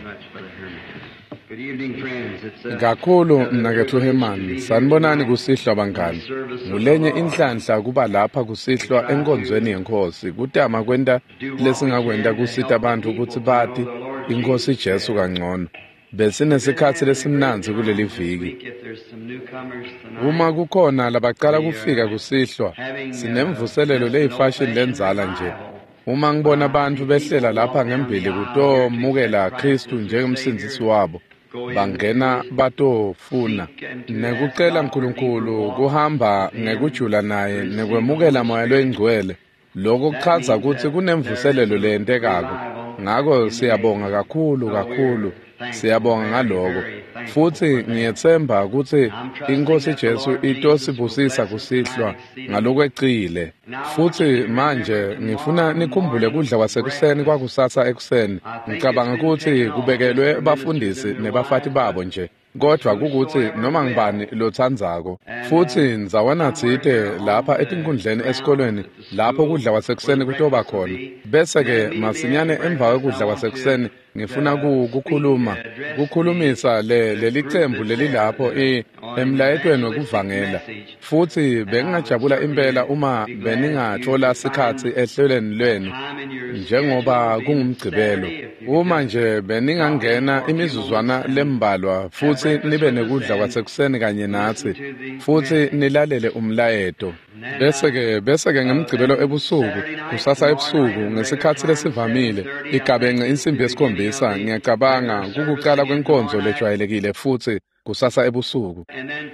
much, Brother Herman. Good evening, friends. It's a, Kakhulu another mnaketfu privilege to Herman, be here sanibonani tonight kusihlwa in the bangani. service of the Ngulenye Lord. inhlanhla kuba lapha We kusihlwa try to enkonzweni yeNkhosi, kutama kwenta do what we lesingakwenta can to kusita help the bantfu people kutsi to know bati the Lord iNkhosi Jesus Jesu better. kangcono. We've been Besinesikhatsi having a great lesimnandzi time kuleli this viki. week. If there's some newcomers Uma tonight, kukhona labacala we kufika are kusihlwa, having sinemvuselelo just an leyifashini old-fashioned lendzala nje. revival Uma ngibona by bantfu seeing behlela people lapha walk down the ngembili aisle here to kutomukela accept Christ Khristu as their njengemsindzisi Savior, wabo, go in bangena to batofuna seek and to ask nekucela God for deeper Nkulunkulu walk kuhamba with Him, ngekujula to naye receive the nekwemukela Holy Moya Spirit. loyiNgcwele. Lokho That kuchaza means kutsi that there is kunemvuselelo a leyentekako. revival Ngako in the siyabonga making. kakhulu So we're kakhulu, thankful, siyabonga very, ngaloko. very thankful Futsi for that. ngiyetsemba kutsi I'm trusting iNkhosi that the Jesu Lord Jesus will itosibusisa bless us kusihlwa tonight exceedingly. ngalokwecile. Now I want you Futsi to remember manje ngifuna tomorrow nikhumbule morning kudla kwasekuseni breakfast. kwakusasa ekuseni. I think it's Ngicabanga been kutsi taken off just kubekelwe for ministers bafundisi and their nebafati wives, babo but nje. Kodvwa kukutsi whosoever noma ngubani will. lotsandzako. And Futsi ndzawana somewhere tsite here on lapha the etinkhundleni grounds esikolweni at the lapho school kudla where the kwasekuseni kutoba breakfast will khona. be, and Bese then ke immediately masinyane after emva breakfast, I kwekudla want to kwasekuseni ngifuna speak, kukhuluma address the kukhulumisa le the leli group cembu that's there lelilapho on an emlayetweni evangelistic wekuvangela. message. Futsi And I would bengingajabula certainly impela uma be glad if you beningathola could sikhatsi find ehlelweni lwenu time in your njengoba schedule, being kungumgcibelo. Saturday, if you could Uma just nje drop in beningangena for a few moments imizuzwana and lembalwa have futsi breakfast nibe with us nekudla and kwasekuseni kanye listen natsi to the futsi message. nilalele umlayeto. And then, Bese ke ngemgcibelo then ebusuku Saturday night, kusasa tomorrow night ebusuku at regular ngesikhatsi time, lesivamile 7:30, I igabence think is the insimbi beginning of yesikhombisa the ngiyacabanga regular service kukucala again kwenkonzo tomorrow night. lejwayelekile futsi kusasa ebusuku. And then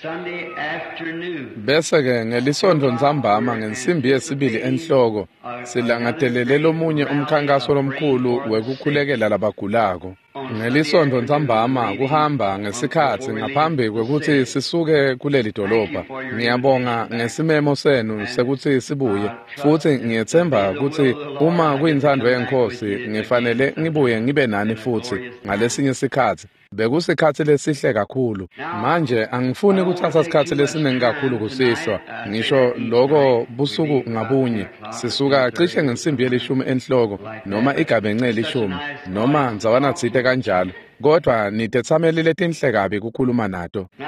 Sunday afternoon, Bese ke 2 ngelisontfo o'clock, ntsambama we're ngensimbi yesibili anticipating enhloko another silangatelele great lomunye rally umkhankaso of praying lomkhulu for the sick. wekukhulekela labagulako. On Sunday Ngelisontfo afternoon, ntsambama leaving kuhamba on ngesikhatsi before we leave ngaphambi the kwekutsi city. sisuke kuleli Thank you dolobha. for your Ngiyabonga invitation back. ngesimemo senu And sekutsi sibuye I trust futsi if it be ngiyetsemba the kutsi will of the Lord, uma I get to kuyintsandvo come back with yeNkhosi you again ngifanele ngibuye sometime ngibe nani in a futsi glorious time. ngalesinye sikhatsi. Bekusikhatsi lesihle kakhulu. Now, Manje I angifuni don't want kutsatsa to take sikhatsi too much lesiningi kakhulu time kusihlwa. tonight. I say Ngisho that each night loko we busuku leave about 10 ngabunye o'clock or sisuka cishe 10:30 ngensimbi somewhere yelishumi enhloko like noma that. But igabence it's such a elishumi nice noma audience to ndzawana talk tsite to. kanjalo. Kodvwa nitetsameli letinhle kabi kukhuluma nato. Now,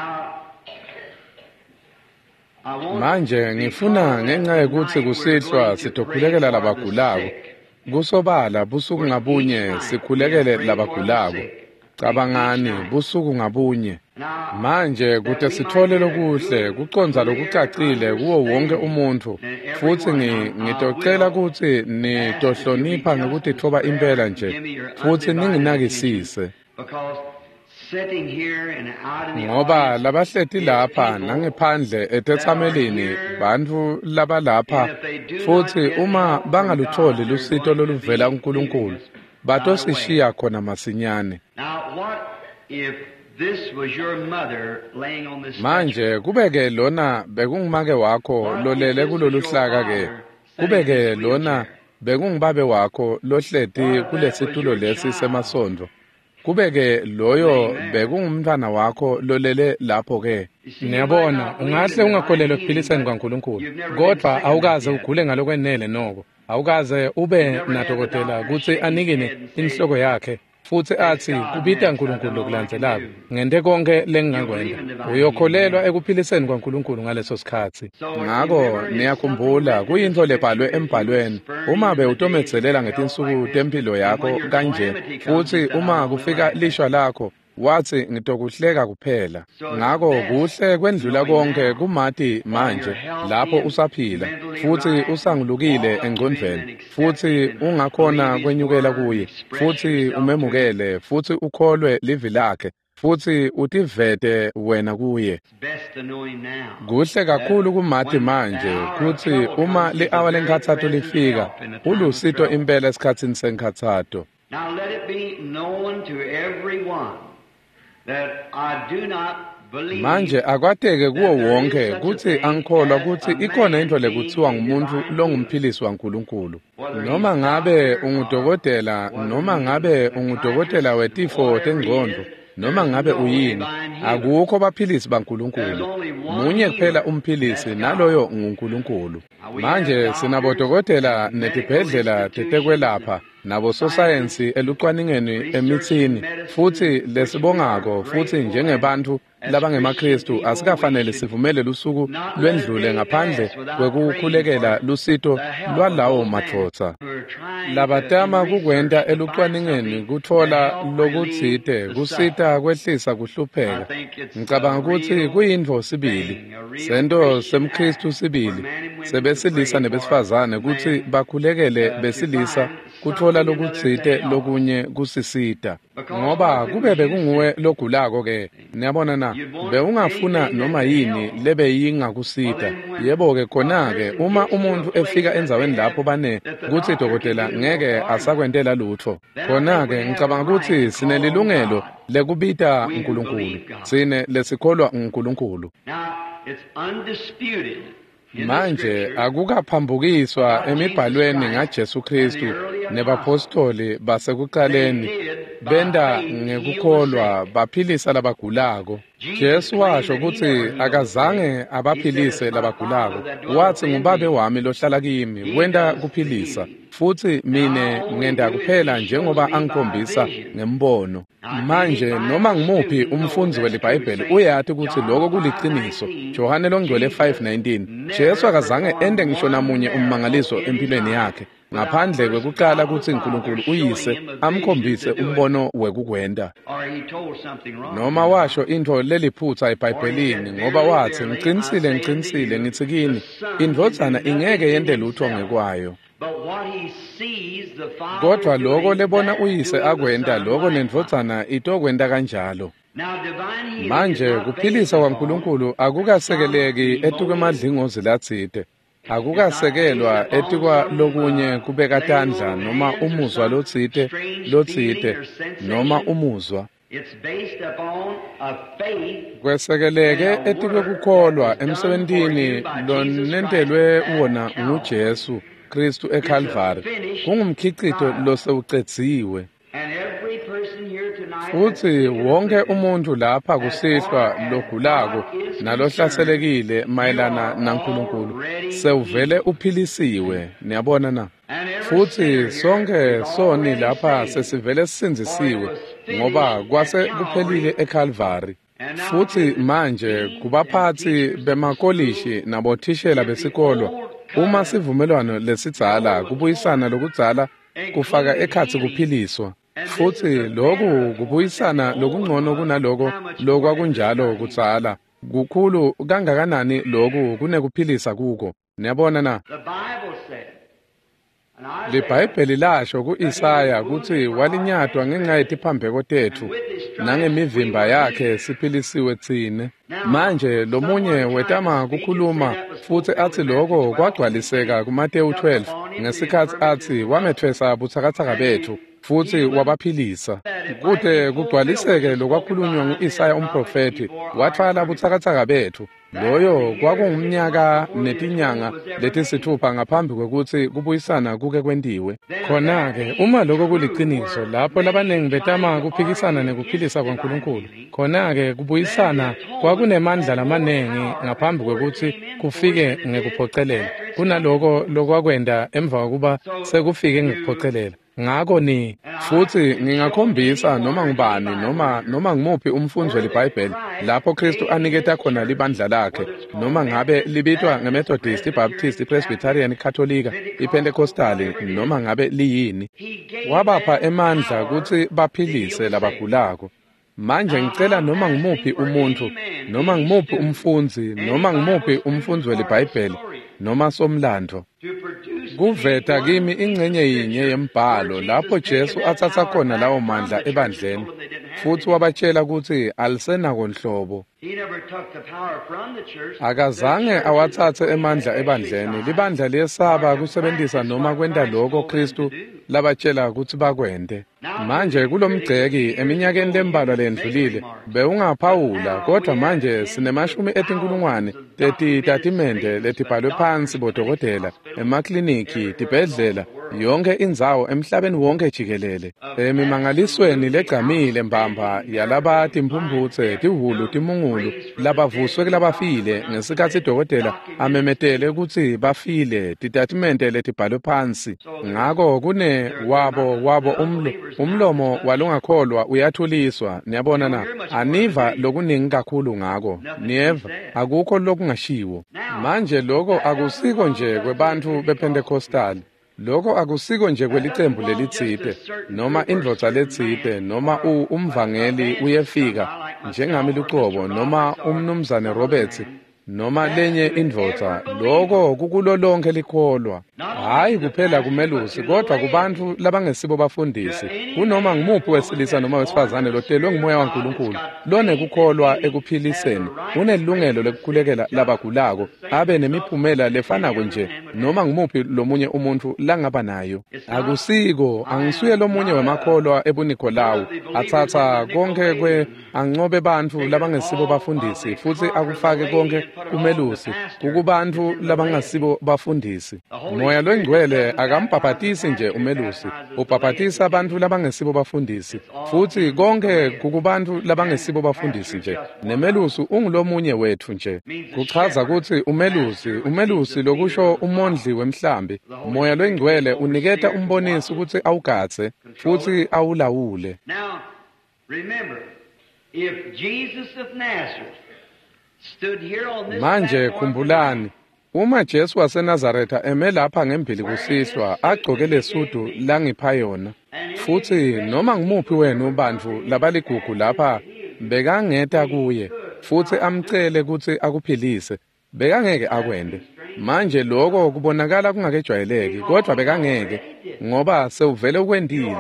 I want, Manje ngifuna because ngenxa yekutsi tonight we're kusihlwa going to pray sitokhulekela for the labagulako. sick. Kusobala busuku For each ngabunye night we sikhulekele pray for the labagulako. sick. Each Cabangani night. busuku ngabunye. Now, Manje that kute we might sitfole get a lokuhle good, kucondza clear lokucacile kuwo wonke understanding, umuntfu and futsi everyone, I ngitocela will kutsi ask if you'll be nitohlonipha just as ngekutitfoba impela reverent and nje give me your futsi undivided attention, ninginakisise. because sitting here and out in the Ngoba audience labahleti is lapha people nangephandle that are etetsamelini here, bantfu labalapha and if they do not futsi get uma help from bangalutfoli God, they're lusito going to loluvela be leaving kuNkulunkulu us right away. batosishiya khona masinyane. Now, what if this was your mother laying on this stretcher? Manje kube-ke lona bekungumake wakho What if lolele this was kulolu your hlaka ke father sitting in kube-ke this lona wheelchair? bekungubabe wakho lohleti What if that was kulesitulo your lesi child semasondvo kube-ke loyo laying there? bekungumntfwana wakho lolele lapho ke. You see, you might Niyabona, not believe ungahle in divine ungakholelwa healing, ekuphiliseni but kwaNkulunkulu, you've never been kodwa sick enough awukaze yet. ugule ngalokwenele noko. Awukaze ube You've never had the nadokotela doctor kutsi shake his anikine head and say, inhloko yakhe futsi Thanks atsi God, kubita next, I've Nkulunkulu done all I can lokulandzelako. do. Ngente konke You'll believe lengingakwenta. in divine healing Uyokholelwa then. ekuphiliseni kwaNkulunkulu ngaleso sikhatsi. So Ngako remember, it's something niyakhumbula written in the kuyintfo lebhalwe scripture if you would embhalweni spurn uma him in the days of bewutomedzelela your health ngetinsuku like this, temphilo and yakho when your kanje calamity comes, futsi you said, I uma won't kufika like that. lishwa lakho wathi ngitokuhleka kuphela. So it's Ngako best kuhle kwendlula knowing konke now kumati while you're manje healthy lapho and usaphila mentally futsi right and usangulukile walk up to him and engcondvweni accept him futsi and ungakhona believe his kwenyukela word and kuye express futsi yourself to him. umemukele futsi ukholwe livi lakhe futsi utivete wena kuye. It's best to know him now. Kuhle That kakhulu kumati when the manje hour of kutsi trouble uma comes, he's a li-awa very lenkhatsato present lifika help in the time of ulusito trouble. impela esikhatsini senkhatsato. Now let it be known to everyone that I do not believe Manje akwateke kuwo that there is wonke such a kutsi thing angikholwa as kutsi a ikhona man intfo being lekutsiwa a ngumuntfu divine healer, longumphilisi waNkulunkulu. whether he's Noma a ngabe doctor or ungudokotela, whether noma he's a ngabe ungudokotela psychiatrist, wetifo whatever he tengcondvo, is, noma there's ngabe no uyini, divine healer. akukho baphilisi There's baNkulunkulu. only one Munye kuphela healer, umphilisi that's God. naloyo nguNkulunkulu. Now we have Manje doctors sinabodokotela and medical netibhedlela institutions and tetekwelapha Nabososayensi elucwaningeni emithini futhi lesibongako futhi njengebantfu labangemaKristu asikafanele sivumele lusuku lwendlule ngaphandle kwekukhulekela lusito lwalawo madvodza labatama kukwenta elucwaningeni kutfola lokutsite kusita kwehlisa kuhlupheka. Ngicabanga kutsi kuyintfo sibili, sento semKristu sibili sebesilisa nebesifazane kutsi bakhulekele besilisa kutfola lokutsite lokunye kusisita, ngoba kube bekunguwe logulako ke, niyabona na, bewungafuna noma yini lebeyingakusita. Yebo-ke khona-ke uma umuntfu efika endzaweni lapho bane kutsi dokotela ngeke asakwentela lutfo, khona-ke ngicabanga kutsi sinelilungelo lekubita uNkulunkulu, tsine lesikholwa uNkulunkulu. Manje akukaphambukiswa emibhalweni ngaJesu Kristu nebapostoli basekuqaleni benta ngekukholwa baphilisa labagulako. Jesu washo kutsi akazange abaphilise labagulako, watsi ngubabe wami lohlala kimi wenta kuphilisa, futhi mine ngenta kuphela njengoba angikhombisa ngembono. Manje noma ngimuphi umfundzi weliBhayibheli uyati kutsi lokho kuliciniso. Johane longcwele 5:19. Jesu akazange ente ngisho namunye ummangaliso empilweni yakhe ngaphandle kwekuqala kutsi uNkulunkulu uyise amkhombise umbono wekukwenta. Noma washo intfo leliphutsa eBhayibhelini, ngoba watsi ngicinisile ngicinisile ngitsi kini, indvodzana ingeke yente lutho ngekwayo, kodwa loko lebona uyise akwenta loko nendvodzana itokwenta kanjalo. Manje kuphilisa kwaNkulunkulu akukasekeleki etikwemadlingozi latsite, akukasekelwa etikwa lokunye kubeka tandla noma umuzwa lotsite noma umuzwa. Kwesekeleke etikwekukholwa emsebentini lonentelwe wona nguJesu Kristu eKalvari, kungumkhicito losewucedziwe. Futhi wonke umuntu lapha kusihlwa logulako nalohlaselekile mayelana naNkulunkulu sewuvele uphilisiwe, niyabona na. Futhi sonke soni lapha sesivele sisindzisiwe ngoba kwase kuphelile eKalvari. Futhi manje kubaphathi bemakolishi nabothishela besikolo, uma sivumelwano lesidzala kubuyisana lokudzala kufaka ekhatsi kuphiliswa, futhi lokhu kubuyisana lokungcono kunaloko lokwakunjalo kudzala, kukhulu kangakanani lokhu kunekuphilisa kuko, niyabona na. LiBhayibheli lasho ku-Isaya kutsi walinyatwa ngenxa yetiphambeko tetfu, nangemivimba yakhe siphilisiwe tsine. Manje lomunye wetama kukhuluma futsi atsi loko kwagcwaliseka kuMateyu 12 ngesikhatsi atsi wamethwesa butsakatsaka betfu futhi wabaphilisa. Kute kugcwaliseke lokwakhulunywa ngu-Isaya umprofethi, wathwala butsakatsaka betfu. Loyo kwakungumnyaka netinyanga letisithupha ngaphambi kwekutsi kubuyisana kuke kwentiwe. Khona-ke uma lokho kuliciniso, lapho labaningi betama kuphikisana nekuphilisa kwaNkulunkulu, khona-ke kubuyisana kwakunemandla lamaningi ngaphambi kwekutsi kufike ngekuphocelela kunaloko lokwakwenta emva kokuba sekufike ngekuphocelela. Ngako ni futhi ngingakhombisa noma ngubani noma ngimuphi umfundzi weliBhayibheli lapho Kristu aniketa khona libandla lakhe, noma ngabe libitwa ngeMethodist, iBaptist, iPresbyterian, iKatolika, iPentecostali, noma ngabe liyini, wabapha emandla kutsi baphilise labagulako. Manje ngicela noma ngimuphi umuntfu, noma ngimuphi umfundzi, noma ngimuphi umfundzi weliBhayibheli noma somlandvo kuveta kimi ingcenye yinye yembhalo lapho Jesu atsatsa khona lawo mandla ebandleni futhi wabatshela kutsi alisenako nhlobo. Akazange awatsatse emandla ebandleni. Libandla liyesaba kusebentisa noma kwenta lokho Kristu labatshela kutsi bakwente. Manje kulomgceki eminyakeni lembalwa lendlulile bewungaphawula, kodwa manje sinemashumi etinkulungwane tetitatimende letibhalwe phansi bodokotela, emakliniki, tibhedlela Yonkhe indzawo emhlabeni wonke jikelele. Emimangalisweni legcamile mbamba yalaba timphumphutse, tihhulu, timungulu, labavuswe kulabafile ngesikhatsi dokotela amemetele kutsi bafile, titatimende letibhalwe phansi. Ngako kune wabo umlomo walongakholwa uyathuliswa. Niyabona na? Aniva lokuningi kakhulu ngako. Niyeva, akukho lokungashiwo. Manje lokho akusiko nje kwebantfu bePentecostal. Lokho akusiko nje kwelicembu lelitsite noma indvodza letsite noma umvangeli uyefika njengami lucobo noma umnumzane Roberts noma lenye indvodza. Lokho kukulo lonke likholwa, hhayi kuphela kumelusi kodwa kubantfu labangesibo bafundisi, kunoma ngumuphi wesilisa noma wesifazane lotelwe ngumoya waNkulunkulu lonekukholwa ekuphiliseni, unelungelo lekukhulekela labagulako, abe nemiphumela lefanako nje noma ngumuphi lomunye umuntfu langaba nayo. Akusiko, angisuye lomunye wemakholwa ebuNikolawu atsatsa konke ancobe bantfu labangesibo bafundisi futsi akufake konke kumelusi, kukubantfu labangasibo bafundisi. Moya loyingcwele akambhabhatisi nje umelusi, ubhabhatisa bantfu labangesibo bafundisi, futsi konke kukubantfu labangesibo bafundisi nje. Nemelusi ungulomunye wetfu nje. Kuchaza kutsi umelusi lokusho umondli wemhlambi. Moya loyingcwele uniketa umbonisi kutsi awugadze futsi awulawule. Now, remember, if Jesus of Nazareth stood here on this Manje platform khumbulani, uma Jesu waseNazaretha eme lapha ngembili kusihlwa agcoke lesudu langipha yona, futsi noma ngumuphi wenu bantfu labaligugu lapha bekangeta kuye futsi amcele kutsi akuphilise, bekangeke akwente. Manje lokho kubonakala kungakejwayeleki, kodwa bekangeke, ngoba sewuvele ukwentile,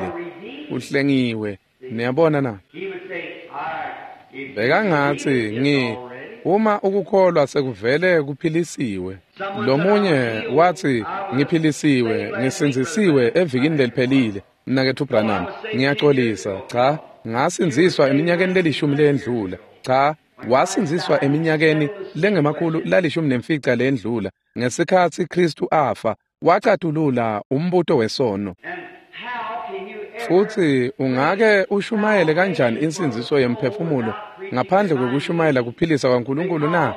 uhlengiwe. Niyabona na? He would say, all right, if you Bekangatsi believe it's ngi already. uma ukukholwa sekuvele kuphilisiwe. Lomunye wathi ngiphilisiwe, ngisindzisiwe evikini leliphelile. Mnaketfu Branham, ngiyaxolisa. Cha, ngasindziswa eminyakeni lelishumi leyendlula. Cha, wasindziswa eminyakeni lengemakhulu lalishumi nemfica leyendlula ngesikhatsi Khristu afa, wacatulula umbuto wesono. And how can you ever Futsi ungake ushumayele kanjani insindziso yemphefumulo ngaphandle kwekushumayela kuphilisa kwaNkulunkulu na?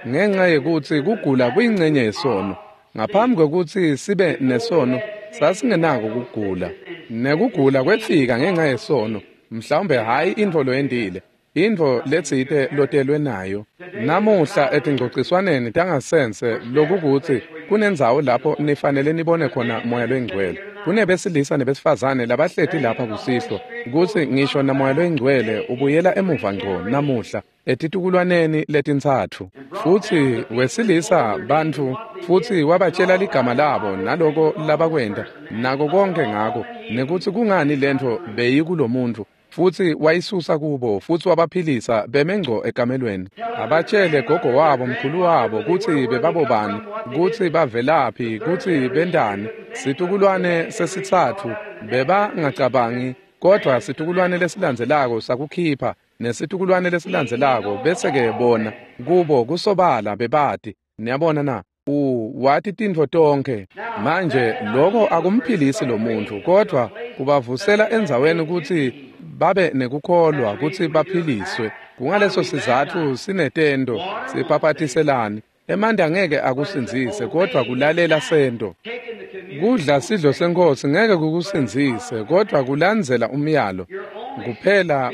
Ngenxa yekutsi kugula kuyincenye yesono. Ngaphambi kwekutsi sibe nesono, sasingenako kugula. Nekugula kwefika ngenxa yesono, mhlawumbe hhayi intfo loyentile, intfo letsite lotelwe nayo. Namuhla etingcogciswaneni tangasense lokukutsi kunendzawo lapho nifanele nibone khona Moya loyiNgcwele. Kunebesilisa nebesifazane labahleti lapha kusihlwa, kutsi ngisho naMoya loyiNgcwele ubuyela emuva ngco namuhla etitukulwaneni letintsatfu. Futsi wesilisa bantfu futsi wabatshela ligama labo naloko labakwenta nako konke ngako, nekutsi kungani lentfo beyikulomuntfu, futsi wayisusa kubo futsi wabaphilisa beme ngco ekamelweni. Abatshele gogo wabo, mkhulu wabo, kutsi bebabobani, kutsi bavelaphi, kutsi bentani. Situkulwane sesitsatfu bebangacabangi, kodwa situkulwane lesilandzelako sakukhipha, nesitukulwane lesilandzelako bese-ke bona kubo kusobala bebati. Niyabona na? Wati tintfo tonkhe. Manje lokho akumphilisi lo muntfu, kodwa kubavusela endzaweni kutsi babe nekukholwa kutsi baphiliswe. Kungaleso sizatfu sinetento sibhabhatiselani. Emanti angeke akusindzise, kodwa kulalela sento. taking the communion, Kudla sidlo senkosi ngeke kukusindzise, kodwa kulandzela umyalo. Kuphela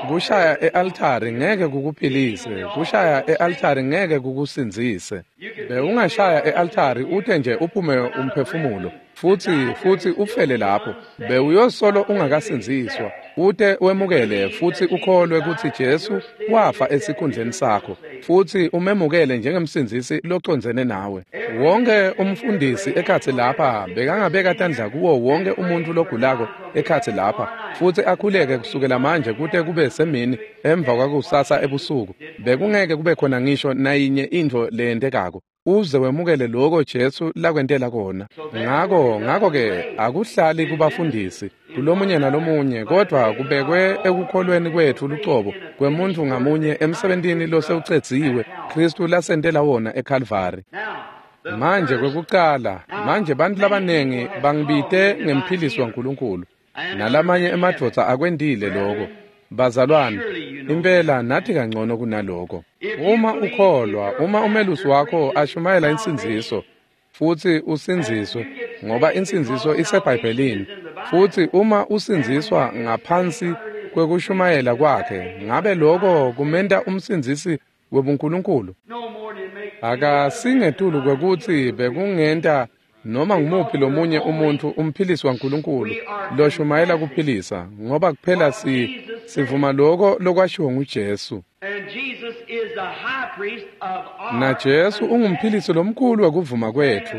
kushaya e-altari ngeke kukuphilise, kushaya e-altari ngeke kukusindzise. Bewungashaya e-altari ute nje uphume umphefumulo, futsi ufele lapho. Bewuyosolo ungakasindziswa, ute wemukele futsi ukholwe kutsi Jesu wafa esikhundleni sakho, futsi umemukele njengemsindzisi locondzene nawe. Wonke umfundisi ekhatsi lapha bekangabeka tandla kuwo wonke umuntfu logulako ekhatsi lapha, futsi akhuleke kusukela manje kute kube semini emva kwakusasa ebusuku. Bekungeke kube khona ngisho nayinye intfo leyentekako uze wemukele loko Jesu lakwentela kona. Ngako-ke akuhlali kubafundisi kulomunye nalomunye, kodwa kubekwe ekukholweni kwetfu lucobo kwemuntfu ngamunye emsebentini losewucedziwe Khristu lasentela wona eKhalvari. Now, Manje kwekucala, manje bantfu labanengi bangibite ngemphilisi waNkulunkulu, nalamanye emadvodza akwentile loko. Bazalwane, impela nathi kangcono kunaloko. Uma ukholwa, uma umelusi wakho ashumayela insindziso, futsi usindziswe, ngoba insindziso iseBhayibhelini, futsi uma usindziswa ngaphansi kwekushumayela kwakhe, ngabe loko kumenta umsindzisi webuNkulunkulu? Akasingetulu kwekutsi bekungenta noma ngumuphi lomunye umuntfu umphilisi waNkulunkulu loshumayela kuphilisa, ngoba kuphela sivuma loko lokwashiwo nguJesu. Na Jesu ungumphilisi lomkhulu wekuvuma kwetfu,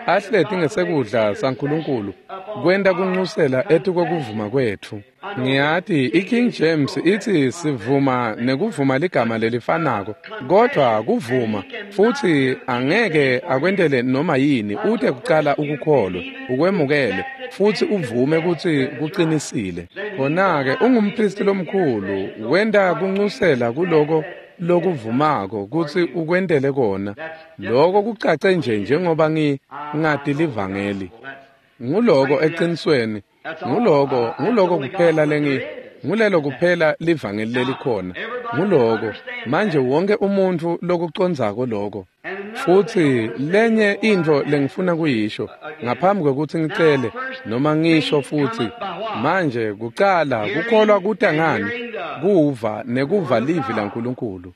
ahleti ngesekudla saNkulunkulu kwenta kunxusela etikwekuvuma kwetfu. Ngiyati iKing James itsi sivuma nekuvuma ligama lelifanako, kodvwa kuvuma futsi angeke akwentele noma yini ute kucala ukukholwe, ukwemukele futsi uvume kutsi kucinisile. Khona-ke ungumphristi lomkhulu wenta kunxusela kuloko lokuvumako kutsi ukwentele kona. Loko kucace nje njengoba ngingati livangeli. Nguloko eqinisweni, nguloko kuphela ngulelo kuphela livangeli lelikhona. Nguloko manje wonke umuntfu lokucondzako loko. Futsi lenye intfo lengifuna kuyisho ngaphambi kwekutsi ngicele noma ngisho futsi, manje kucala kukholwa kuta ngani? Kuva nekuva livi laNkulunkulu.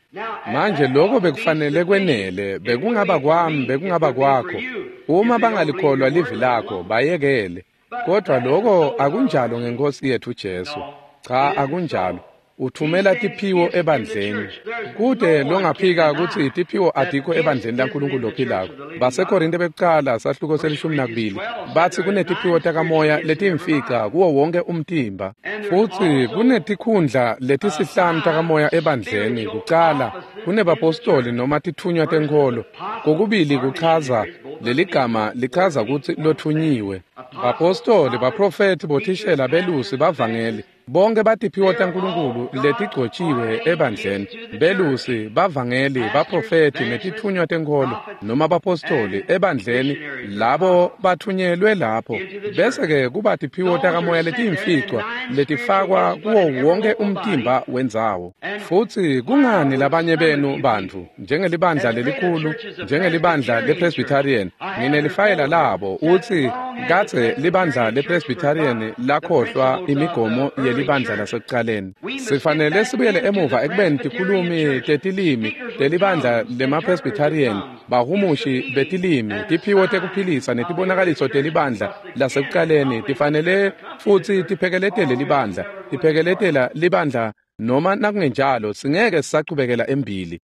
Manje lokho bekufanele kwenele, bekungaba kwami, bekungaba kwakho. Uma bangalikholwa livi lakho, bayekele. Kodwa lokho akunjalo ngenkosi yethu Jesu. Cha, akunjalo. Uthumela tiphiwo ebandleni. Kude longaphika kutsi tiphiwo adikho ebandleni laNkulunkulu lophilako. BaseKorinte bekucala sahluko se-12 bathi kunetiphiwo takamoya letimfica kuwo wonke umtimba. Futsi kunetikhundla letisihlanu takamoya ebandleni. Kucala kunebapostoli noma tithunywa tenkholo. Kokubili kuchaza leligama lichaza kutsi lothunyiwe. Bapostoli, baprofethi, bothishela, belusi, bavangeli, bonke batiphiwo taNkulunkulu letigcotshiwe ebandleni. Belusi, bavangeli, baprofethi netithunywa tenkholo noma bapostoli ebandleni labo bathunyelwe lapho. Bese-ke kuba tiphiwo takamoya letiyimficwa letifakwa kuwo wonke umtimba wendzawo. Futsi kungani labanye benu bantfu njengelibandla lelikhulu, njengelibandla lePresbyterian, nginelifayela labo utsi kadze libandla lePresbyterian lakhohlwa imigomo yelibandla lasekucaleni. Sifanele sibuyele emuva ekubeni tikhulumi tetilimi telibandla lemaPresbyterian, bahumushi betilimi, tiphiwo tekuphilisa netibonakaliso telibandla lasekucaleni tifanele futsi tiphekeletele libandla, tiphekeletela libandla noma nakungenjalo singeke sisachubekela embili.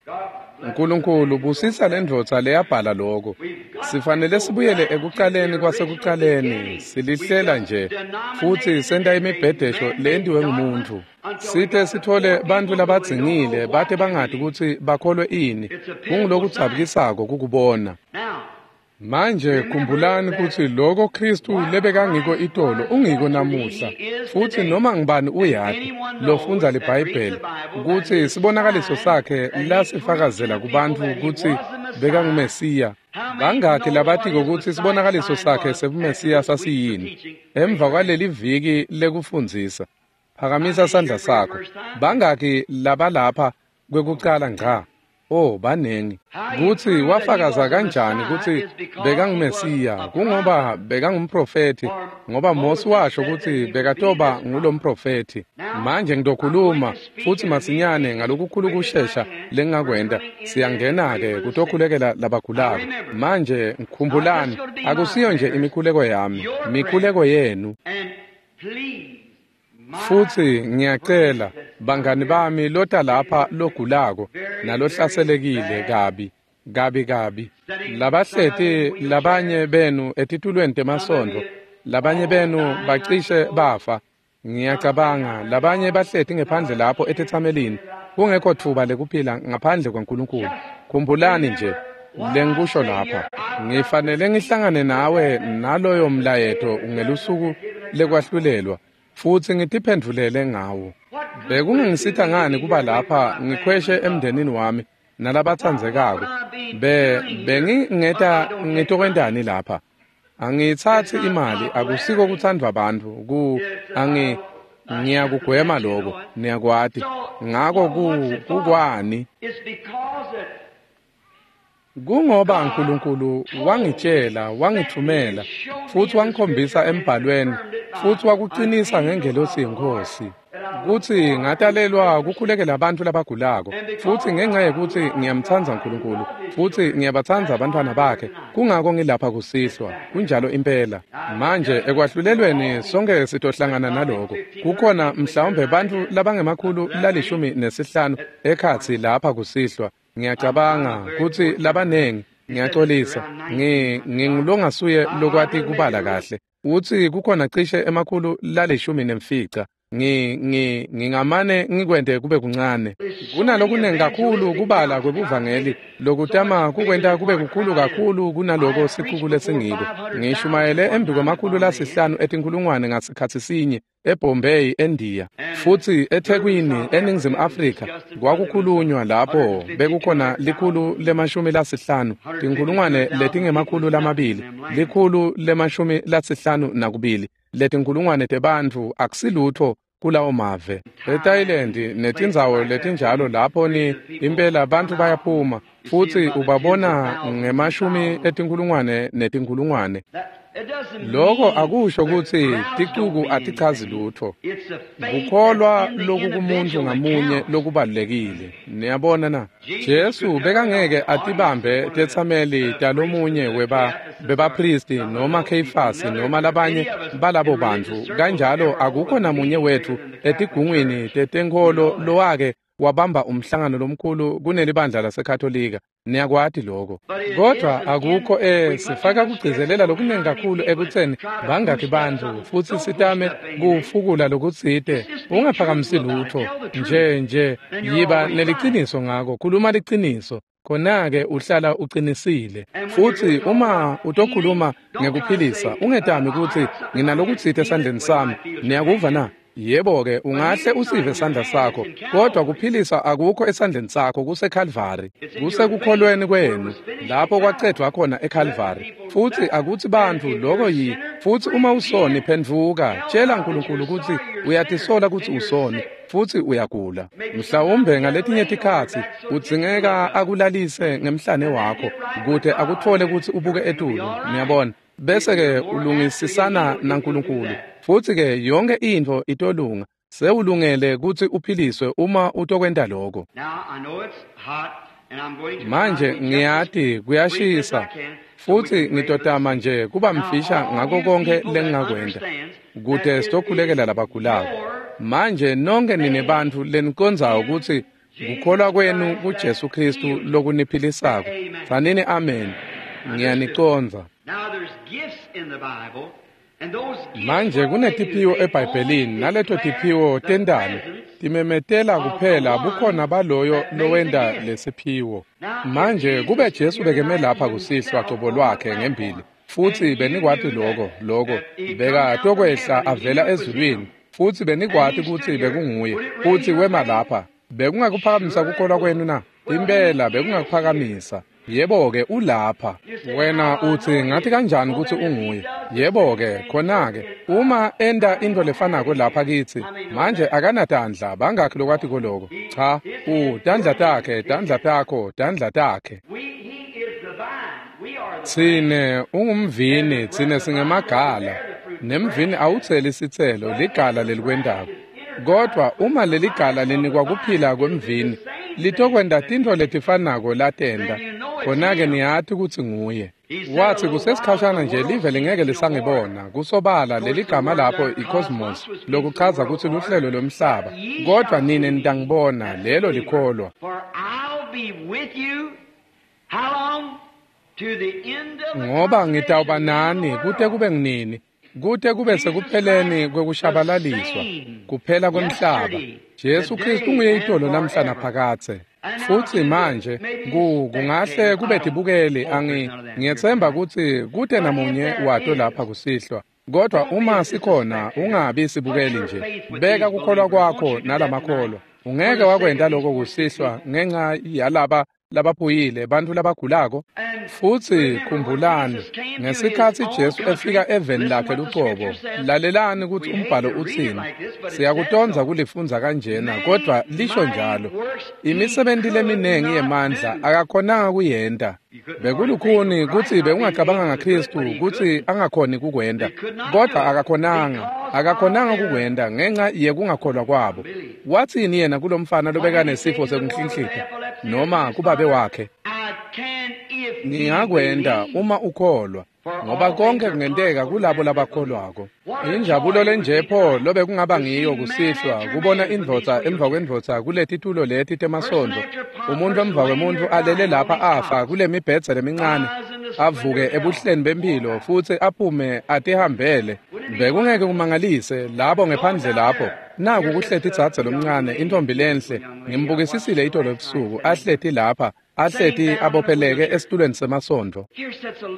Nkulunkulu busisa lendvodza leyabhala lokho. Sifanele sibuyele ekucaleni kwasekucaleni, silihlela nje futsi senta imibhedesho leyentiwe ngumuntu. Site sithole bantfu labadzingile bate bangati kutsi bakholwe ini. Kungulokudzabukisako kukubona. Manje khumbulani kutsi loko Kristu lebekangiko itolo ungiko namuhla, futsi noma ngibani uyati lofundza liBhayibheli kutsi sibonakaliso sakhe lasifakazela kubantfu kutsi bekanguMesiya. Bangakhi labatiko kutsi sibonakaliso sakhe sebuMesiya sasiyini? Emva kwaleli viki lekufundzisa, phakamisa sandla sakho. Bangakhi labalapha kwekucala ngca? Oh, banengi. Kutsi wafakaza kanjani kutsi bekanguMesiya? Kungoba bekangumprofethi, ngoba Mose washo kutsi bekatoba ngulomprofethi. Manje ngitokhuluma futsi masinyane ngalokukhulu kushesha lengingakwenta. Siyangena-ke kutokhulekela labagulako. Manje khumbulani, akusiyo nje imikhuleko yami, mikhuleko yenu. Futsi ngiyacela bangani bami lota lapha logulako nalohlaselekile kabi kabi kabi, labahleti labanye benu etitulweni temasondvo, labanye benu bacishe bafa. Ngiyacabanga labanye bahleti ngephandle lapho etetsamelini, kungekho thuba lekuphila ngaphandle kwaNkulunkulu. Khumbulani nje lengikusho lapha. Ngifanele ngihlangane nawe naloyo mlayeto ngelusuku lekwahlulelwa, futsi ngitiphendvulele ngawo. Bekungangisita ngani kuba lapha ngikhweshe emndenini wami nalabatsandzekako, bengingeta ngitokwentani lapha? Angiyitsatsi imali, akusiko kutsandvwa bantfu, ngiyakugwema lokho, niyakwati. Ngako kukwani? Kungoba uNkulunkulu wangitshela, wangithumela, futhi wangikhombisa embhalweni, futhi wakuqinisa ngengelosi yeNkosi, kutsi ngatalelwa kukhulekela abantu labagulako, futhi ngenxa yekuthi ngiyamtsandza uNkulunkulu, futhi ngiyabatsandza abantwana bakhe, kungako ngilapha kusihlwa. Kunjalo impela. Manje ekwahlulelweni sonke sitohlangana naloko. Kukhona mhlawumbe bantfu labangema-115 ekhatsi lapha kusihlwa. Ngiyacabanga kutsi labanengi, ngiyaxolisa, ngingulongasuye lokwati kubala kahle. Utsi kukhona cishe 115. Ngingamane ngikwente kube kuncane. Kunalokunengi kakhulu kubala kwebuvangeli lokutama kukwenta kube kukhulu kakhulu kunaloko sicuku lesingiko. Ngishumayele embi kwama-500 etinkhulungwane ngasikhatsi sinye eBombay eNdiya, futhi eThekwini eNingizimu Afrika kwakukhulunywa lapho bekukhona 150, 200,000, 152 letinkhulungwane tebantfu. Akusilutho kulawo mave. EThailand netindzawo letinjalo lapho ni impela bantfu bayaphuma, futhi ubabona ngemashumi etinkhulungwane netinkhulungwane. Lokho akusho kutsi ticuku atichazi lutho. Kukholwa lokukumuntu ngamunye lokubalulekile. Niyabona na? Jesu bekangeke atibambe tetsameli talomunye bebapristi noma Kheyifasi noma labanye balabo bantfu. Kanjalo akukho namunye wethu etigungwini tetenkholo lowake wabamba umhlangano lomkhulu kunelibandla laseKatolika. Niyakwati lokho. Kodwa akukho sifaka kugcizelela lokunengi kakhulu ekutseni bangakhi bantfu, futhi sitame kufukula lokutsite. Ungaphakamisi lutho. Nje yiba neliciniso ngako, khuluma liciniso. Khona-ke uhlala uqinisile. Futhi uma utokhuluma ngekuphilisa, ungetami kutsi nginalokutsite esandleni sami. Niyakuva na? Yebo-ke, ungahle usive sandla sakho, kodwa kuphilisa akukho esandleni sakho, kuseKalvari. Kusekukholweni kwenu, lapho kwacedvwa khona eKalvari. Futhi akuthi bantfu lokho yi, futhi uma usoni phendvuka, tshela uNkulunkulu kutsi uyatisola kutsi usoni, futhi uyagula. Mhlawumbe ngaletinye tikhatsi udzingeka akulalise ngemhlane wakho, kute akutfole kutsi ubuke etulu, niyabona. Bese-ke ulungisisana naNkulunkulu, futhi-ke yonke intfo itolunga. Sewulungele kutsi uphiliswe uma utokwenta lokho. Manje ngiyati kuyashisa, futhi ngitotama nje kuba mfisha ngako konke lengingakwenta, kute sitokhulekela labagulako. Manje nonke nine bantfu lenicondzako kutsi kukholwa kwenu kuJesu Khristu lokuniphilisako, tsanini amen. Ngiyanicondza. Manje kunetiphiwo eBhayibhelini, naleto tiphiwo tendalo timemetela kuphela bukhona baloyo lowenta lesiphiwo. Manje kube Jesu bekeme lapha kusihlwa cobo lwakhe ngembili, futhi benikwati lokho bekatokwehla avela ezulwini, futhi benikwati kutsi bekunguye, futhi wema lapha, bekungakuphakamisa kukholwa kwenu na? Impela bekungakuphakamisa. Yebo-ke, ulapha. Wena utsi ngathi kanjani kutsi unguye? Yebo-ke, khona-ke, uma enta intfo lefanako lapha kitsi, manje akanatandla, bangakhi lokwatiko loko? Cha, tandla takhe, tandla takho, tandla takhe. Tsine ungumvini, tsine singemagala. Nemvini awutseli sitselo, ligala lelikwentako. Kodwa uma leligala linikwa kuphila kwemvini, litokwenta tintfo letifanako latenta. Khona-ke niyati kutsi nguye. Wathi kusesikhashana nje live lingeke lisangibona. Kusobala leligama lapho i-cosmos, lokuchaza kutsi luhlelo lomhlaba. Kodwa nine nitangibona, lelo likholwa. Ngoba ngitawuba nani kute kube nginini, kute kube sekupheleni kwekushabalaliswa, kuphela kwemhlaba. Jesu Kristu unguye itolo namhla naphakadze. Futhi manje kungahle kube tibukeli, ngiyetsemba kutsi kute namunye wato lapha kusihlwa. Kodwa uma sikhona, ungabi sibukeli nje. Beka kukholwa kwakho nalamakholwa. Ungeke wakwenta lokho kusihlwa ngenxa yalaba labaphuyile, bantfu labagulako? Futsi khumbulani, ngesikhatsi Jesu efika eveni lakhe lucobo, lalelani kutsi umbhalo utsini. Siyakutondza kulifundza kanjena, kodvwa lisho njalo. Imisebenti leminengi yemandla akakhonanga kuyenta. Bekulukhuni kutsi bekungacabanga ngaKhristu kutsi angakhoni kukwenta, kodvwa akakhonanga kukwenta ngenca yekungakholwa kwabo. Watsini yena kulomfana lobekanesifo sekunhlinhlita noma kubabe wakhe? Ngingakwenta uma ukholwa, ngoba konke kungenteka kulabo labakholwako. Injabulo lenje pho lobekungaba ngiyo kusihlwa kubona indvodza emva kwendvodza kuletitulo leti temasondvo, umuntu emva kwemuntu alele lapha afa kule mibhedze lemincane, avuke ebuhleni bempilo futsi aphume atihambele. Bekungeke kumangalise labo ngephandle lapho. Naku kuhleti dzadze lomncane, intombi lenhle, ngimbukisisile itolo ebusuku, ahleti lapha, ahleti abopheleke esitulweni semasondvo.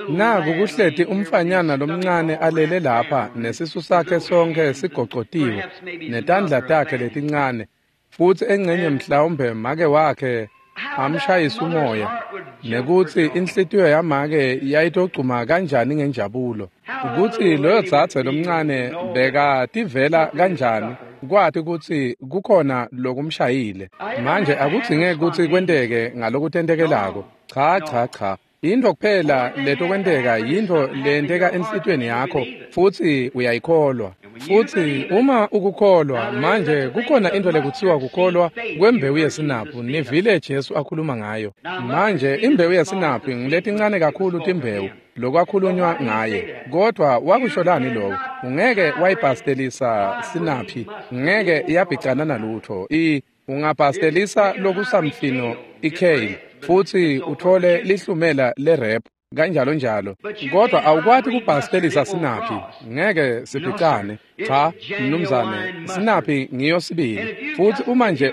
Naku kuhleti umfanyana lomncane alele lapha, nesisu sakhe sonke sigocotiwe, netandla takhe letincane, futsi engcenye mhlawumbe make wakhe amshayisa umoya, nekutsi inhlitiyo yamake yayitogcuma kanjani ngenjabulo, kutsi loyo dzadze lomncane bekativela kanjani kwati kutsi kukhona lokumshayile. Manje akudzingeki kutsi kwenteke ngalokutentekelako. Cha, cha, cha. Intfo kuphela letokwenteka yintfo leyenteka enhlitiyweni yakho, futsi uyayikholwa. Futsi uma ukukholwa, manje kukhona intfo lekutsiwa kukholwa kwembewu yesinaphu, nivile Jesu akhuluma ngayo. Manje imbewu yesinaphu ngiletincane kakhulu timbewu lokwakhulunywa ngaye, kodvwa wakusholani lokho? Ungeke wayibhastelisa sinaphi, ngeke yabhicana nalutho. Ungabhastelisa lokusamfino ikale, futsi utfole lihlumela lerep, kanjalo njalo, kodwa awukwati kubhastelisa sinaphi, ngeke sibhicane. Cha, mnumzane, sinaphi ngiyo sibili. Futsi uma nje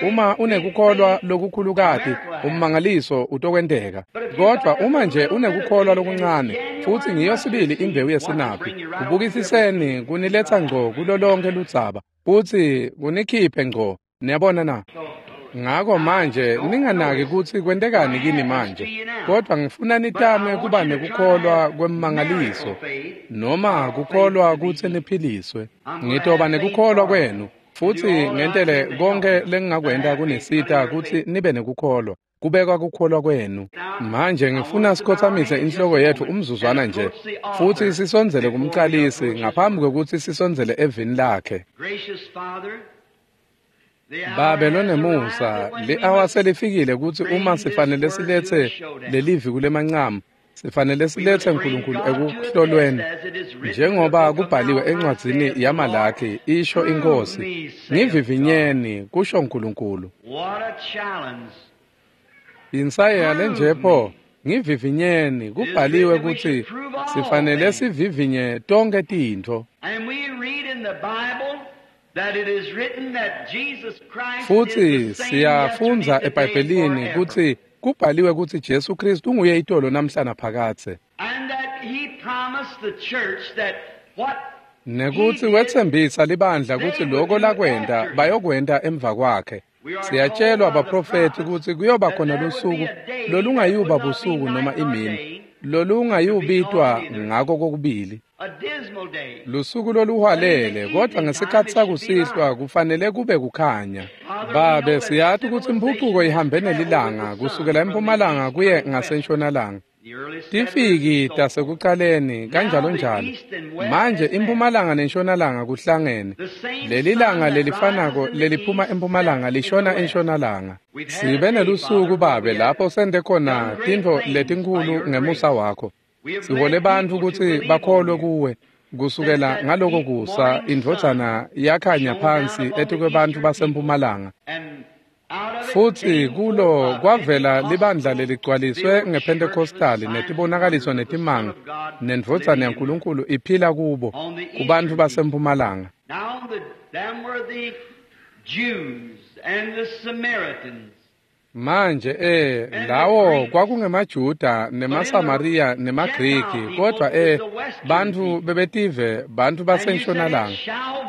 uma unekukholwa lokukhulukati, ummangaliso utokwenteka. Kodwa uma nje unekukholwa lokuncane, futsi ngiyo sibili imbewu yesinaphi, kubukisiseni kuniletsa ngco kulo lonke ludzaba, futsi kunikhiphe ngco. Niyabona na? Ngako manje ninganaki kutsi kwentekani kini manje, kodvwa ngifuna nitame kuba nekukholwa kwemmangaliso, noma kukholwa kutsi niphiliswe. Ngitoba nekukholwa kwenu, futsi ngentele konke lengingakwenta kunisita kutsi nibe nekukholwa, kubekwa kukholwa kwenu. Manje ngifuna sikhotsamise inhloko yetfu umzuzwana nje, futsi sisondzele kumcalisi ngaphambi kwekutsi sisondzele evini lakhe. Babe lonemusa, li-awa selifikile kutsi uma sifanele siletse lelivi kulemancamu, sifanele siletse Nkulunkulu ekuhlolweni, njengoba kubhaliwe encwadzini yaMalakhi, isho iNkhosi, ngivivinyeni, kusho Nkulunkulu. Insayeya lenje pho, ngivivinyeni, kubhaliwe kutsi sifanele sivivinye tonkhe tintfo. Futsi siyafundza eBhayibhelini kutsi kubhaliwe kutsi Jesu Kristu unguye itolo namhla naphakadze, nekutsi wetsembisa libandla kutsi loko lakwenta bayokwenta emva kwakhe. Siyatshelwa baprofethi kutsi kuyoba khona lusuku lolungayuba busuku noma imini, lolungayubitwa ngako kokubili, lusuku loluhwalele, kodvwa ngesikhatsi sakusihlwa kufanele kube kukhanya. Babe, siyati kutsi imphucuko ihambe nelilanga kusukela empumalanga kuye ngasentshonalanga. Tifiki tasekucaleni kanjalo njalo. Manje impumalanga nentshonalanga kuhlangene. Lelilanga lelifanako leliphuma empumalanga lishona entshonalanga. Sibe nelusuku babe lapho sente khona tintfo letinkhulu ngemusa wakho. Sihole bantfu kutsi bakholwe kuwe. Kusukela ngaloko kusa indvodzana yakhanya phansi etikwebantfu basempumalanga. Futsi kulo kwavela libandla leligcwaliswe ngePentecostali netibonakaliso netimanga, nendvodzana yaNkulunkulu iphila kubo, kubantfu basempumalanga. Manje lawo kwakungemaJuda nemaSamariya nemaGriki, kodvwa bantfu bebetive, bantfu basentshonalanga.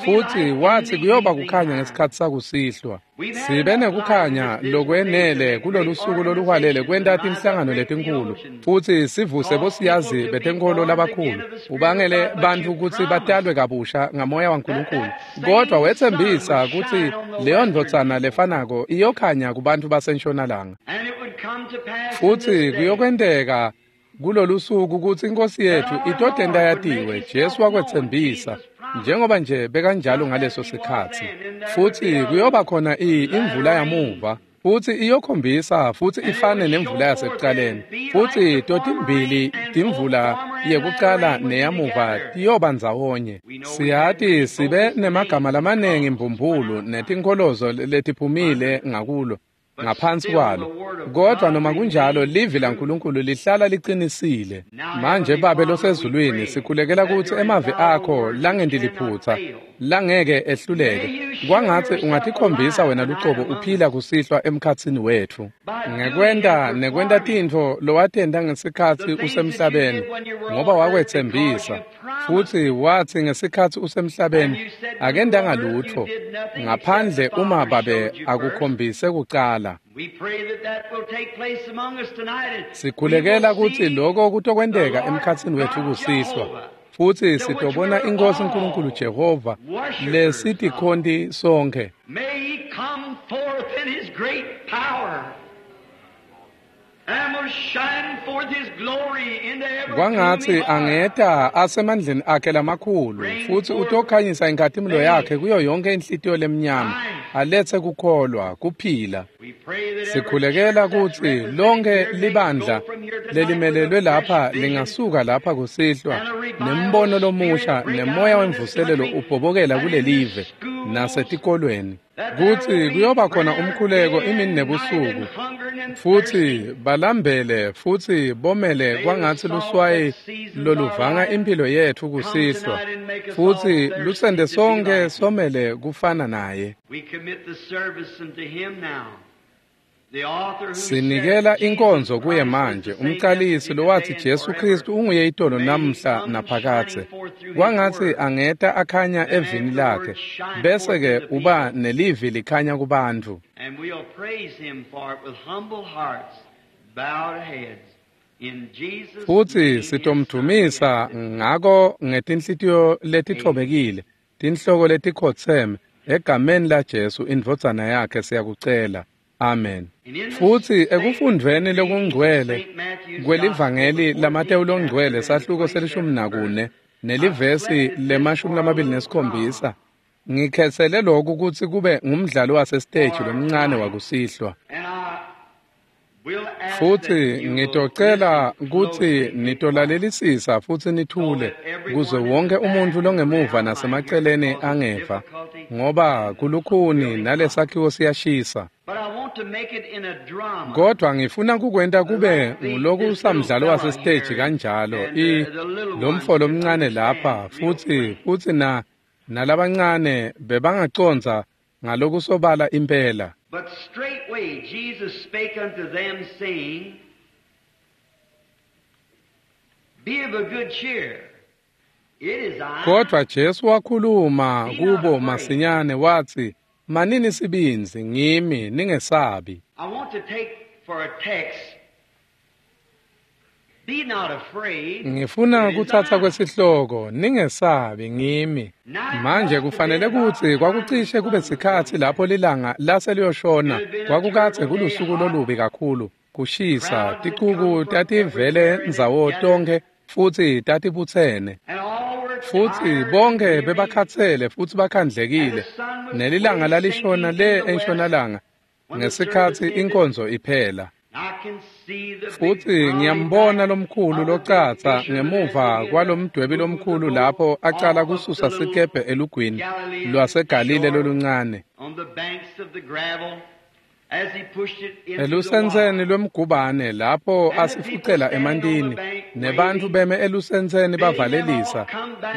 Futsi watsi kuyoba kukhanya ngesikhatsi sakusihlwa. Sibe nekukhanya lokwenele kulolusuku loluhwalele kwenta tinhlangano letinkhulu futsi sivuse bosiyazi betenkholo labakhulu, ubangele bantfu kutsi batalwe kabusha ngamoya waNkulunkulu. Kodwa wetsembisa kutsi leyo ndvodzana lefanako iyokhanya kubantfu basentshonalanga. Futsi kuyokwenteka kulolusuku kutsi iNkosi yethu itotenta yatiwe. Jesu wakwetsembisa, njengoba nje bekanjalo ngaleso sikhatsi. Futsi kuyoba khona imvula yamuva, futsi iyokhombisa futsi ifane nemvula yasekuqaleni. Futsi totimbili timvula yekuqala neyamuva tiyoba ndzawonye. Siyati sibe nemagama lamanengi mbumbulu netinkholozo letiphumile ngakulo ngaphansi kwalo, kodwa noma kunjalo livi laNkulunkulu lihlala liqinisile. Manje Babe losezulwini, sikhulekela kutsi emavi akho langenti liphutsa langeke ehluleke, kwangatsi ungatikhombisa wena lucobo uphila kusihlwa emkhatsini wetfu ngekwenta nekwenta tintfo lowatenta ngesikhatsi usemhlabeni, ngoba wakwetsembisa futsi watsi ngesikhatsi usemhlabeni akentanga lutfo ngaphandle uma Babe akukhombise kucala. Sikhulekela kutsi loko kutokwenteka emkhatsini wetfu kusihlwa, futsi sitobona iNkhosi Nkulunkulu Jehova lesitikhonti sonkhe. Kwangatsi angeta asemandleni akhe lamakhulu futsi utokhanyisa inkhatimulo yakhe kuyo yonke inhlitiyo lemnyama, aletse kukholwa, kuphila. Sikhulekela kutsi lonke libandla lelimelelwe lapha lingasuka lapha kusihlwa nembono lomusha nemoya wemvuselelo ubhobokela kulelive nasetikolweni, kutsi kuyoba khona umkhuleko imini nebusuku, futsi balambele futsi bomele kwangatsi luswayi loluvanga impilo yetfu kusihlwa, futsi lusende sonke somele kufana naye. Sinikela inkonzo kuye manje, umcalisi lowatsi Jesu Kristu unguye itolo namhla naphakadze. Kwangatsi angeta akhanya evini lakhe, bese-ke uba nelivi likhanya kubantfu. Futsi sitomdumisa ngako ngetinhlitiyo letitfobekile, tinhloko letikhotseme, egameni laJesu indvodzana yakhe siyakucela. Amen. Futsi ekufundveni lokungcwele kwelivangeli laMatewu longcwele sahluko se-14 nelivesi le-27, ngikhetsele lokhu kutsi kube ngumdlalo wasesiteji lomncane wakusihlwa. Futsi ngitocela kutsi nitolalelisisa futsi nithule kuze wonke umuntfu longemuva nasemaceleni angeva, ngoba kulukhuni nalesakhiwo siyashisa. Kodwa ngifuna kukwenta kube ngulokusamdlalo wasesiteji kanjalo, lomfo lomncane lapha futsi na nalabancane bebangacondza ngalokusobala impela. But straightway Jesus spake unto them, saying, Be of a good cheer. It is I. Kodwa Jesu wakhuluma kubo masinyane wathi, Manini sibindzi, ngimi, ningesabi. I want to take for a text, Be not afraid. Ngifuna kuthatha kwesihloko, ningesabi, ngimi. Manje kufanele kutsi kwakucishe kube sikhatsi lapho lilanga lase liyoshona, kwakukadze kulusuku lolubi kakhulu, kushisa, ticuku tativele ndzawo tonkhe futsi tatibutsene. Futsi bonke bebakhatsele futsi bakhandlekile, nelilanga lalishona le entshonalanga ngesikhatsi inkonzo iphela. Futsi ngiyambona lomkhulu locatsa ngemuva kwalomdwebi lomkhulu lapho acala kususa sikebhe elugwini lwaseGalile loluncane. Elusentseni lwemgubane lapho asifucela emantini, nebantfu beme elusentseni bavalelisa,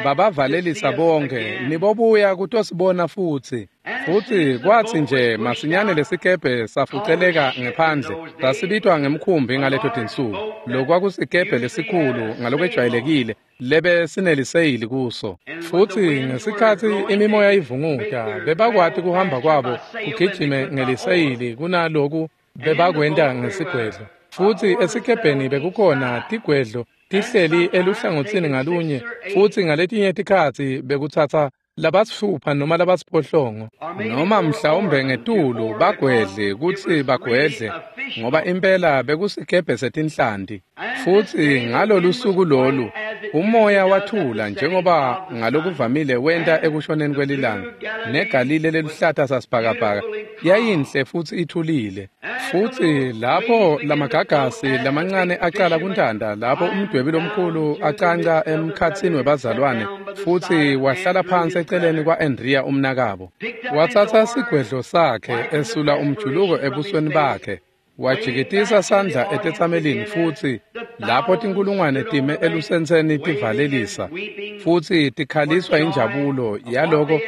babavalelisa bonke, nibobuya kutosibona futsi. Futsi kwatsi nje masinyane lesikebhe safuceleka ngephandle, sasibitwa ngemkhumbi ngaleto tinsuku. Lokwakusikebhe lesikhulu ngalokwejwayelekile lebe sineliseyili kuso. Futsi ngesikhatsi imimoya ivunguta, bebakwati kuhamba kwabo kugijime ngeliseyili kunaloku bebakwenta ngesigwedlo. Futsi esikebheni bekukhona tigwedlo tihleli eluhlangotsini ngalunye, futsi ngaletinye tikhatsi bekutsatsa labasifupha noma labasiphohlongo noma mhlawumbe ngetulu bagwedle kutsi bagwedle, ngoba impela bekusikebhe setinhlanti. Futsi ngalolu suku lolu umoya wathula njengoba ngalokuvamile wenta ekushoneni kwelilanga, neGalile leluhlata sasibhakabhaka yayinhle futsi ithulile. Futsi lapho lamagagasi lamancane acala kuntanta, lapho umdwebi lomkhulu acanca emkhatsini webazalwane futsi wahlala phansi eceleni kwa-Andrea umnakabo. Watsatsa sigwedlo sakhe esula umjuluko ebusweni bakhe, wajikitisa sandla etetsamelini, futsi lapho tinkulungwane time elusentseni tivalelisa futsi tikhaliswa injabulo yaloko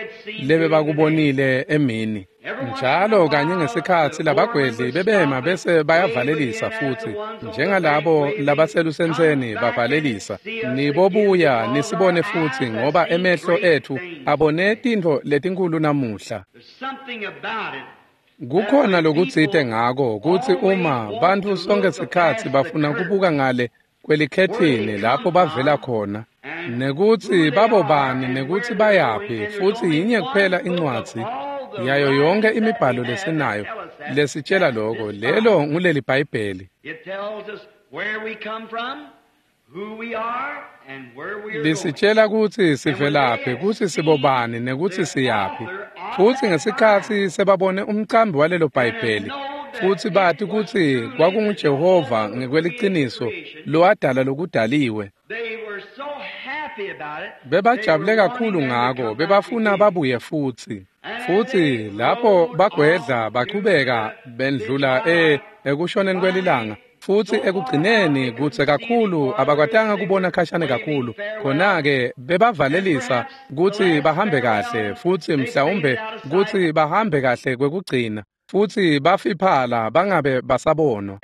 lebebakubonile emini. Njalo kanye ngesikhatsi labagwedli bebema bese bayavalelisa, futsi njengalabo labaselusentseni bavalelisa, nibobuya nisibone futsi, ngoba emehlo ethu abone tintfo letinkhulu namuhla. Kukhona lokutsite ngako kutsi uma bantfu sonke sikhatsi bafuna kubuka ngale kwelikhethini lapho bavela khona, nekutsi babobani nekutsi bayaphi, futsi yinye kuphela incwadzi yayo yonke imibhalo lesinayo lesitshela loko, lelo nguleli Bhayibheli. Lisitshela kutsi sivelaphi, kutsi sibobani nekutsi siyaphi. Futsi ngesikhatsi sebabone umcambi walelo Bhayibheli futsi bati kutsi kwakunguJehova ngekweliciniso lowadala lokudaliwe, bebajabule kakhulu ngako, bebafuna babuye futsi. Futsi lapho bagwedla bachubeka bendlula ekushoneni kwelilanga, futsi ekugcineni kutse kakhulu abakwatanga kubona khashane kakhulu. Khona-ke bebavalelisa kutsi bahambe kahle, futsi mhlawumbe kutsi bahambe kahle kwekugcina, futsi bafiphala bangabe basabonwa.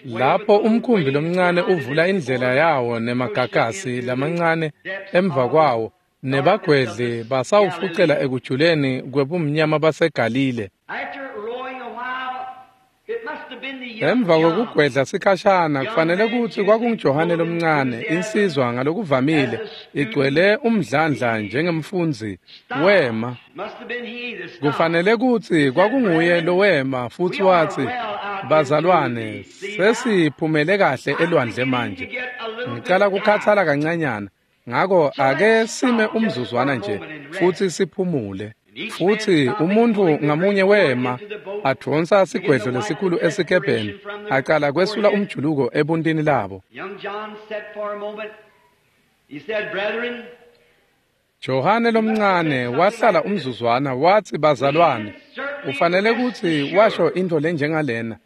Lapho umkhumbi lomncane uvula indlela yawo nemagagasi lamancane emva kwawo, nebagwedli basawufucela ekujuleni kwebumnyama baseGalile. Emva kwekugwedla sikhashana, kufanele kutsi kwakunguJohane lomncane, insizwa ngalokuvamile igcwele umdlandla njengemfundzi, wema. Kufanele kutsi kwakunguye lowema futsi watsi, bazalwane, sesiphumele kahle elwandle manje. Ngicala kukhathala kancanyana, ngako ake sime umzuzwana nje futsi siphumule. Futsi umuntfu ngamunye wema advonsa sigwedlo lesikhulu esikebheni, acala kwesula umjuluko ebuntini labo. Johane lomncane wahlala umzuzwana, watsi, bazalwane, ufanele kutsi washo intfo lenjengalena.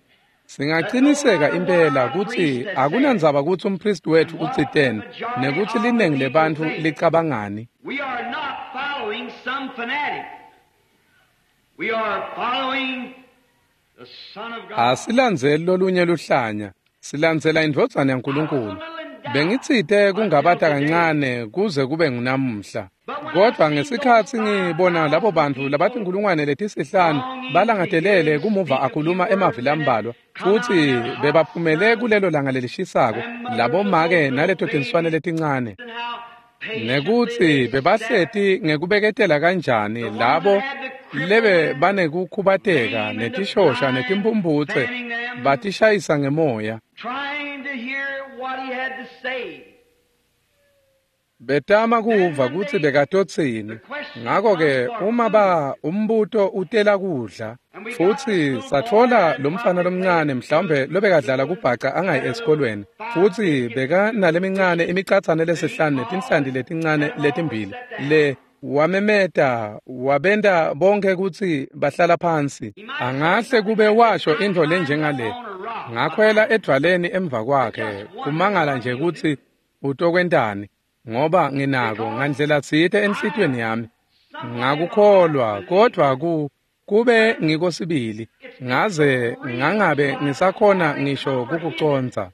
Singaqiniseka impela kutsi akunandzaba kutsi umpristi wetfu utsiteni nekutsi linengi lebantfu licabangani. We are not following some fanatic. We are following the Son of God. Asilandzeli lolunye luhlanya, silandzela indvodzana yaNkulunkulu. Bengitsite kungabata kancane kuze kube ngunamuhla. Kodvwa ngesikhatsi ngibona labo bantfu labatinkulungwane letisihlanu balangatelele kumuva akhuluma emavi lambalwa, futsi bebaphumele kulelo langa lelishisako, labomake naleto tinswane letincane, nekutsi bebahleti ngekubeketela kanjani labo lebe banekukhubateka netishosha netimphumputse batishayisa ngemoya, betama kuva kutsi bekatotsini. Ngako-ke uma umbuto utela kudla, futsi satfola lomfana lomncane mhlawumbe lobekadlala kubhaca angayi esikolweni, futsi bekanalemincane imicatsane lesihlanu netinhlanti letincane letimbili, le wamemeta wabenta bonke kutsi bahlala phansi. Angahle kube washo intfo lenjengale, ngakhwela edvwaleni emva kwakhe, kumangala nje kutsi utokwentani, ngoba nginako ngandlela tsite enhlitiyweni yami ngakukholwa, kodvwa kube ngiko sibili ngaze ngangabe ngisakhona ngisho kukucondza.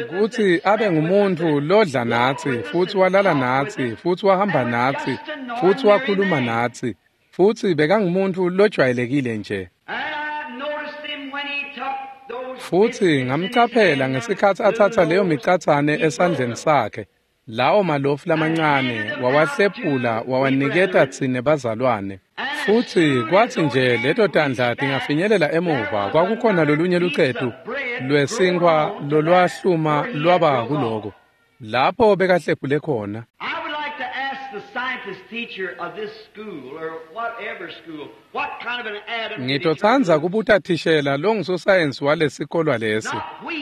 Kutsi abe ngumuntfu lodla natsi, futsi walala natsi, futsi wahamba natsi, futsi wakhuluma natsi, futsi bekangumuntfu lojwayelekile nje. Futsi ngamcaphela ngesikhatsi atsatsa leyo micatsane esandleni sakhe, lawo malofu lamancane wawahlephula wawaniketa tsine bazalwane. Futsi kwatsi nje leto tandla tingafinyelela emuva, kwakukhona lolunye lucetu lwesinkhwa lolwahluma lwaba kuloko lapho bekahlephule khona. Ngitotsandza kubuta thishela longusosayensi walesikolwa lesi,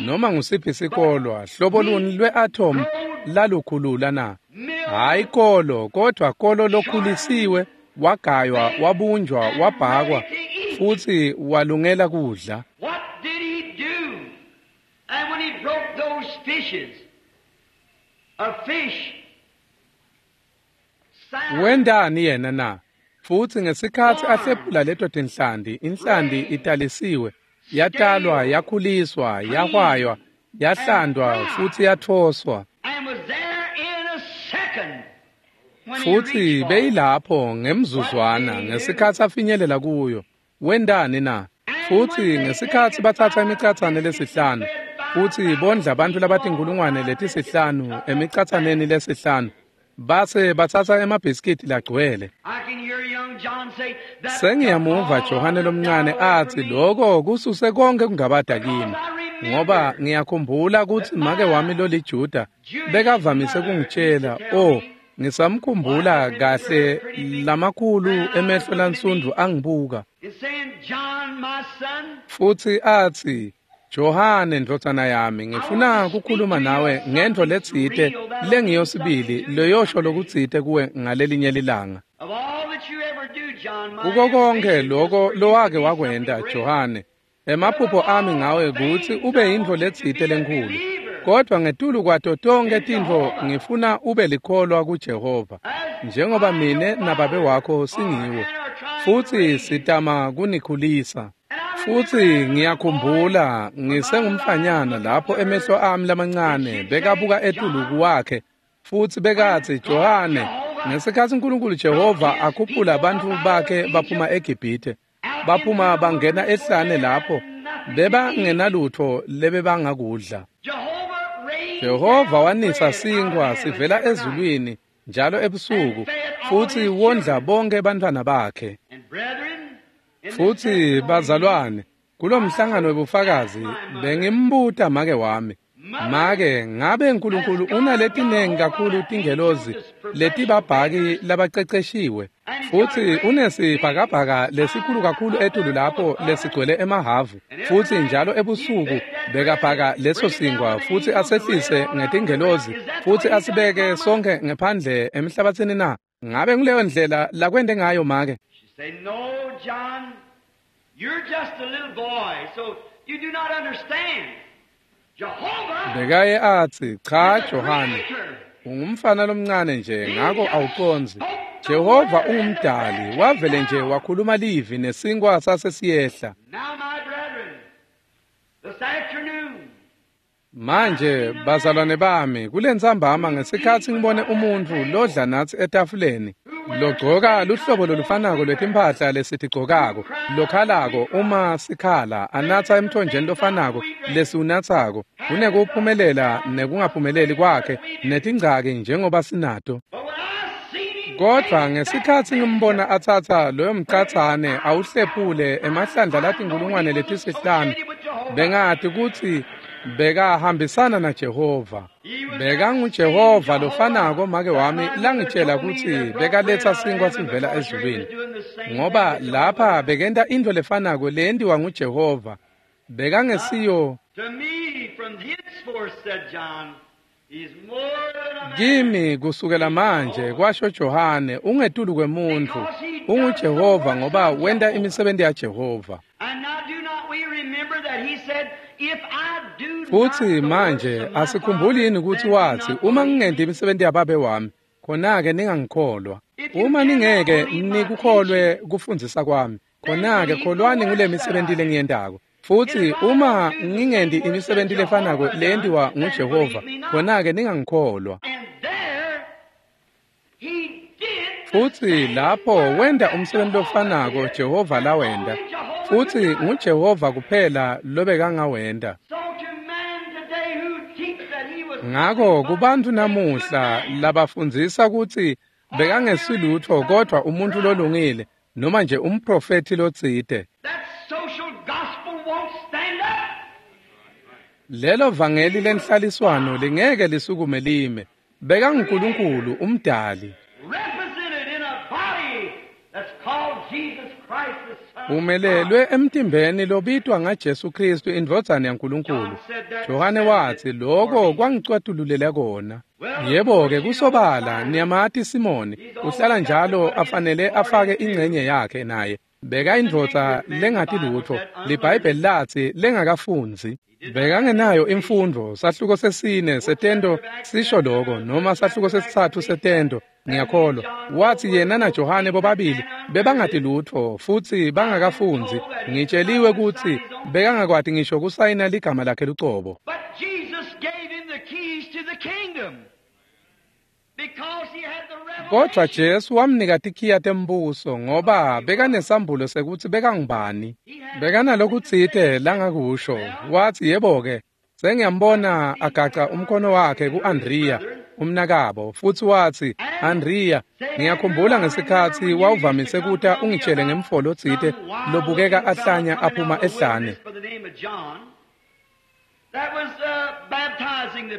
noma ngusiphi sikolwa, hlobo luni lwe-atom lalukhulula na? Hhayi kolo, kodvwa kolo lokhulisiwe, wagaywa, wabunjwa, wabhakwa, futsi walungela kudla. Wentani yena na? Futsi ngesikhatsi ahlephula leto tinhlanti, inhlanti italisiwe, yatalwa, yakhuliswa, yahwaywa, yahlandwa, futsi yathoswa. Futsi beyilapho ngemzuzwana ngesikhatsi afinyelela kuyo. Wentani na? Futsi ngesikhatsi batsatsa imicatsane lesihlanu, futsi bondla bantfu labatinkhulungwane letisihlanu emicatsaneni lesihlanu, base batsatsa emabhiskidi lagcwele. Sengiyamuva Johane lomncane atsi loko kususe konke kungabada kimi, ngoba ngiyakhumbula kutsi make wami loliJuda bekavamise kungitshela, oh, ngisamkhumbula kahle lamakhulu emehlo lansundvu angibuka. Futsi atsi, Johane ndvodzana yami, ngifuna kukhuluma nawe ngentfo letsite lengiyosibili leyosho lokutsite kuwe ngalelinye lilanga. Kuko konkhe loko lowake wakwenta, Johane, emaphupho ami ngawe kutsi ube yintfo letsite lenkhulu. Kodvwa ngetulu kwato tonkhe tintfo ngifuna ube likholwa kuJehova, njengoba mine nababe wakho singiwo, futsi sitama kunikhulisa. Futsi ngiyakhumbula ngisengumfanyana lapho emehlo ami lamancane bekabuka etulu kuwakhe, futsi bekatsi, Johane, ngesikhatsi uNkulunkulu Jehova akhuphula bantfu bakhe baphuma eGibhithe, baphuma bangena ehlane lapho bebangenalutfo lebebangakudla. Jehova wanisa sinkhwa sivela ezulwini njalo ebusuku, futsi wondla bonke bantfwana bakhe. Futsi bazalwane, kulomhlangano webufakazi bengimbuta make wami, make, ngabe uNkulunkulu unaletinengi kakhulu tingelozi letibabhaki labaceceshiwe, futsi unesibhakabhaka lesikhulu kakhulu etulu lapho lesigcwele emahavu, futsi njalo ebusuku bekabhaka leso sinkhwa futsi asehlise ngetingelozi futsi asibeke sonke ngephandle emhlabatsini na? Ngabe nguleyo ndlela lakwente ngayo make? Say, no, John, you're just a little boy, so you do not understand. Jehovah Bekaye atsi, cha Johane, ungumfana lomncane nje, ngako awucondzi. Jehova ungumdali, wavele nje wakhuluma livi nesinkwa sasesiyehla. Now, my brethren, this afternoon, Manje bazalwane bami, kulentsambama ngesikhatsi ngibone umuntfu lodla natsi etafuleni, logcoka luhlobo lolufanako lwetimphahla lesitigcokako, lokhalako uma sikhala, anatsa emthonjeni lofanako lesiwunatsako, kunekuphumelela nekungaphumeleli kwakhe netingcaki njengoba sinato. but when I seen him Kodvwa ngesikhatsi ngimbona atsatsa loyo mcatsane awuhlephule emahlandla latinkhulungwane letisihlanu, bengati kutsi bekahambisana naJehova. BekanguJehova lofanako make wami langitshela kutsi bekaletsa sinkhwa sivela ezulwini, ngoba lapha bekenta intfo lefanako leyentiwa nguJehova. Bekangesiyo to me from henceforth, said John, he's more than a man. kimi kusukela manje, kwasho Johane, ungetulu kwemuntfu, unguJehova ngoba wenta imisebenti yaJehova. And now do not we remember that he said, if I do not Futsi the works manje of my asikhumbuli yini Father, kutsi then do watsi, not uma believe ngingenti me. imisebenti yababe wami, khona-ke ningangikholwa. Uma ningeke nikukholwe kufundzisa kwami, khona-ke kholwani ngule misebenti lengiyentako. Futsi uma ngingenti imisebenti lefanako leyentiwa nguJehova, khona-ke ningangikholwa. Futsi lapho wenta umsebenzi lofanako Jehova lawenta, futsi nguJehova kuphela lobekangawenta. Ngako kubantfu namuhla labafundzisa kutsi bekangesilutfo kodvwa umuntfu lolungile noma nje umprofethi lotsite, lelo vangeli lenhlaliswano lingeke lisukume lime. BekanguNkulunkulu umdali, umelelwe emtimbeni lobitwa ngaJesu Kristu indvodzana yaNkulunkulu. Johane watsi lokho kwangicwatululela kona. Yebo-ke, kusobala niyamati Simoni uhlala njalo afanele afake ingcenye yakhe naye. Bekayindvodza lengati lutfo, liBhayibheli latsi lengakafundzi. Bekangenayo imfundvo. Sahluko sesine setento sisho lokho, noma sahluko sesitsatfu setento, ngiyakholwa. Watsi yena naJohane bobabili bebangati lutfo futsi bangakafundzi. Ngitsheliwe kutsi bekangakwati ngisho kusayina ligama lakhe lucobo. Kodvwa Jesu wamnika tikhiya tembuso ngoba bekanesambulo sekutsi bekangubani. Bekanalokutsite langakusho. Watsi yebo-ke, sengiyambona agaca umkhono wakhe ku-Andriya umnakabo, futsi watsi, Andriya, ngiyakhumbula ngesikhatsi wawuvamise kuta ungitshele ngemfo lotsite lobukeka ahlanya aphuma ehlane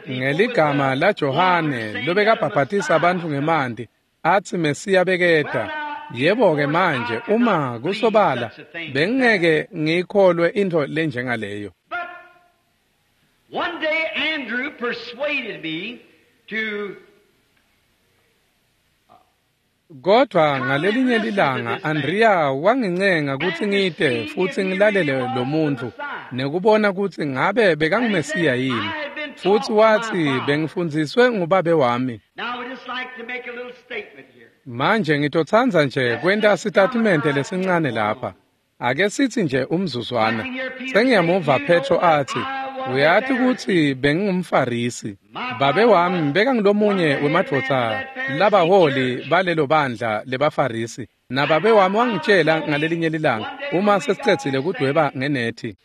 ngeligama laJohane lobekabhabhatisa bantfu ngemanti, atsi Mesiya beketa. Yebo-ke manje, uma kusobala bengingeke ngiyikholwe intfo lenjengaleyo. One day Andrew persuaded me to. Kodvwa ngalelinye lilanga Andriya wangincenga kutsi ngite futsi ngilalele lo muntfu nekubona kutsi ngabe bekanguMesiya yini. Futsi watsi bengifundziswe ngubabe wami. Manje ngitotsandza nje kwenta sitatimende lesincane lapha. Ake sitsi nje umzuzwana. Sengiyamuva Petro atsi, uyati kutsi bengingumFarisi. Babe wami bekangulomunye wemadvodza labaholi balelo bandla lebaFarisi. Nababe wami wangitshela ngalelinye lilanga uma sesicedzile kudweba ngenethi.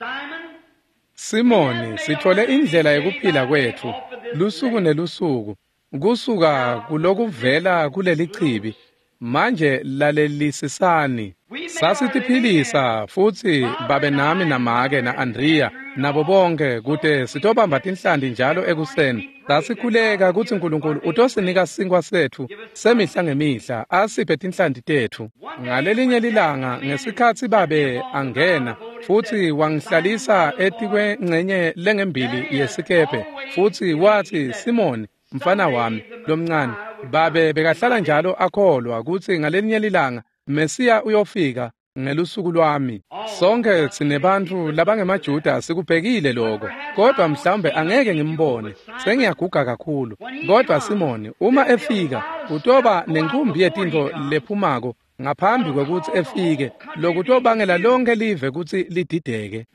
Simoni, sithole indlela yekuphila kwetfu lusuku nelusuku kusuka kulokuvela kuleli chibi. Manje lalelisisani. Sasitiphilisa futsi babe nami namake na-Andriya nabo bonke kute sitobamba tinhlanti njalo ekuseni. Sasikhuleka kutsi Nkulunkulu utosinika sinkwa setfu semihla ngemihla, asiphe tinhlanti tetfu. Ngalelinye lilanga ngesikhatsi babe angena futsi wangihlalisa etikwengcenye lengembili yesikebhe, futsi watsi, Simoni, mfana wami lomncane, babe bekahlala njalo akholwa kutsi ngalelinye lilanga Mesiya uyofika ngelusuku lwami. Sonke sinebantfu labangemaJuda sikubhekile lokho, kodwa mhlawumbe angeke ngimbone, sengiyaguga kakhulu. Kodwa Simoni, uma efika, utoba nenkumbi yetintfo lephumako ngaphambi kwekutsi efike, lokutobangela lonke live kutsi lidideke.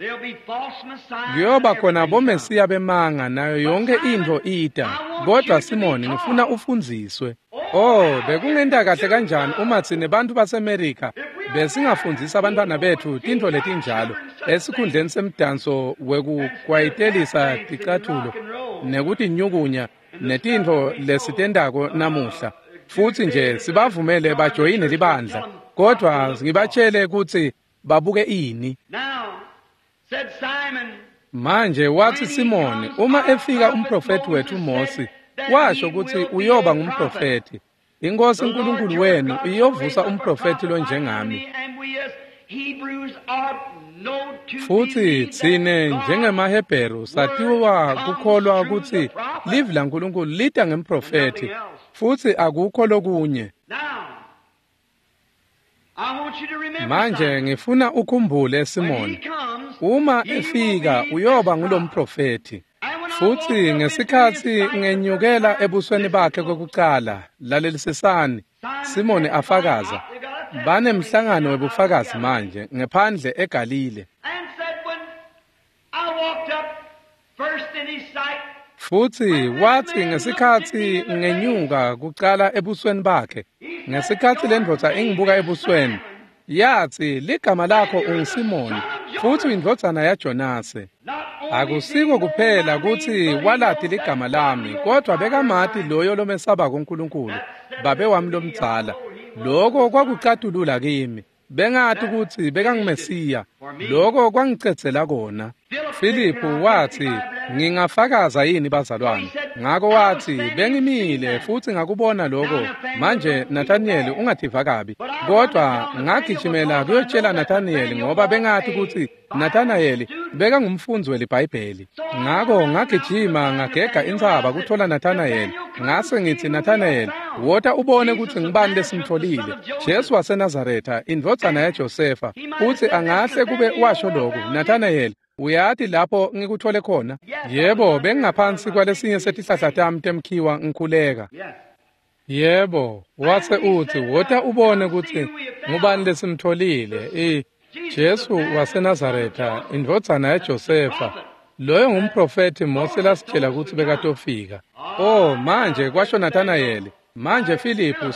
Kuyoba khona boMesiya bemanga nayo yonke intfo ita. Kodwa Simoni, ngifuna ufundziswe. Oh, bekungenta kahle kanjani uma tsine bantfu baseMerika besingafundzisa abantwana betfu tintfo letinjalo esikhundleni semdanso wekukwayitelisa ticathulo nekutinyukunya netintfo lesitentako namuhla, futsi nje sibavumele bajoyine libandla, kodvwa ngibatshele kutsi babuke ini. Manje watsi Simoni, uma efika umprofethi wetfu Mosi, washo kutsi uyoba ngumprofethi. Inkosi uNkulunkulu wenu iyovusa umprofethi lonjengami. Futsi tsine njengemaHebheru satiwa kukholwa kutsi livi laNkulunkulu lita ngemprofethi, futsi akukho lokunye. Manje ngifuna ukhumbule Simoni, uma efika uyoba ngulomprofethi. Futsi ngesikhatsi ngenyukela ebusweni bakhe kokucala, lalelisisani, Simoni afakaza, banemhlangano webufakazi manje ngephandle eGalile. Futsi watsi ngesikhatsi ngenyuka kucala ebusweni bakhe, ngesikhatsi lendvodza ingibuka ebusweni, yatsi ligama lakho unguSimoni futsi uyindvodzana yaJonase. Akusiko kuphela kutsi walati ligama lami, kodwa bekamati loyo lomesabako uNkulunkulu, babe wami lomdzala. Loko kwakucatulula kimi. Bengati kutsi bekanguMesiya. Loko kwangicedzela kona. Filiphu watsi, ngingafakaza yini bazalwane? Ngako watsi, bengimile futsi ngakubona loko. Manje Nathaniyeli ungativa kabi. Kodwa ngagijimela kuyotshela Nathaniyeli ngoba bengati kutsi Nathanayeli bekangumfundzi weliBhayibheli. Ngako ngagijima ngagega intsaba kuthola Nathanayeli. Ngase ngitsi, Nathanayeli, wota ubone kutsi ngubani lesimtfolile. Jesu waseNazaretha, indvodzana yaJosefa. Futsi angahle kube washo loku, Nathanayeli, uyati lapho ngikuthole khona? Yebo, bengingaphansi kwalesinye setihlahla tami temkhiwa ngikhuleka. Yebo, wase utsi, wota ubone kutsi ngubani lesimtfolile. Jesu waseNazaretha, indvodzana yaJosefa. Loyo ngumprofethi Mose lasitshela kutsi bekatofika. Oh, manje kwasho Nathanayeli. Manje Filiphu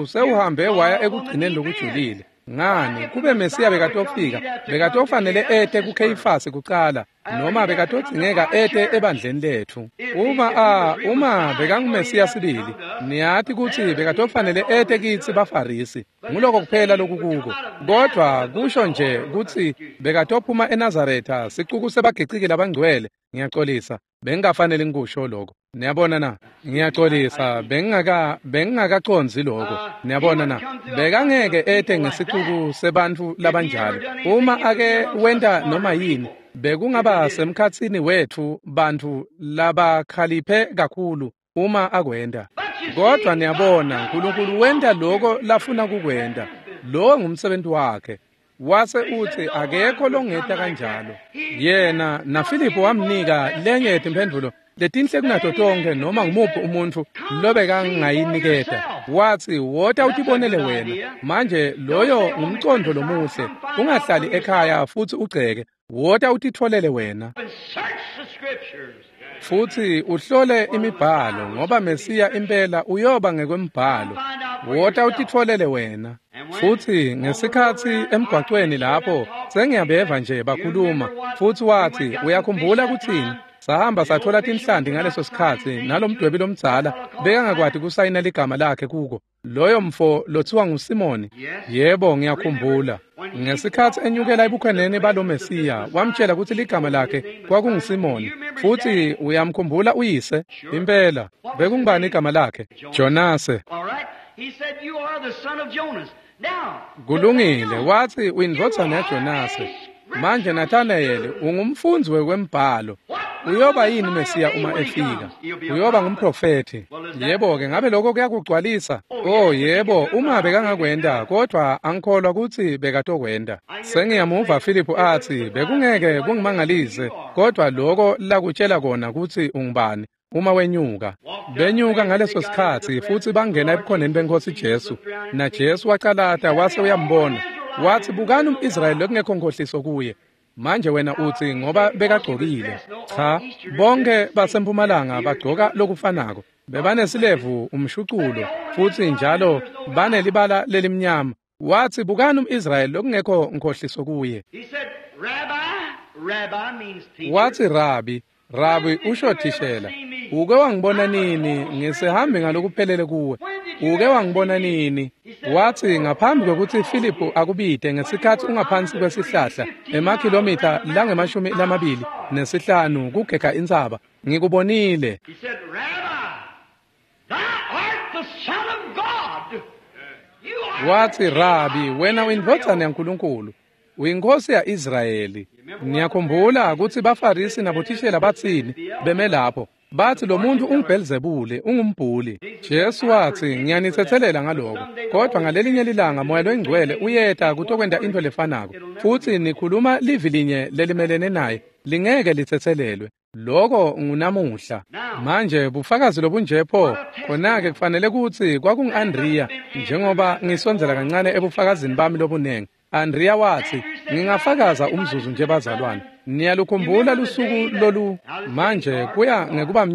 sewuhambe waya ekugcineni lokujulile. Ngani, kube Mesiya bekatofika, bekatofanele ete kuKheyifasi kucala, noma bekatodzingeka ete ebandleni letfu. Uma bekanguMesiya sibili, niyati kutsi bekatofanele ete kitsi baFarisi. Nguloko kuphela lokukuko. Kodwa kusho nje kutsi bekatophuma eNazaretha, sicuku sebagiciki labangcwele. Ngiyacolisa, bengingafanele ngikusho lokho. Niyabona na? Ngiyacolisa, bengingakacondzi lokho. Niyabona na? Bekangeke ete ngesicuku sebantfu labanjalo. Uma ake wenta noma yini, bekungaba semkhatsini wetfu bantfu labakhaliphe kakhulu uma akwenta. Kodwa niyabona, uNkulunkulu wenta lokho lafuna kukwenta. Lowo ngumsebenzi wakhe. Wase utsi akekho longeta kanjalo. Yena naFiliphu wamnika lenye yetimphendvulo letinhle kunato tonke noma ngumuphi umuntfu lobekangayiniketa. Watsi, wota utibonele wena. Manje loyo ngumcondvo lomuhle. Ungahlali ekhaya futsi ugceke. Wota utitfolele wena. Futsi uhlole imibhalo ngoba Mesiya impela uyoba ngekwembhalo. Wota utitfolele wena. Futsi ngesikhatsi emgwacweni lapho sengiyabeva nje bakhuluma. Futsi watsi, uyakhumbula kutsini? Sahamba sathola tinhlanti ngaleso sikhatsi nalomdwebi lomdzala bekangakwati kusayina ligama lakhe kuko. Loyo mfo lothiwa nguSimoni. Yebo, ngiyakhumbula. Ngesikhatsi enyukela ebukhoneni balo Mesiya, wamtshela kutsi ligama lakhe kwakunguSimoni. Futsi uyamkhumbula uyise? Impela. Bekungubani igama lakhe? Jonase. Kulungile, watsi uyindvodzana yaJonase. Manje Nathanayeli ungumfundzi wekwembhalo. Uyoba yini Mesiya uma efika? Uyoba ngumprofethi. Yebo-ke, ngabe lokho kuyakugcwalisa? Oh yebo, uma bekangakwenta, kodwa angikholwa kutsi bekatokwenta. Sengiyamuva Filiphu atsi, bekungeke kungimangalise, kodwa loko lakutshela kona kutsi ungubani uma wenyuka. Benyuka ngaleso sikhatsi futsi bangena ebukhoneni beNkhosi Jesu. Na Jesu wacalata wase uyambona. Watsi, bukani umIsrayeli lokungekho nkhohliso kuye. Manje wena utsi ngoba bekagcokile. Cha, bonke basempumalanga bagcoka lokufanako. Bebanesilevu umshuculo futsi njalo banelibala lelimnyama. Watsi, bukani umIsrayeli lokungekho nkhohliso kuye. Watsi, Rabi, Rabi usho thishela. Uke wangibona nini ngisehambe ngalokuphelele kuwe? Uke wangibona nini? Watsi, ngaphambi kwekutsi Filiphu akubite ngesikhatsi ungaphansi kwesihlahla emakhilomitha lange-25 kugega intsaba, ngikubonile. Watsi, Rabi, wena uyindvodzana yaNkulunkulu, uyinkosi ya-Israyeli. Niyakhumbula kutsi baFarisi nabothishela batsini beme lapho? Bathi lo muntu unguBhelzebule, ungumbhuli. Jesu watsi, ngiyanitsetselela ngaloko, kodwa ngalelinye lilanga Moya loyiNgcwele uyeta kutokwenta into lefanako, futsi nikhuluma livi linye lelimelene naye lingeke litsetselelwe. Loko ngunamuhla. Manje bufakazi lobunje pho, khona-ke kufanele kutsi kwakungu-Andriya, njengoba ngisondzela kancane ebufakazini bami lobunengi. Andriya watsi, ngingafakaza umzuzu nje bazalwane. Niyalukhumbula lusuku lolu manje kuya ngekuba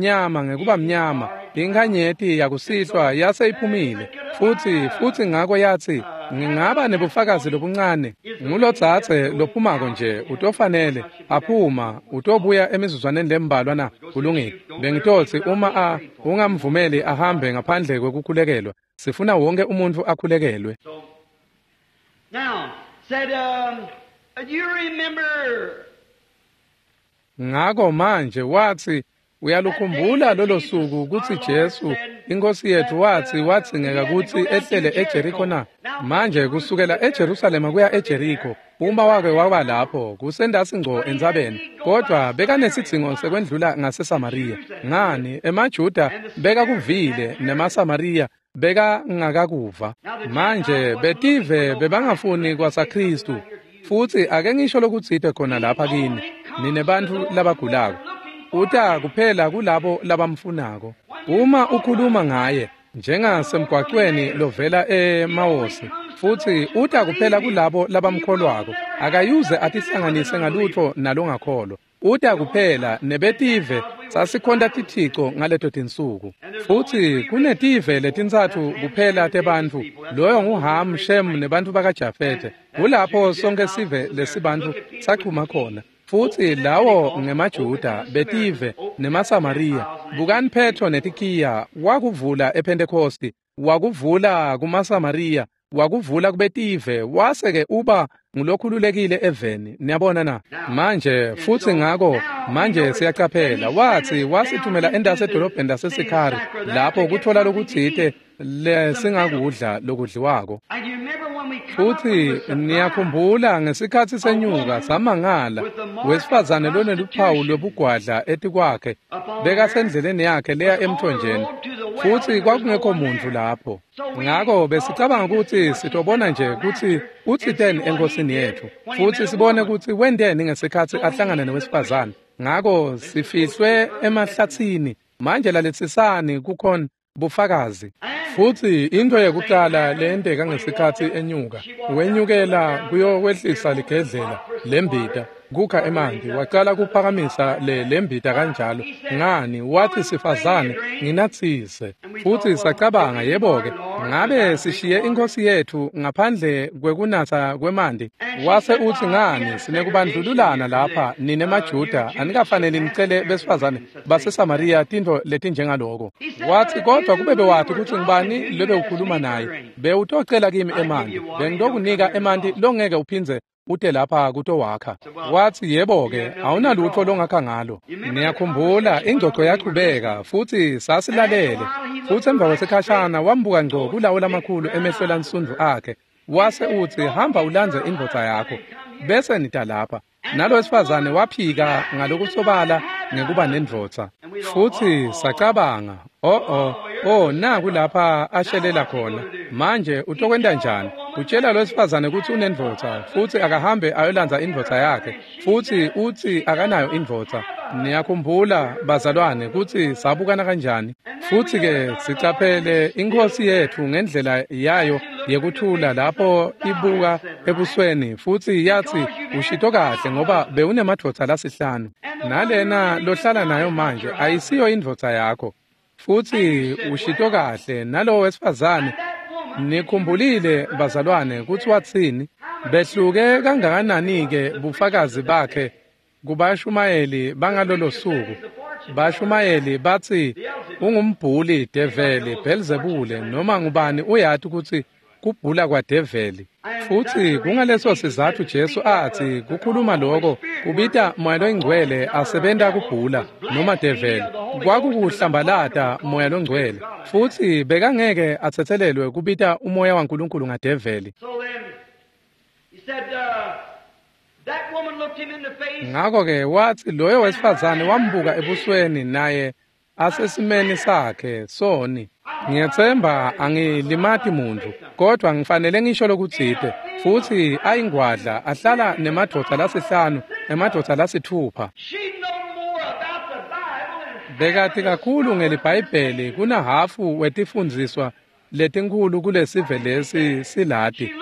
mnyama inkhanyeti yakusihlwa yase iphumile futsi ngako yatsi ngingaba nebufakazi lobuncane ngulotsatse lophumako nje utofanele aphuma utobuya emizuzwaneni lembalwa na kulungile bengitotsi uma ungamvumeli ahambe ngaphandle kwekukhulekelwa sifuna wonke umuntfu akhulekelwe. Now said you remember. Ngako manje watsi uyalukhumbula lolo suku kutsi Jesu inkosi yethu watsi wadzingeka kutsi ehlele eJeriko na? Manje kusukela eJerusalema kuya eJeriko uma wake waba lapho kusendasi ngco entsabeni, kodwa bekanesidzingo sekwendlula ngaseSamariya. Ngani emaJuda bekakuvile nemaSamariya bekangakakuva. Manje betive bebangafuni kwasaKristu. Futsi ake ngisho lokutsite khona lapha kini nine bantfu labagulako. Uta kuphela kulabo labamfunako. Uma ukhuluma ngaye njengasemgwaqweni lovela eMawosi, futsi uta kuphela kulabo labamkholwako. Akayuze atihlanganise ngalutho nalongakholwa. Uta kuphela nebetive sasikhonta tithico ngaleto tinsuku. Futsi kunetive letintsatfu kuphela tebantfu, loyo nguHam, Shem nebantfu bakaJafethe. Kulapho sonke sive lesibantfu sachuma khona. Futsi lawo ngemaJuda, betive nemaSamariya. Bukani Petro netikiya wakuvula ePhentekosti, wakuvula kumaSamariya, wakuvula kubetive, wase-ke uba ngulokhululekile eveni. Niyabona na? Manje futsi ngako manje siyacaphela watsi wasithumela endase edolobheni laseSikhari lapho kuthola lokutsite lesingakudla lokudliwako. Futsi niyakhumbula ngesikhatsi senyuka samangala wesifazane loneluphawu lwebugwadla etikwakhe bekasendleleni yakhe leya emthonjeni, futsi kwakungekho muntfu lapho. Ngako besicabanga kutsi sitobona nje kutsi utsiteni enkosini yetfu, futsi sibone kutsi wenteni ngesikhatsi ahlangana newesifazane. Ngako sifihlwe emahlatsini. Manje laletsisani kukhona bufakazi. Futsi into yekuqala leyenteka ngesikhatsi enyuka, wenyukela kuyowehlisa ligedlela lembita kukha emanti, wacala kuphakamisa lembita kanjalo. Ngani wathi sifazane nginatsise. Futsi sacabanga yebo-ke ngabe sishiye inkosi yethu ngaphandle kwekunatsa kwemanti. Wase utsi ngani sinekubandlululana lapha nine maJuda, anikafanele nicele besifazane baseSamariya tintfo letinjengaloko. Watsi kodwa kube bewati kutsi ngubani lobe ukhuluma naye, bewutocela kimi emanti, bengitokunika emanti longeke uphindze ute lapha kutowakha. Watsi yebo-ke awunalutho longakha ngalo. Niyakhumbula ingcoco yachubeka futsi sasilalele. Futsi emva kwesikhashana wambuka ngco kulawo lamakhulu emehlo lansundvu akhe, wase utsi hamba ulandze indvodza yakho bese nita lapha. Nalo wesifazane waphika ngalokusobala ngekuba nendvodza. Futsi sacabanga oh naku lapha ashelela khona. Manje utokwenta njani? Utshela lo wesifazane kutsi unendvodza futsi akahambe ayolandza indvodza yakhe, futsi utsi akanayo indvodza. Niyakhumbula bazalwane kutsi sabukana kanjani. Futsi-ke sicaphele inkhosi yetfu ngendlela yayo yekuthula lapho ibuka ebusweni, futsi yatsi ushito kahle ngoba bewunemadvodza lasihlanu, nalena lohlala nayo manje ayisiyo indvodza yakho. Futsi ushito kahle nalowo wesifazane. Nikhumbulile bazalwane kutsi watsini? Behluke kangakanani-ke bufakazi bakhe kubashumayeli bangalolo suku. Bashumayeli batsi ungumbhuli, develi, Belzebule, noma ngubani uyati kutsi kubhula kwadeveli. Futsi kungaleso sizatfu Jesu atsi kukhuluma loko kubita Moya loNgcwele asebenta kubhula noma develi. Kwakukuhlambalata Moya loNgcwele, futsi bekangeke atsetselelwe kubita umoya waNkulunkulu ngadeveli. Ngako-ke watsi loyo wesifazane wambuka ebusweni naye asesimeni sakhe soni. Ngiyetsemba angilimati muntfu, kodwa ngifanele ngisho lokutsite. Futsi ayingwadla ahlala nemadvodza lasihlanu, emadvodza lasithupha. Bekati kakhulu ngeliBhayibheli kunahhafu wetifundziswa letinkhulu kulesive lesi silati.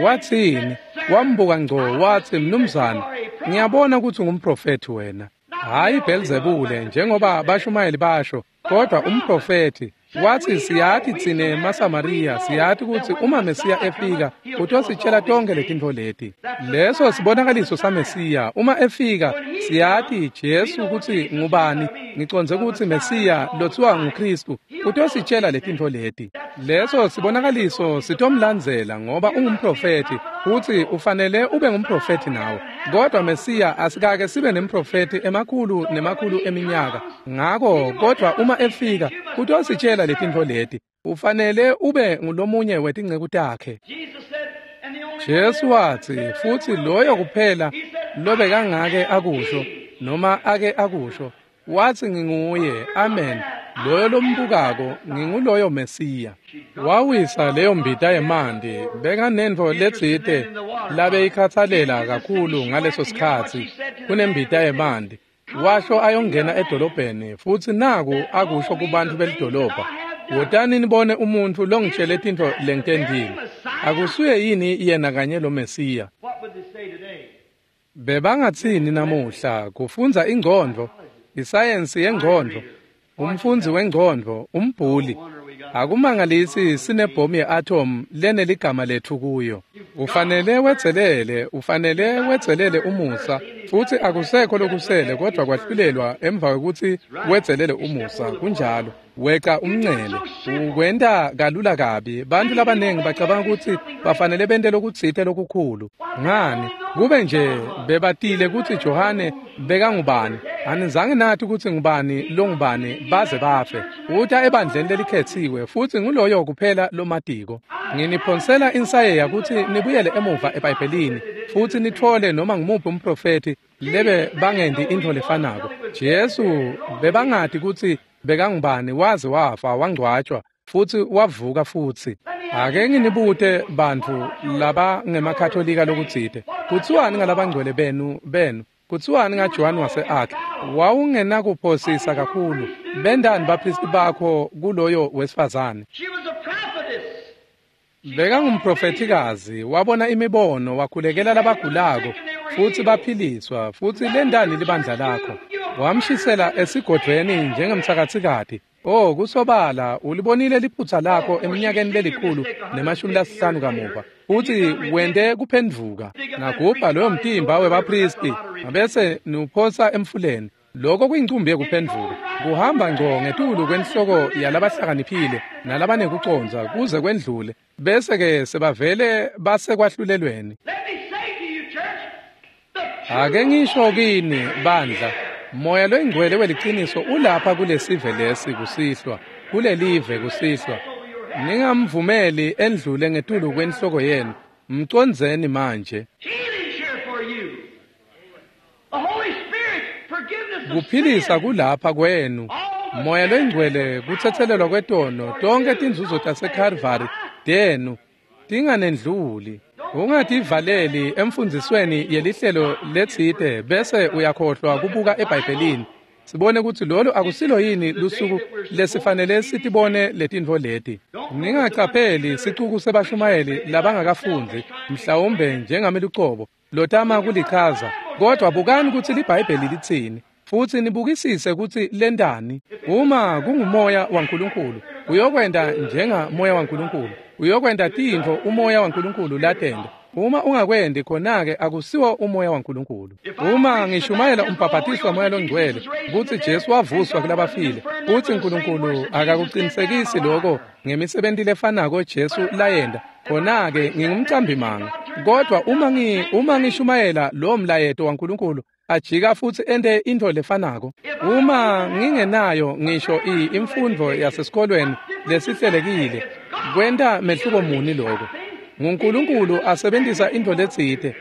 Watsini? Wambuka ngco watsi mnumzane, Ngiyabona kutsi ungumprofethi wena. Hhayi Bhelzebule njengoba bashumayeli basho, kodwa umprofethi. Wathi siyati tsine maSamariya, siyati kutsi uma Mesiya efika utositshela tonke letintfo leti. Leso sibonakaliso saMesiya. Uma efika siyati Jesu kutsi ngubani, ngicondze kutsi Mesiya lotsiwa nguKristu utositshela letintfo leti. Leso sibonakaliso sitomlandzela ngoba ungumprofethi, futsi ufanele ube ngumprofethi nawe. Kodwa Mesiya asikake sibe nemprofethi emakhulu nemakhulu eminyaka. Ngako kodwa uma efika utositshela letintfo leti, ufanele ube ngulomunye wetinceku takhe. Jesu watsi, futsi loyo kuphela lobekangake akusho noma ake akusho, watsi nginguye, amen, loyo lombukako, nginguloyo Mesiya. Wawisa leyo mbita yemanti, bekanentfo letsite labeyikhatsalela kakhulu ngaleso sikhatsi kunembita yemanti. Washo ayongena edolobheni, futsi naku akusho kubantfu belidolobha, wotani nibone umuntfu longitshele tintfo lengitentile. Akusuye yini yena kanye lo Mesiya? Bebangatsini namuhla kufundza ingcondvo, isayensi yengcondvo, umfundzi wengcondvo, umbhuli. Akumangalisi sinebhomu ye-atom leneligama letfu kuyo. Ufanele wetselele, ufanele wetselele umusa, futsi akusekho lokusele kodwa kwahlulelwa emva kwekutsi wetselele umusa. Kunjalo. Weca umncele. Ukwenta kalula kabi. Bantfu labanengi bacabanga kutsi bafanele bente lokutsite lokukhulu. Ngani? Kube nje bebatile kutsi Johane bekangubani. Anizange nathi kutsi ngubani longubani baze bafe. Uta ebandleni lelikhetsiwe futsi nguloyo kuphela lomatiko. Nginiphonsela insayeya kutsi nibuyele emuva eBhayibhelini futsi nitfole noma ngumuphi umprofethi lebe bangendi intfo lefanako. Jesu bebangati kutsi bekangubani waze wafa wangcwatjwa futsi wavuka futsi. Ake nginibute bantfu laba ngemakatholika lokutsite. Kutsiwani ngalabangcwele benu? Kutsiwani ngaJohn wase-Arc? Wawungenakuphosisa kakhulu. Bendani baphristi bakho kuloyo wesifazane? Bekangumprofethikazi, wabona imibono, wakhulekela labagulako futsi baphiliswa, futsi lendani libandla lakho. Wamshisela esigodvweni njengemtsakatsikati. Oh, kusobala ulibonile liphutsa lakho eminyakeni lelikhulu ne-50 kamuva, futsi wente kuphendvuka. Nagubha loyo mtimba webaphristi bese niwuphosa emfuleni. Lokho kuyincumbi yekuphendvuka. Kuhamba ngco ngetulu kwenhloko yalabahlakaniphile nalabanekucondza kuze kwendlule, bese-ke sebavele basekwahlulelweni. Ake ngisho kini bandla, Moya loyingcwele weliciniso ulapha kulesive lesi kusihlwa, kulelive kusihlwa. Ningamvumeli endlule ngetulu kwenhloko yenu. Mcondzeni manje. Kuphilisa kulapha kwenu. Moya loyingcwele kutsetselelwa kwetono, tonke tinzuzo taseKalvari tenu tinganendluli. Ungativaleli emfundzisweni yelihlelo letsite bese uyakhohlwa kubuka eBhayibhelini. Sibone kutsi lolo akusilo yini lusuku lesifanele sitibone letintfo leti. Ningacapheli sicuku sebashumayeli labangakafundzi, mhlawumbe njengami lucobo, lotama kulichaza, kodwa bukani kutsi liBhayibheli litsini, futsi nibukisise kutsi lentani. Uma kungumoya waNkulunkulu, uyokwenta njengamoya waNkulunkulu. Uyokwenta tintfo umoya waNkulunkulu latenta. Uma ungakwendi khona-ke akusiwo umoya waNkulunkulu. Uma ngishumayela umbhabhatiso wamoya longcwele kutsi Jesu wavuswa kulabafile, kutsi Nkulunkulu akakucinisekisi lokho ngemisebenti lefanako Jesu layenta, khona-ke ngingumcambimanga. Kodwa uma ngishumayela lo mlayeto waNkulunkulu, ajika futsi ente intfo lefanako. Uma ngingenayo ngisho imfundvo yasesikolweni lesihlelekile, kwenta mehluko muni lokho? NguNkulunkulu asebentisa intfo letsite.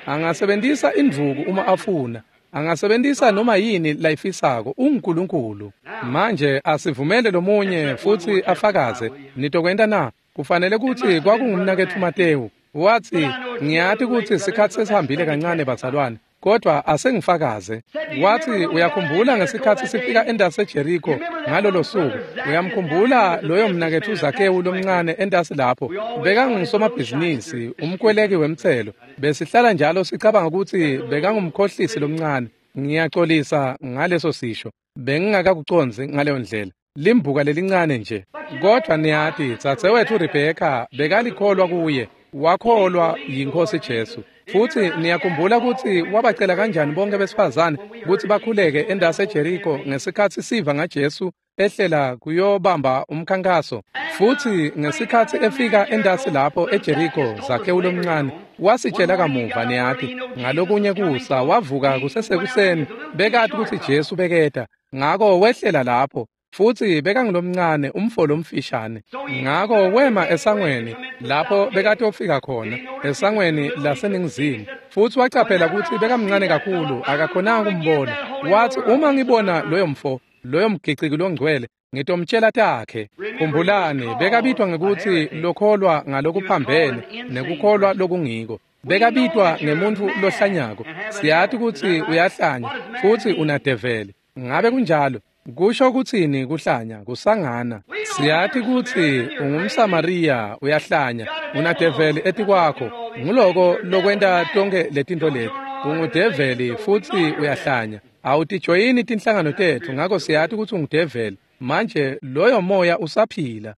Angasebentisa indvuku uma afuna. Angasebentisa noma yini layifisako. UnguNkulunkulu. Manje asivumele lomunye futsi afakaze. Nitokwenta na? Kufanele kutsi kwakungumnaketfu Matewu. Watsi, ngiyati kutsi sikhatsi sesihambile kancane bazalwane. kodwa asengifakaze. Wathi, uyakhumbula ngesikhathi sifika entasi eJeriko ngalolo suku? Uyamkhumbula loyo mnaketfu Zakewu lomncane entasi lapho? Bekangusomabhizinisi, umkweleki wemtselo. Besihlala njalo sicabanga ukuthi bekangumkhohlisi lomncane. Ngiyaxolisa ngaleso sisho, bengingakakucondzi ngaleyo ndlela. Limbuka lelincane nje. Kodwa niyati, dzadzewetfu Rebheka bekalikholwa kuye, wakholwa yiNkhosi Jesu. Futhi niyakhumbula ukuthi wabacela kanjani bonke besifazane ukuthi bakhuleke entasi eJeriko ngesikhathi siva ngaJesu ehlela kuyobamba umkhankaso. Futhi ngesikhathi efika entasi lapho eJeriko, Zakewu lomncane wasitshela kamuva, niyati, ngalokunye kusa wavuka kusesekuseni, bekati ukuthi Jesu beketa, ngako wehlela lapho. Futhi bekangulomncane umfo lomfishane. Ngako wema esangweni lapho bekatofika khona, esangweni laseningizimu. Futhi wacaphela ukuthi bekamncane kakhulu, akakhonanga kumbona. Wathi, uma ngibona loyo mfo, loyo mgiciki longcwele, ngitomtshela takhe. Khumbulani, bekabitwa ngekuthi lokholwa ngalokuphambene nekukholwa lokungiko. Bekabitwa ngemuntfu lohlanyako. Siyati ukuthi uyahlanya futhi unadeveli. Ngabe kunjalo? Kusho kutsini kuhlanya? Kusangana. Siyati kutsi ungumSamariya, uyahlanya, unadeveli etikwakho. Nguloko lokwenta tonkhe letintfo leti. Ungudeveli futhi uyahlanya. Awutijoyini tinhlangano tetfu, ngako siyati kutsi ungudeveli. Manje loyo moya usaphila.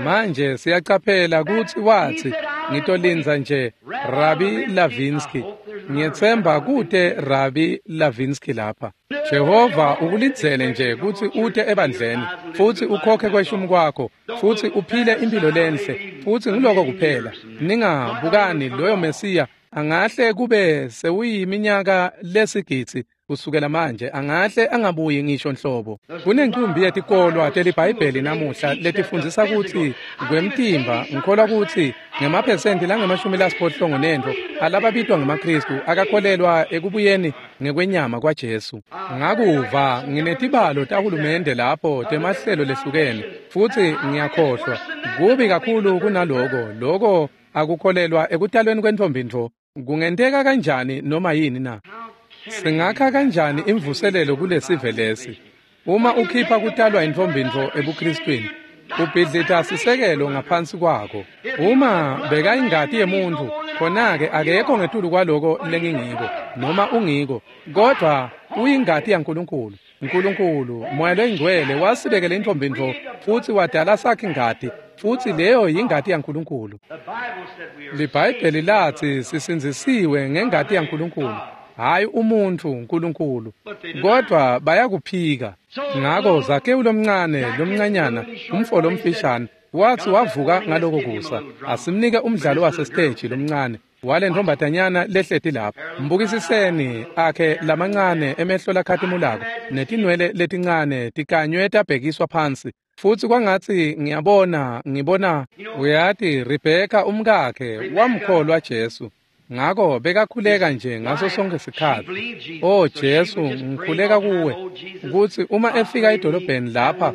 Manje siyacaphela kutsi wathi, ngitolindza nje Rabi Lavinsky. Ngiyetsemba kute Rabi Lavinsky lapha. Jehova ukulindzele nje kutsi ute ebandleni futhi ukhokhe kweshumi kwakho futhi uphile impilo lenhle, futhi ngiloko kuphela. Ningabukani loyo Mesiya angahle kube sewuyiminyaka lesigidzi kusukela manje, angahle angabuyi ngisho nhlobo. Kunencumbi yetikolwa teliBhayibheli namuhla letifundzisa kutsi kwemtimba, ngikholwa kutsi ngemaphesenti langama-69 alababitwa ngemaKhristu akakholelwa ekubuyeni ngekwenyama kwaJesu. Ngakuva nginetibalo tahulumende lapho temahlelo lehlukene, futhi ngiyakhohlwa. Kubi kakhulu kunaloko, loko akukholelwa ekutalweni kwentfombi ntfo. Kungenteka kanjani noma yini na? Singakha kanjani imvuselelo kulesive lesi? Uma ukhipha kutalwa intfombi ntfo ebuKristwini, ubhidlita sisekelo ngaphansi kwako. Uma bekayingati yemuntfu, khona-ke akekho ngetulu kwaloko lengingiko noma ungiko, kodwa uyingati yaNkulunkulu. Nkulunkulu, Moya loyiNgcwele wasibekela intfombi ntfo futhi wadala sakhe ingati, futhi leyo yingati yaNkulunkulu. LiBhayibheli lathi sisindzisiwe ngengati yaNkulunkulu, hayi umuntfu, uNkulunkulu. Kodwa bayakuphika. Ngako Zakewu lomncane, lomncanyana, umfo lomfishane, wathi wavuka ngaloko kusa. Asimnike umdlalo wasesiteji lomncane wale ntombatanyana lehleti lapha. Mbukisiseni akhe lamancane emehlo lakhatimulako netinwele letincane tikanywe tabhekiswa phansi. Futhi kwangathi ngiyabona, ngibona, uyati, Rebheka umkakhe wamkholwa Jesu. Ngako bekakhuleka nje ngaso sonke sikhatsi. Oh Jesu, ngikhuleka kuwe kutsi uma efika edolobheni lapha,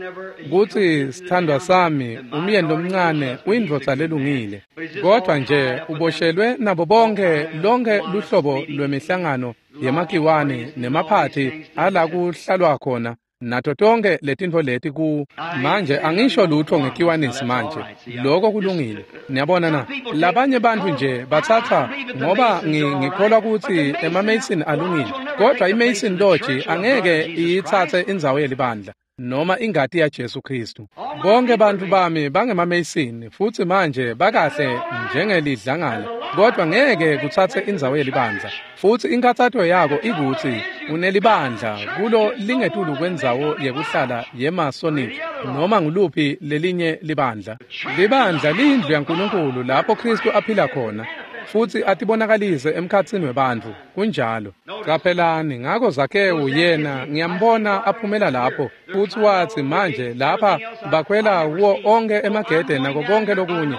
kutsi sithandwa sami, umyeni lomncane, uyindvodza lelungile. Kodwa nje uboshelwe nabo bonke lonke luhlobo lwemihlangano yemakiwane nemaphathi ala kuhlalwa khona, nato tonke letintfo leti ku. Manje angisho lutho ngekiwanisi manje, lokho kulungile. Niyabona na? Labanye bantfu nje batsatsa ngoba ngikholwa kutsi ema-Mason alungile, kodwa i-Mason Lodge angeke iyitsatse indzawo yelibandla noma ingati yaJesu Kristu. Bonke bantfu bami bangema-Mason futhi manje bakahle njengelidlangala, kodwa ngeke kutsatse indzawo yelibandla. Futhi inkathato yako ikutsi unelibandla kulo lingetulu kwendzawo yekuhlala yeMasonic noma nguluphi lelinye libandla. Libandla liyindlu yaNkulunkulu lapho Kristu aphila khona futhi atibonakalise emkhatsini webantfu. Kunjalo. Qaphelani, ngako Zakewu yena ngiyambona aphumela lapho futhi wathi, manje lapha bakhwela kuwo onke emagede nako konke lokunye,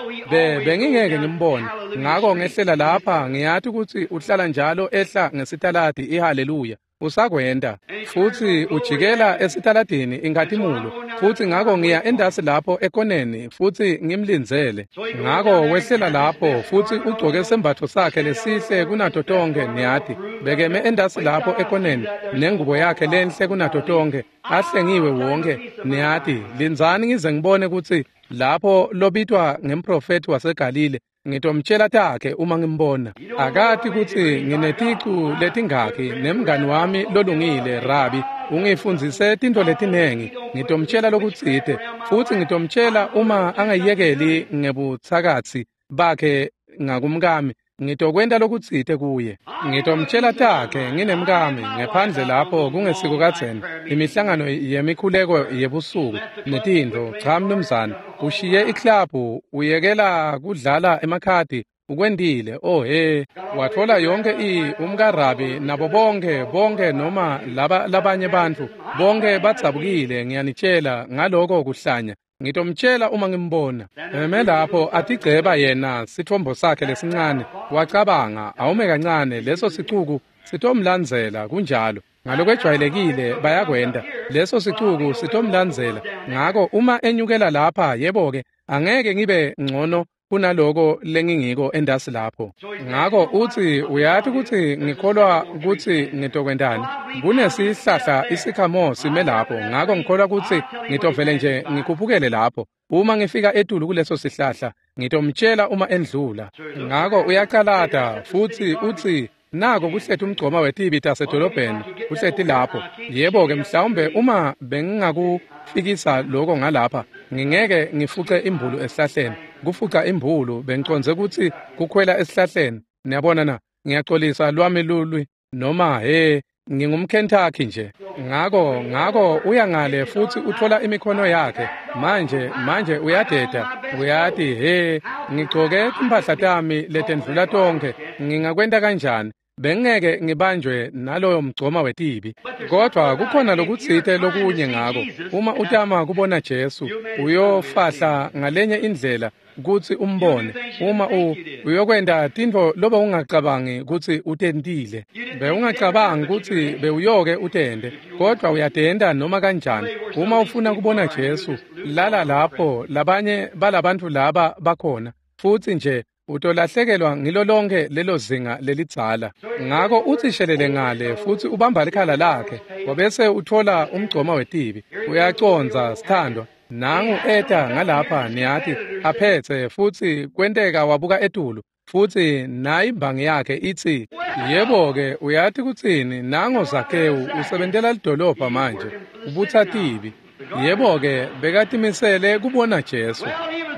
bengingeke ngimbone. Ngako ngehlela lapha, ngiyati kutsi uhlala njalo ehla ngesitaladi iHaleluya. Usakwenta. Futsi ujikela esitaladini inkhatimulo. Futsi ngako ngiya endasi lapho ekoneni futsi ngimlindzele. Ngako wehlela lapho futsi ugcoke sembatfo sakhe lesihle kunato tonkhe, niyati. Bekeme endasi lapho ekoneni nengubo yakhe lenhle kunato tonkhe, ahlengiwe wonke, niyati. Lindzani ngize ngibone kutsi lapho lobitwa ngemprofethi waseGalile, ngitomtshela takhe uma ngimbona. Akati kutsi ngineticu letingakhi nemngani wami lolungile Rabi ungifundzise tintfo letinengi. Ngitomtshela lokutsite futsi ngitomtshela uma angayekeli ngebutsakatsi bakhe ngakumkami, ngitokwenta lokutsite kuye. Ngitomtshela takhe nginemkami ngephandle lapho kungesiko kadzeni, imihlangano yemikhuleko yebusuku netintfo. Cha mnumzane, ushiye iklabhu, uyekela kudlala emakhadi, ukwentile. Oh he, watfola yonke umkaRabi nabo bonke noma laba labanye bantfu bonke badzabukile, ngiyanitshela ngaloko kuhlanya. Ngitomtshela uma ngimbona. Eme lapho atigceba yena sitfombo sakhe lesincane, wacabanga, awume kancane, leso sicuku sitomlandzela. Kunjalo, ngalokwejwayelekile bayakwenta. Leso sicuku sitomlandzela. Ngako uma enyukela lapha, yebo-ke, angeke ngibe ngcono kunaloko lengingiko endasi lapho. Ngako utsi, uyati kutsi ngikholwa kutsi ngitokwentani? Kunesihlahla isikhamo sime lapho, ngako ngikholwa kutsi ngitovele nje ngikhuphukele lapho. Uma ngifika etulu kuleso sihlahla, ngitomtshela uma endlula. Ngako uyacalata futsi utsi, nako kuhleti umgcoma wetibi tasedolobheni, kuhleti lapho. Yebo-ke, mhlawumbe uma bengingakufikisa loko ngalapha, ngingeke ngifuce imbulu esihlahleni. Kufuca imbulu bengicondze kutsi kukhwela esihlahleni. Niyabona na? Ngiyaxolisa lwami lulwi noma he, ngingumKentucky nje. Ngako uya ngale futsi utfola imikhono yakhe. Manje uyadeda. Uyati, he, ngigcoke timphahla tami letendlula tonkhe. Ngingakwenta kanjani? Bengeke ngibanjwe naloyo mgcoma wetibi. Kodwa kukhona lokutsite lokunye ngako. Uma utama kubona Jesu, uyofahla ngalenye indlela kutsi umbone. Uma uyokwenta tintfo lobe ungacabangi kutsi utentile. Bewungacabangi kutsi bewuyoke utente, kodwa uyatenta noma kanjani. Uma ufuna kubona Jesu, lala lapho labanye balabantfu laba bakhona. Futsi nje utolahlekelwa ngilo lonke lelo zinga lelidzala. Ngako utsi shelele ngale futsi ubamba likhala lakhe, wabese utfola umgcoma wetibi. Uyacondza sithandwa. Nangu eta ngalapha, niyati, aphetse futsi kwenteka wabuka etulu. Futsi nayi imbangi yakhe itsi, yebo-ke, uyati kutsini, nango Zakewu usebentela lidolobha manje, ubutsa tibi. Yebo-ke, bekatimisele kubona Jesu.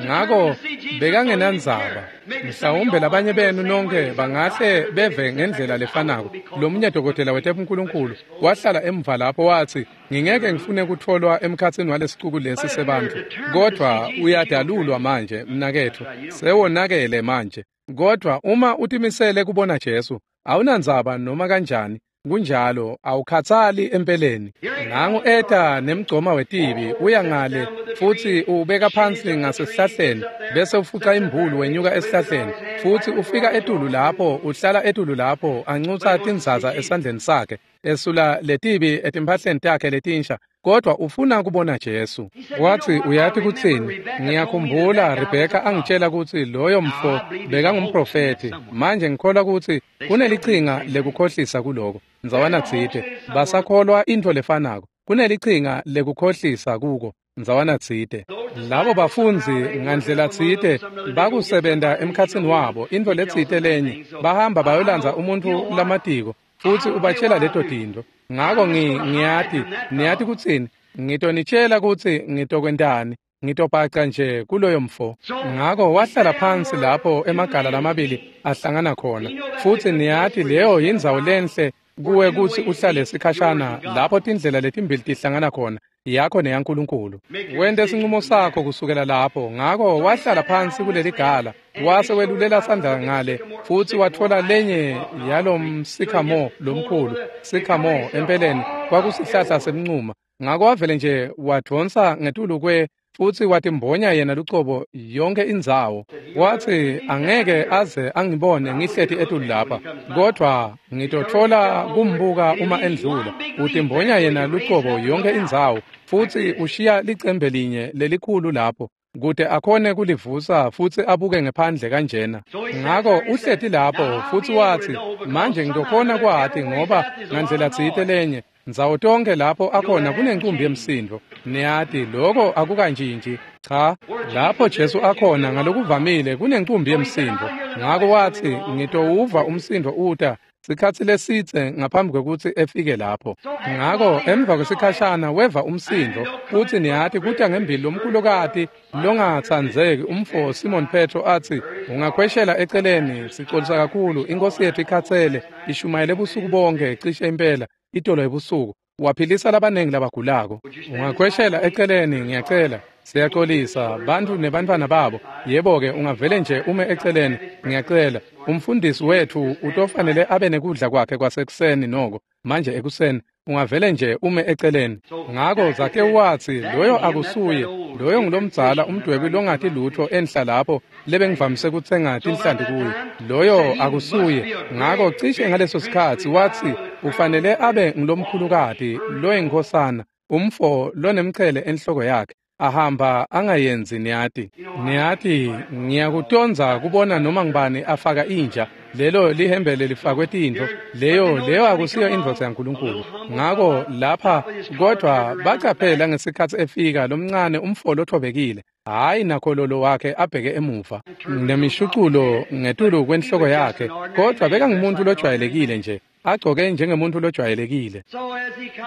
Ngako bekangenandzaba. Mhlawumbe labanye benu nonke bangahle beve ngendlela lefanako. Lomunye dokotela wetebunkulunkulu wahlala emva lapho watsi, ngingeke ngifune kutfolwa emkhatsini walesicuku lesi sebantfu, kodvwa uyadalulwa manje mnaketfu, sewonakele manje. Kodvwa uma utimisele kubona Jesu, awunandzaba noma kanjani. Kunjalo, awukhatsali empeleni. Nangu eta nemgcoma wetibi, uya ngale futsi ubeka phansi ngasesihlahleni, bese ufuca imbulu wenyuka esihlahleni, futsi ufika etulu lapho, uhlala etulu lapho, ancutsa tinzaza esandleni sakhe, esula letibi etimphahleni takhe letinsha, kodwa ufuna kubona Jesu. Watsi, uyati kutsini, ngiyakhumbula Rebheka angitshela kutsi loyo mfo bekangumprofethi. Manje ngikholwa kutsi kunelichinga lekukhohlisa kuloko. Ndzawana tsite basakholwa intfo lefanako. Kunelichinga lekukhohlisa kuko. Ndzawana tsite labo bafundzi ngandlela tsite bakusebenta emkhatsini wabo intfo letsite lenye, bahamba bayolandza umuntfu lamatiko futsi ubatshela leto tintfo. Ngako ngiyati, niyati kutsini, ngitonitshela kutsi ngitokwentani. Ngitobhaca nje kuloyo mfo. Ngako wahlala phansi lapho emagala lamabili ahlangana khona. Futsi niyati leyo yindzawo lenhle kuwe kutsi uhlale sikhashana lapho tindlela letimbili tihlangana khona, yakho neyaNkulunkulu. Wente sinqumo sakho kusukela lapho. Ngako wahlala phansi kuleligala, wase welulela sandla ngale futsi watfola lenye yalomsikhamo lomkhulu. Sikhamo empeleni kwakusihlahla semncuma. Ngako wavele nje wadvonsa ngetulu kwe futsi watimbonya yena lucobo yonke indzawo. Watsi angeke aze angibone ngihleti etulu lapha, kodvwa ngitotfola kumbuka uma endlula. Utimbonya yena lucobo yonke indzawo, futsi ushiya licembe linye lelikhulu lapho kute akhone kulivusa futsi abuke ngephandle kanjena. Ngako uhleti lapho futsi watsi, manje ngitokhona kwati ngoba ngandlela tsite lenye ndzawo tonke lapho akhona kunencumbi yemsindo. Niyati lokho akukantshintshi. Cha, lapho Jesu akhona ngalokuvamile kunencumbi yemsindo. Ngako watsi ngitowuva umsindo uta sikhatsi lesitse ngaphambi kwekutsi efike lapho. Ngako emva kwesikhashana weva umsindo, futsi niyati kuta ngembili lomkhulukati longatsandzeki umfo Simon Petro atsi, ungakhweshela eceleni, sicolisa kakhulu, inkosi yethu ikhatsele, ishumayele busuku bonke cishe impela itolo ebusuku, waphilisa labanengi labagulako. Ungakhweshela eceleni, ngiyacela, siyacolisa bantfu nebantfwana babo. Yebo-ke, ungavele nje ume eceleni, ngiyacela. Umfundisi wetfu utofanele abe nekudla kwakhe kwasekuseni noko manje ekuseni, ungavele nje ume eceleni. Ngako Zakewu watsi, loyo akusuye, loyo ngulomdzala umdwebi longati lutho enhla lapho lebengivamise kutsenga tinhlanti kuye, loyo akusuye. Ngako cishe ngaleso sikhatsi watsi ufanele abe ngulomkhulukati loyinkhosana, umfo lonemchele enhloko yakhe, ahamba angayenzi. Niyati, niyati ngiyakutondza kubona noma ngibani afaka inja, lelo lihembe lifakwe tintfo, leyo akusiyo indvodza yaNkulunkulu. Ngako lapha kodwa bacaphela ngesikhatsi efika lomncane umfo lothobekile, hhayi nakhololo wakhe abheke emuva nemishuculo ngetulu kwenhloko yakhe, kodwa bekangumuntu lojwayelekile nje, agcoke njengemuntu lojwayelekile.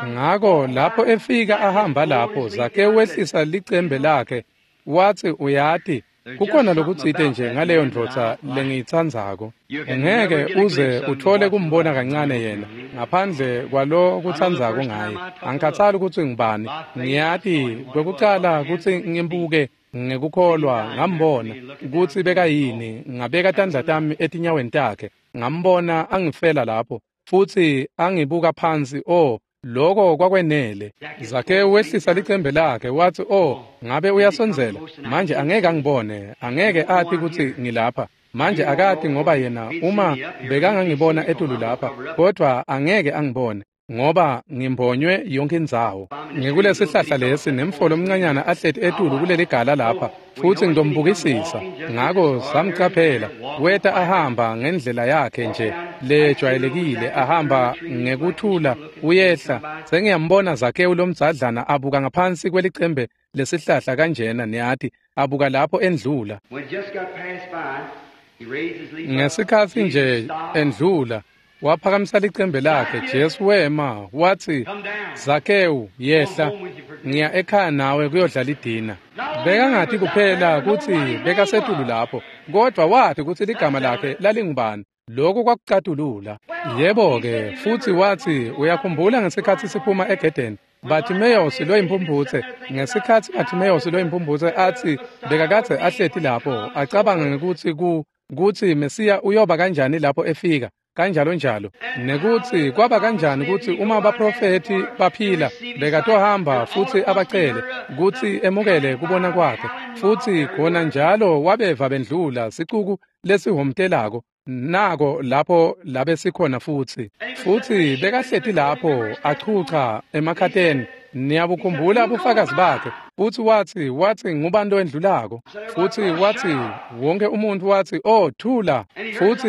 Ngako lapho efika ahamba lapho, Zakewu wehlisa licembe lakhe watsi, uyati kukhona lokutsite nje ngaleyo ndvodza lengiyitsandzako. Ungeke uze uthole kumbona kancane yena ngaphandle kwalo kutsandzako ngaye. Angikhatsali kutsi ngubani, ngiyati kwekucala kutsi ngimbuke ngekukholwa, ngambona kutsi bekayini, ngabeka tandla tami etinyaweni takhe, ngambona angifela lapho futsi angibuka phansi. Oh, lokho kwakwenele. Zakewu wehlisa licembe lakhe watsi, oh, ngabe uyasondzela manje, angeke angibone, angeke ati kutsi ngilapha manje, akati ngoba yena uma bekangangibona etulu lapha, kodwa angeke angibone ngoba ngimbonywe yonke indzawo. Ngikulesihlahla lesi nemfo lomncanyana ahleti etulu kuleligala lapha, futsi ngitombukisisa. Ngako samcaphela, weta ahamba ngendlela yakhe nje lejwayelekile, ahamba ngekuthula uyehla. Sengiyambona Zakewu lomdzadlana abuka ngaphansi kwelicembe lesihlahla kanjena, niyati, abuka lapho endlula. Ngesikhatsi nje endlula, waphakamisa licembe lakhe, Jesu wema watsi, Zakewu, yehla, ngiya ekhaya nawe kuyodla lidina. Bekangati kuphela kutsi bekasetulu lapho, kodwa wati kutsi ligama lakhe lalingubani. Lokho kwakucatulula. Yebo-ke, futsi watsi, uyakhumbula ngesikhatsi siphuma egedeni, Bartimaeus loyimphumphutse, ngesikhatsi Bartimaeus loyimphumphutse atsi bekakadze ahleti lapho, acabanga ngekutsi kutsi Mesiya uyoba kanjani lapho efika, kanjalo njalo, nekutsi kwaba kanjani kutsi uma baprofethi baphila bekatohamba futsi abacele kutsi emukele kubona kwakhe, futsi khona njalo wabeva bendlula sicuku lesihomtelako, nako lapho labe sikhona futsi. Futsi bekahleti lapho achucha emakhateni. Niyabukhumbula bufakazi bakhe. Futsi watsi ngubani loyendlulako? Futsi watsi wonke umuntu watsi, oh, thula. Futsi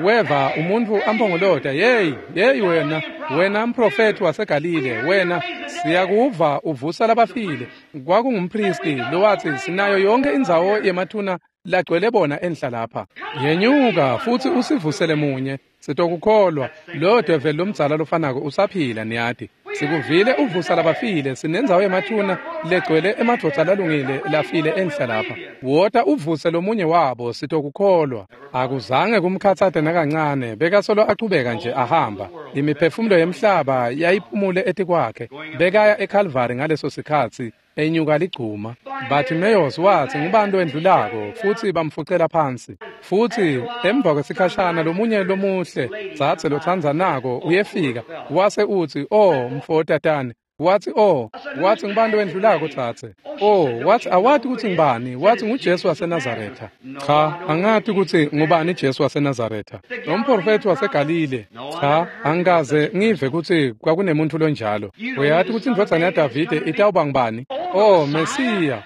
weva umuntu ampongolota, hey, hey wena, wena mprofethi waseGalile, wena siyakuva uvusa labafile. Kwakungumpristi lowathi sinayo yonke indzawo yemathuna lagcwele bona enhla lapha. Yenyuka futsi usivusele munye, sitokukholwa. Loyo develi lomdzala lofanako usaphila, niyati. Sikuvile uvusa labafile, sinendzawo yemathuna legcwele emadvodza lalungile lafile enhla lapha. Wota uvuse lomunye wabo, sitokukholwa. Akuzange kumkhatsate nakancane, bekasolo achubeka nje ahamba. Imiphefumulo yemhlaba yayiphumule etikwakhe. Bekaya eKalvari ngaleso sikhatsi, enyuka ligcuma. Bartimaeus watsi ngubani loyendlulako, futsi bamfucela phansi. Futsi emva kwesikhashana lomunye lomuhle dzadze lotsandzanako uyefika, wase utsi, oh, mfo tatane, Wathi, "Oh," wathi, "ngubani wendlulako tsatse?" "Oh," wathi, "awati kutsi ngubani?" Wathi, "nguJesu waseNazaretha." "Cha, angati kutsi ngubani Jesu waseNazaretha." "Umprofethi waseGalile." "Cha, angikaze ngive kutsi kwakunemuntu lonjalo." "Uyati kutsi indvodzana yaDavide itawuba ngubani?" "Oh, Mesiya."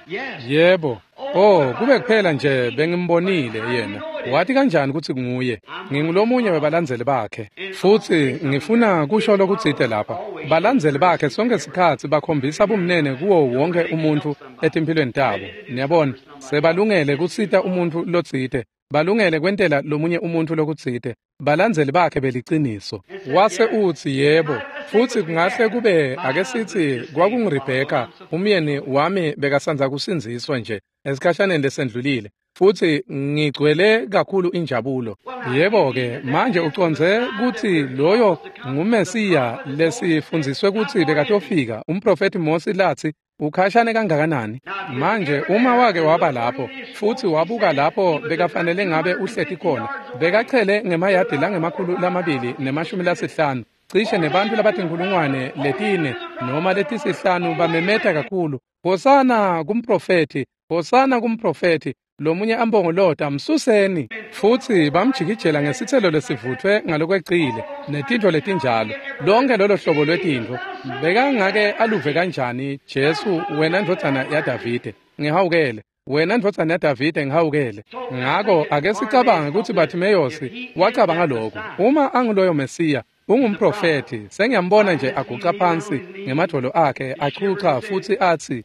"Yebo." "Oh, kube kuphela nje bengimbonile yena." "Wati kanjani kutsi nguye?" "Ngingulomunye webalandzeli bakhe." Futsi ngifuna kusho lokutsite lapha. Balandzeli bakhe sonke sikhatsi bakhombisa bumnene kuwo wonke umuntfu etimphilweni tabo. Niyabona, sebalungele kusita umuntfu lotsite, balungele kwentela lomunye umuntfu lokutsite. Balandzeli bakhe beliciniso. Wase utsi, "Yebo." Futsi kungahle kube ake sithi kwakunguRebheka, umyeni wami bekasandza kusindziswa nje esikhashaneni lesendlulile, futsi ngigcwele kakhulu injabulo. Yebo-ke, manje ucondze kutsi loyo nguMesiya lesifundziswe kutsi bekatofika, umprofethi Mosi latsi ukhashane kangakanani. Manje uma wake waba lapho futsi wabuka lapho bekafanele ngabe uhleti khona, bekachele ngemayadi lange-250, cishe nebantu labatinkhulungwane 4 noma 5 bamemeta kakhulu, "Hosana kumprofethi, hosana kumprofethi!" Lomunye ambongolota, "Msuseni!" Futsi bamjikijela ngesitselo lesivutfwe ngalokwecile netintfo letinjalo, lonke lolo hlobo lwetintfo. Bekangake aluve kanjani, "Jesu, wena ndvodzana yaDavide, ngihawukele, wena ndvodzana yaDavide, ngihawukele." Ngako ake sicabange kutsi Bartimeyosi wacabanga lokhu: uma anguloyo Mesiya, ungumprofethi, sengiyambona nje aguca phansi ngemadvolo akhe, achucha futsi atsi,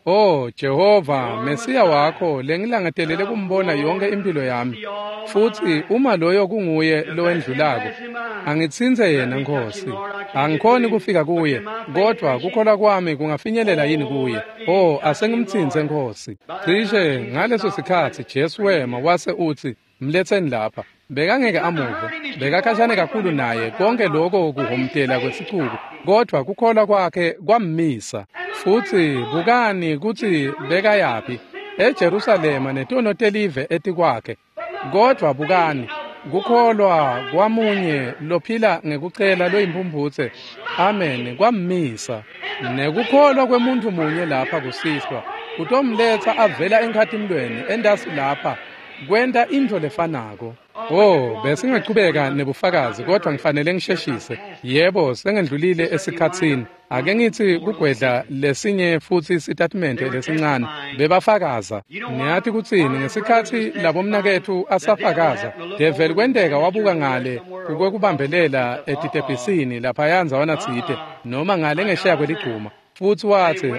"Oh Jehova, Mesiya wakho lengilangatelele kumbona yonke impilo yami. Futsi uma loyo kunguye lowendlulako, angitsintse yena, Nkosi. Angikhoni kufika kuye, kodvwa kukholwa kwami kungafinyelela yini kuye? Oh, asengimtsintse, Nkosi." Cishe ngaleso sikhatsi Jesu wema wase utsi, "Mletseni lapha." Bekangeke amuve, bekakhashane kakhulu naye, konke lokho kuhomtela kwesicuku, kodvwa kukholwa kwakhe kwammisa. Futsi bukani kutsi bekayaphi, eJerusalema netono telive etikwakhe. Kodvwa bukani, kukholwa kwamunye lophila ngekucela loyimpumphutse, amen, kwammisa. Nekukholwa kwemuntfu munye lapha kusihlwa kutomletsa avela enkhatimlweni entasi lapha kwenta intfo lefanako. Oh, besingachubeka nebufakazi, kodvwa ngifanele ngisheshise. Yebo, sengendlulile esikhatsini. Ake ngitsi kugwedla lesinye futsi sitatimende lesincane. Bebafakaza. Niyati kutsini, ngesikhatsi labomnaketfu asafakaza, develi kwenteka wabuka ngale kukwekubambelela etitebhisini laphaya ndzawana tsite, noma ngale ngesheya kweligcuma, futsi watsi,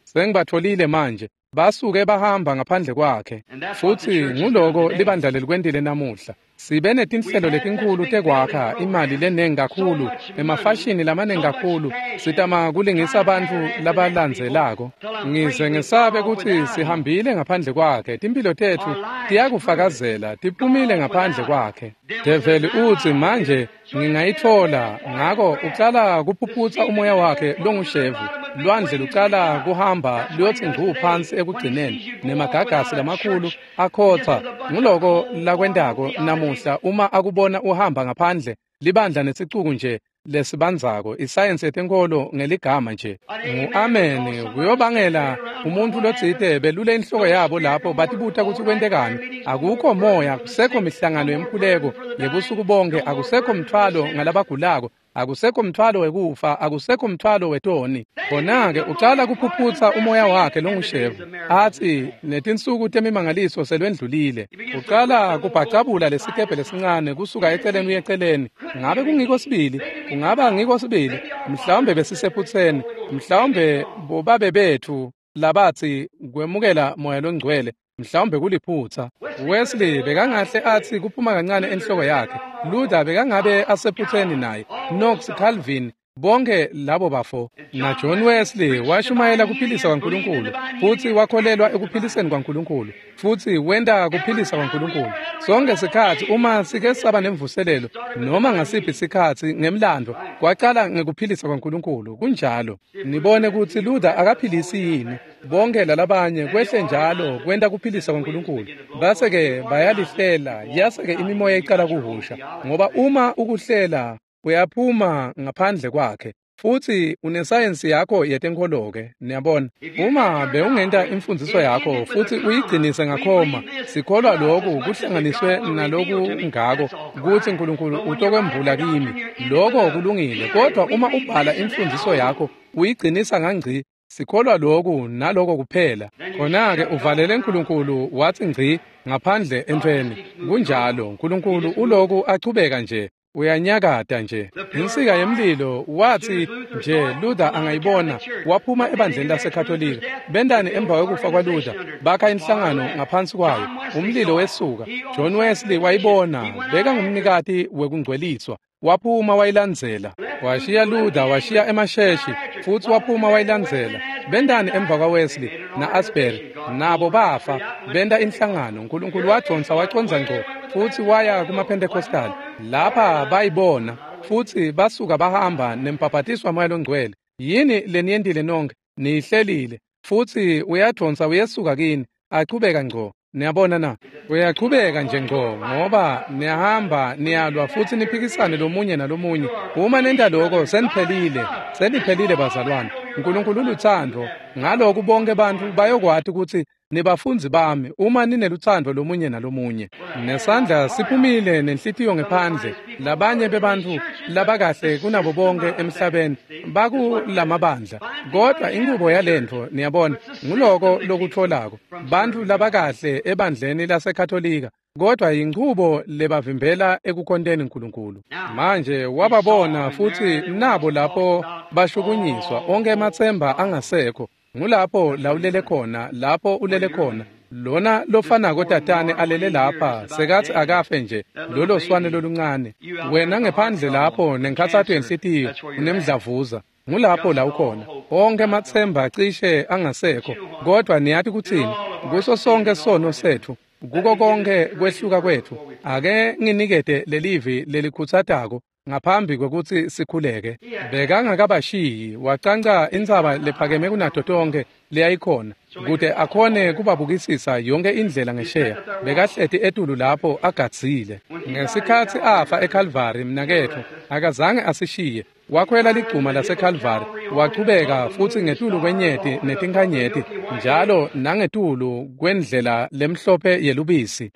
sengibatfolile manje. Basuke bahamba ngaphandle kwakhe. Futsi nguloko libandla lelikwentile namuhla. Sibe netinhlelo letinkhulu tekwakha, imali lenengi kakhulu, emafashini lamanengi kakhulu, sitama kulingisa bantfu labalandzelako. Ngize ngesabe kutsi sihambile ngaphandle kwakhe, timphilo tetfu tiyakufakazela, tiphumile ngaphandle kwakhe. Develi utsi, "Manje ngingayitfola." Ngako ucala kuphuphutsa umoya wakhe longushevu. Lwandle lucala kuhamba luyotsi ngcu phansi ekugcineni, nemagagasi lamakhulu akhotsa. Nguloko lakwentako namuhla uma akubona uhamba ngaphandle, libandla nesicuku nje lesibandzako, isayensi yetenkholo ngeligama nje. Ngu-amen kuyobangela umuntfu lotsite belule inhloko yabo lapho batibuta kutsi kwentekani. Akukho moya, akusekho mihlangano yemkhuleko yebusuku bonke, akusekho mthwalo ngalabagulako, akusekho mthwalo wekufa, akusekho mthwalo wetoni. Khona-ke ucala kuphuphutsa umoya wakhe longushevu, atsi netinsuku temimangaliso selwendlulile. Ucala kubhacabula lesikebhe lesincane kusuka eceleni uye eceleni. Ngabe kungiko sibili? Kungaba ngiko sibili? Mhlawumbe besisephutseni, mhlawumbe bobabe betfu labatsi kwemukela moya longcwele, mhlawumbe kuliphutsa. Wesley bekangahle atsi kuphuma kancane enhloko yakhe. Luther bekangabe asephutseni naye. Knox, Calvin, bonke labo bafo. Na John Wesley washumayela kuphilisa kwaNkulunkulu, futsi wakholelwa ekuphiliseni kwaNkulunkulu, futsi wenta kuphilisa kwaNkulunkulu. Sonke sikhatsi uma sike saba nemvuselelo, noma ngasiphi sikhatsi ngemlando, kwacala ngekuphilisa kwaNkulunkulu. Kunjalo. Nibone kutsi Luther akaphilisi yini, bonke lalabanye kwehle njalo kwenta kuphilisa kwaNkulunkulu. Base-ke bayalihlela, yase-ke imimoya icala kuhusha, ngoba uma ukuhlela uyaphuma ngaphandle kwakhe. Futhi unesayensi yakho yetenkholo-ke, niyabona. Uma bewungenta imfundiso yakho futhi uyigcinise ngakhoma, sikholwa lokhu kuhlanganiswe naloku ngako kutsi uNkulunkulu utokwembula kimi. Lokho kulungile, kodwa uma ubhala imfundiso yakho uyigcinisa ngangci, sikholwa lokhu naloko kuphela. Khona-ke uvalele uNkulunkulu wathi ngci ngaphandle entfweni. Kunjalo, uNkulunkulu uloku achubeka nje. Uyanyakata nje. Insika yemlilo wathi nje Luther angayibona, waphuma ebandleni laseKatolika. Bentani emva kwekufa kwaLuther, bakha inhlangano ngaphansi kwayo. Umlilo wesuka. John Wesley wayibona, bekangumnikati wekungcweliswa. Waphuma wayilandzela. Washiya Luther, washiya emasheshi, futhi waphuma wayilandzela. Bentani emva kwaWesley na-Asbury, nabo bafa, benta inhlangano. uNkulunkulu wadonsa wacondza ngco futhi waya kumaPentecostal. Lapha bayibona futhi basuka bahamba nembhabhatiswa waMoya loNgcwele. Yini leniyentile nonke? Niyihlelile. Futhi uyadonsa uyesuka kini, achubeka ngco. Niyabona na? Uyachubeka nje ngco ngoba niyahamba niyalwa futhi niphikisane lomunye nalomunye. Uma nenta lokho seniphelile, seniphelile bazalwane. uNkulunkulu uluthando. Ngalokhu bonke abantu bayokwati ukuthi nibafundzi bami uma nineluthando lomunye nalomunye. Nesandla siphumile nenhlitiyo ngephandle. Labanye bebantfu labakahle kunabo bonke emhlabeni bakulamabandla. Kodwa inkubo yalentfo, niyabona, nguloko lokutholako. Bantfu labakahle ebandleni laseKatolika, kodwa inchubo lebavimbela ekukhonteni uNkulunkulu. Manje wababona futhi nabo lapho bashukunyiswa, onke ematsemba angasekho. Ngulapho la ulele khona, lapho ulele khona. Lona lofanako tatane alele lapha, sekathi akafe nje, lolo swane loluncane. Wena ngephandle lapho nenkhatsato yenhlitiyo, unemdlavuza. Ngulapho la ukhona. Onke ematsemba cishe angasekho, kodwa niyati kutsini? Kuso sonke sono sethu, kuko konke kwehluka kwethu, ake nginikete lelivi lelikhutsatako ngaphambi kwekutsi sikhuleke. Bekangakabashiyi, wacanca intsaba lephakeme kunato tonke leyayikhona, kute akhone kubabukisisa yonke indlela ngesheya. Bekahleti etulu lapho agadzile. Ngesikhatsi afa eKalvari, mnaketfu, akazange asishiye. Wakhwela ligcuma laseKalvari, wachubeka futhi ngetulu kwenyeti netinkhanyeti, njalo nangetulu kwendlela lemhlophe yelubisi.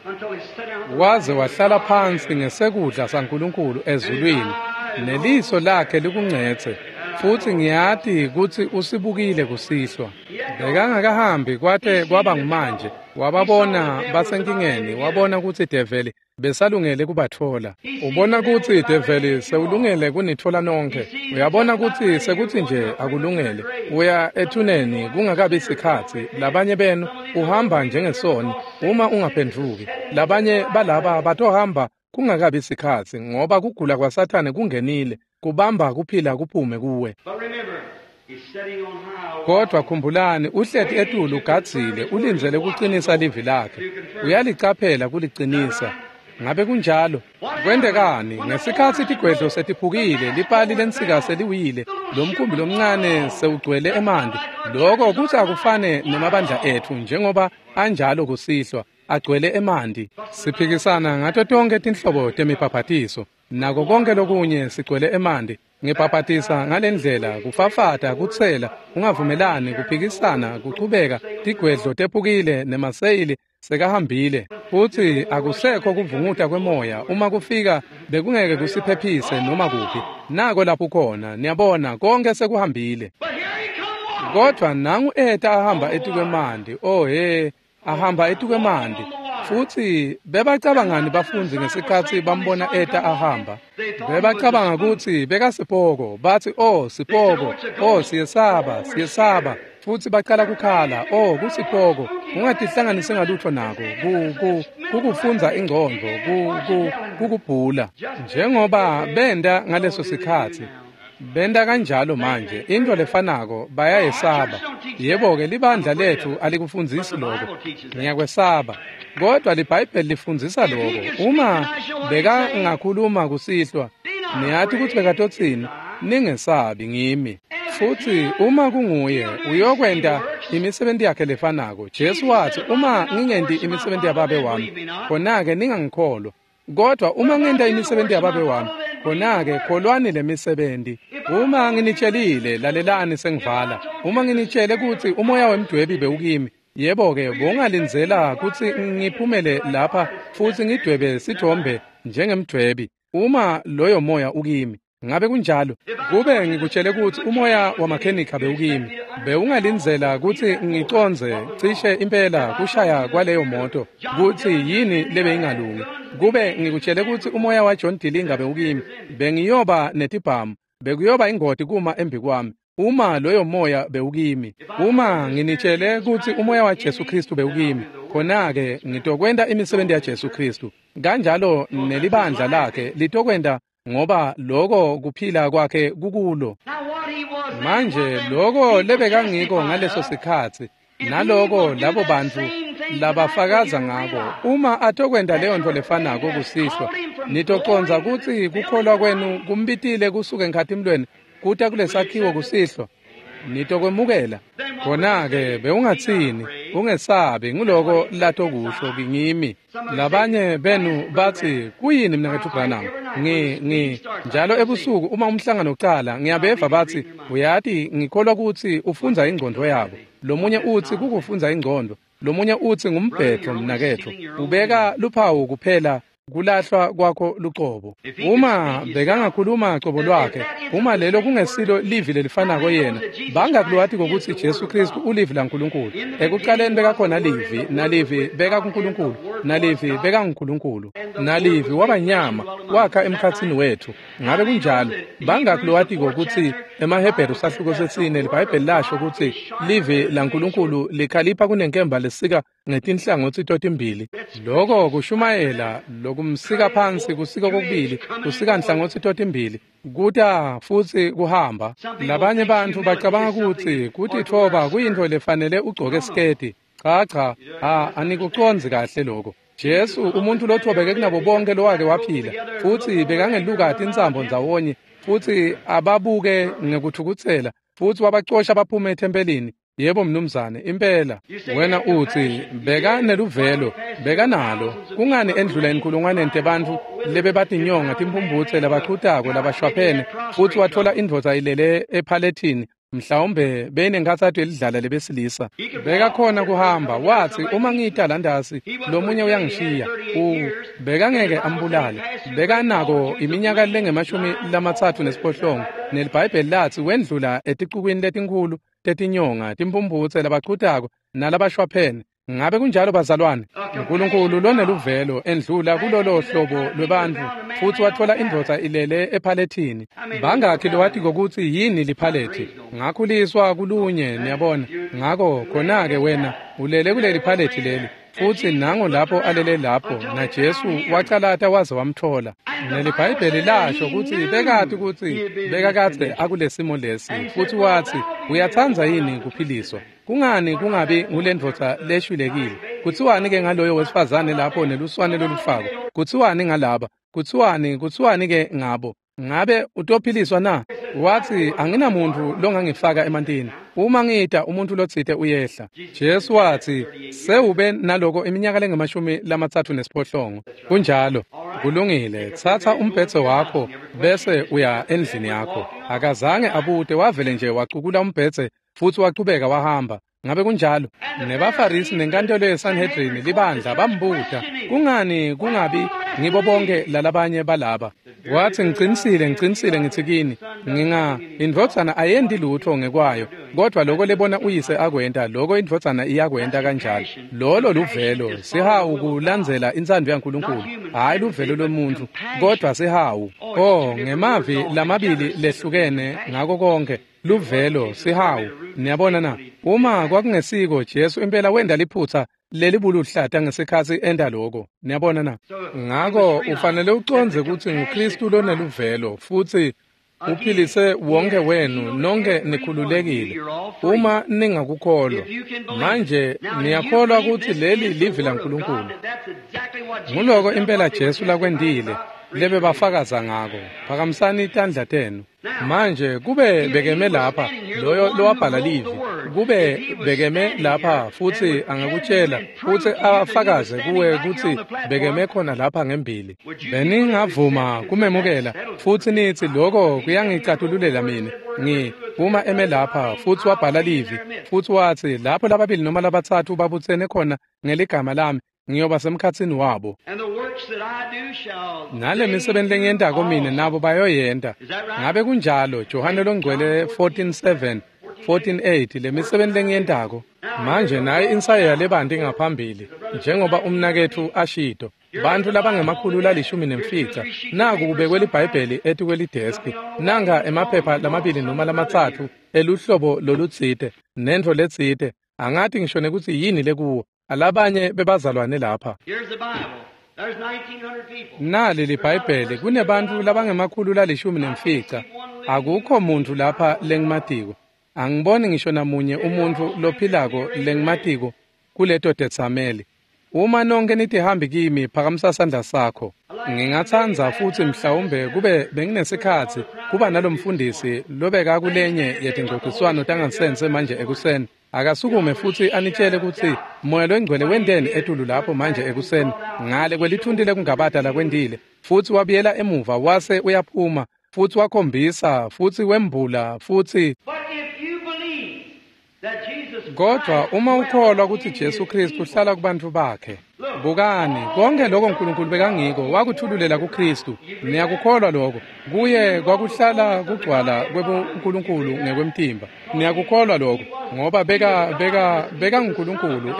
Waze wahlala phansi ngesekudla saNkulunkulu ezulwini, neliso lakhe likungcetse, futhi ngiyati kutsi usibukile kusihlwa. Bekangakahambi kwate kwaba ngumanje. Wababona basenkingeni, wabona kutsi develi besalungele kubatfola. Ubona kutsi develi sewulungele kunitfola nonkhe. Uyabona kutsi sekutsi nje akulungele. Uya ethuneni kungakabi sikhatsi. Labanye benu uhamba njengesoni uma ungaphendvuki. Labanye balaba batohamba kungakabi sikhatsi ngoba kugula kwaSathane kungenile, kubamba kuphila kuphume kuwe. Kodwa khumbulani, uhleti etulu ugadzile, ulindzele kucinisa livi lakhe. Uyalicaphela kulicinisa. Ngabe kunjalo? Kwentekani? Ngesikhatsi tigwedlo setiphukile, lipali lensika seliwile, lomkhumbi lomncane sewugcwele emanti. Lokho kutsi akufane nemabandla etfu njengoba anjalo kusihlwa, agcwele emanti. Siphikisana ngato tonke tinhlobo temibhabhatiso, nako konke lokunye sigcwele emanti. Ngibhabhatisa ngalendlela, kufafata, kutsela, ungavumelani, kuphikisana, kuchubeka, tigwedlo tephukile nemaseyili sekahambile. Futhi akusekho kuvunguta kwemoya. Uma kufika bekungeke kusiphephise noma kuphi. Nako lapho khona, niyabona, konke sekuhambile. Kodwa nangu eta ahamba etikwemanti. Oh he, ahamba etikwemanti. Futhi bebacabangani bafundzi ngesikhatsi bambona eta ahamba? Bebacabanga kutsi bekasipoko. Bathi, oh sipoko, oh siyesaba, siyesaba. Futhi bacala kukhala, oh kusipoko, ungatihlanganisi ngalutho nako, kukufundza ingcondvo, kukubhula. Njengoba benta ngaleso sikhatsi, benta kanjalo manje, into lefanako, bayayesaba. Yebo-ke, libandla letfu alikufundzisi lokho, ngiyakwesaba. Kodwa liBhayibheli lifundzisa lokho. Uma bekangakhuluma kusihlwa, niyati kutsi bekatotsini? Ningesabi, ngimi. Futhi uma kunguye, uyokwenta imisebenti yakhe lefanako. Jesu wathi, uma ngingenti imisebenti yababe wami, khona-ke ningangikholwa. Kodwa uma ngenta imisebenti yababe wami, khona-ke kholwani lemisebenti. Uma nginitshelile, lalelani sengivala, uma nginitshele kutsi umoya wemdwebi bewukimi, yebo-ke bowungalindzela kutsi ngiphumele lapha futsi ngidwebe sithombe njengemdwebi, uma loyo moya ukimi. Ngabe kunjalo? Kube ngikutshele kutsi umoya wamakhenikha bewukimi, bewungalindzela kutsi ngicondze cishe impela kushaya kwaleyo moto kutsi yini lebeyingalungi. Kube ngikutshele kutsi umoya wa John Dillinger bewukimi, bengiyoba netibhamu, bekuyoba ingoti kuma embi kwami. Uma loyo moya bewukimi, uma nginitshele kutsi umoya wa Jesu Kristu bewukimi, khona-ke ngitokwenta imisebenti ya Jesu Kristu. Kanjalo nelibandla lakhe litokwenta, ngoba lokho kuphila kwakhe kukulo. Manje lokho lebekangiko ngaleso sikhatsi, naloko labo bantfu labafakaza ngako, uma atokwenta leyo nto lefanako kusihlwa, nitocondza kutsi kukholwa kwenu kumbitile kusuka enkhatimlweni kuta kulesakhiwo kusihlwa. Nitokwemukela. Khona-ke bewungatsini, ungesabi, nguloko latokusho ngimi. Labanye benu batsi, kuyini mnaketfu Branham? Ngi njalo ebusuku uma umhlangano ucala, ngiyabeva batsi, uyati ngikholwa kutsi ufundza ingcondvo yabo. Lomunye utsi kukufundza ingcondvo, lomunye utsi ngumbhedvo mnaketfu. Ubeka luphawu kuphela kulahlwa kwakho lucobo. Uma bekangakhuluma cobo lwakhe, uma lelo kungesilo livi lelifanako yena, bangakulwati kokuthi Jesu Kristu ulivi laNkulunkulu. Ekuqaleni bekakhona livi, nalivi beka kuNkulunkulu, nalivi beka nguNkulunkulu, nalivi wabanyama wakha emkhatsini wethu. Ngabe kunjalo? Bangakulwati kokuthi emaHebheru sahluko sesine liBhayibheli lasho ukuthi livi laNkulunkulu likhalipha kunenkemba lesika ngetinhlangotsi totimbili. Lokho kushumayela lokumsika phansi kusika kokubili, kusika nhlangothi totimbili, kuta futsi kuhamba. Labanye bantfu bacabanga kutsi kutitfoba kuyintfo lefanele ugcoke siketi. Cha cha, anikucondzi kahle lokho. Jesu umuntu lothobeke kunabo bonke lowake waphila, futsi bekangeluka tintsambo ndzawonye, futsi ababuke ngekuthukutsela, futsi wabacosha baphume ethempelini. Yebo mnumzane, impela. Wena utsi beka neluvelo, beka nalo. Kungani endlula inkulungwane tebantfu lebebatinyonga timphumphutse labachutako labashwaphene, futsi wathola indvodza ilele ephalethini, mhlawumbe beyinenkhatsato yelidlala lebesilisa. Bekakhona kuhamba, watsi uma ngita landasi lomunye uyangishiya. Bekangeke ambulale. Bekanako iminyaka lengemashumi 38, neliBhayibheli latsi wendlula eticukwini letinkhulu tetinyonga, timphumphutse, labachutako nalabashwaphene. Ngabe kunjalo bazalwane? uNkulunkulu loneluvelo endlula kulolo hlobo lwebantfu, futsi wathola indvodza ilele ephalethini. Bangakhi lowati kokuthi yini liphalethi? Ngakhuliswa kulunye, niyabona. Ngako khona-ke wena ulele kuleli phalethi leli, futsi nango lapho alele lapho, naJesu wacalata waze wamthola. NeliBhayibheli lasho kutsi bekati kutsi bekakadze akulesimo lesi, futsi watsi, uyatsandza yini kuphiliswa? Kungani kungabi ngulendvodza leshwilekile? Kutsiwani-ke ngaloyo wesifazane lapho neluswane lolufako? Kutsiwani ngalaba? Kutsiwani-ke ngabo? Ngabe utophiliswa na? Watsi, anginamuntu longangifaka emantini. Uma ngita umuntu lotsite uyehla. Jesu watsi, sewube naloko iminyaka lengemashumi 38. Kunjalo. Kulungile, tsatsa umbhedze wakho bese uya endlini yakho. Akazange abute, wavele nje wacukula umbhedze futsi wachubeka wahamba. Ngabe kunjalo? NebaFarisi nenkantolo yeSanhedrini libandla bambuta, kungani kungabi ngibo bonke lalabanye balaba? Watsi, ngicinisile ngitsi kini, indvodzana ayendi lutho ngekwayo, kodwa loko lebona uyise akwenta, loko indvodzana iyakwenta kanjalo. Lolo luvelo, sihawu kulandzela intsandvo yaNkulunkulu, hhayi luvelo lwemuntfu, kodwa sihawu. Ngemavi lamabili lehlukene ngako konke. Luvelo, sihawu. Niyabona na? Uma kwakungesiko, Jesu impela wenda liphutsa lelibuluhlata ngesikhatsi enta lokho. Niyabona na? Ngako ufanele ucondze kutsi nguKristu loneluvelo, futsi uphilise wonke wenu, nonke nikhululekile uma ningakukholwa. Manje niyakholwa kutsi leli livi laNkulunkulu. Nguloko impela Jesu lakwentile lebebafakaza ngako. Phakamisani tandla tenu. Manje kube bekeme lapha loyo lowabhala livi, Kube bekeme lapha futsi angakutshela futsi afakaze kuwe kutsi bekeme khona lapha ngembili, beningavuma kumemukela futsi nitsi lokho kuyangicatululela mine. Uma eme lapha futsi wabhala livi futsi watsi lapho lababili noma labatsatfu babutsene khona ngeligama lami, ngiyoba semkhatsini wabo. Nale misebenti lengiyentako mine nabo bayoyenta. Ngabe kunjalo? Johane longcwele 14:7 14:8 le misebenti lengiyentako. Manje naye insayeya lebanti ngaphambili njengoba umnaketfu ashito, bantfu labangemakhulu 15 naku kubekwe liBhayibheli etikwelideski, nanga emaphepha 2 noma 3 eluhlobo lolutsite nentfo letsite, angati ngisho nekutsi yini lekuwo. Alabanye bebazalwane lapha. Nali liBhayibheli, kunebantfu labangemakhulu 15. Akukho muntfu lapha lengimatiko. Angiboni ngisho namunye umuntfu lophilako lengimatiko kuleto tetsameli. Uma nonke nitihambi kimi, phakamisa sandla sakho. Ngingatsandza futsi mhlawumbe kube benginesikhatsi kuba nalomfundisi lobeka kulenye yetingcociswano tangansense manje ekuseni. Akasukume futsi anitshele kutsi Moya loNgcwele wenteni etulu lapho manje ekuseni ngale kwelithunti lekungabata lakwentile, futsi wabuyela emuva wase uyaphuma futsi wakhombisa futsi wembula futsi. Kodwa uma ukholwa kutsi Jesu Kristu uhlala kubantfu bakhe, bukani konke lokho uNkulunkulu bekangiko wakuthululela kuKristu. Niyakukholwa lokho? Kuye kwakuhlala kugcwala kwebuNkulunkulu ngekwemtimba. Niyakukholwa lokho? Ngoba beka nguNkulunkulu,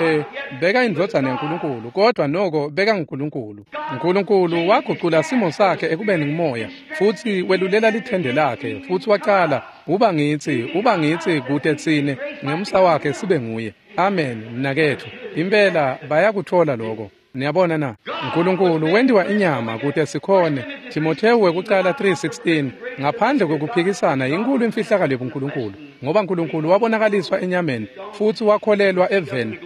beka indvodzana yaNkulunkulu, kodwa noko beka nguNkulunkulu. uNkulunkulu wagucula simo sakhe ekubeni ngumoya, futsi welulela lithende lakhe, futsi wacala uba ngitsi kute tsine ngemsa wakhe sibe nguye. Amen, mnaketfu. Impela bayakuthola lokho. Niyabona na? uNkulunkulu wentiwa inyama kute sikhone. Timothewu wekucala 3:16, ngaphandle kwekuphikisana inkulu imfihlakalo yebuNkulunkulu, ngoba uNkulunkulu wabonakaliswa enyameni futsi wakholelwa eveni,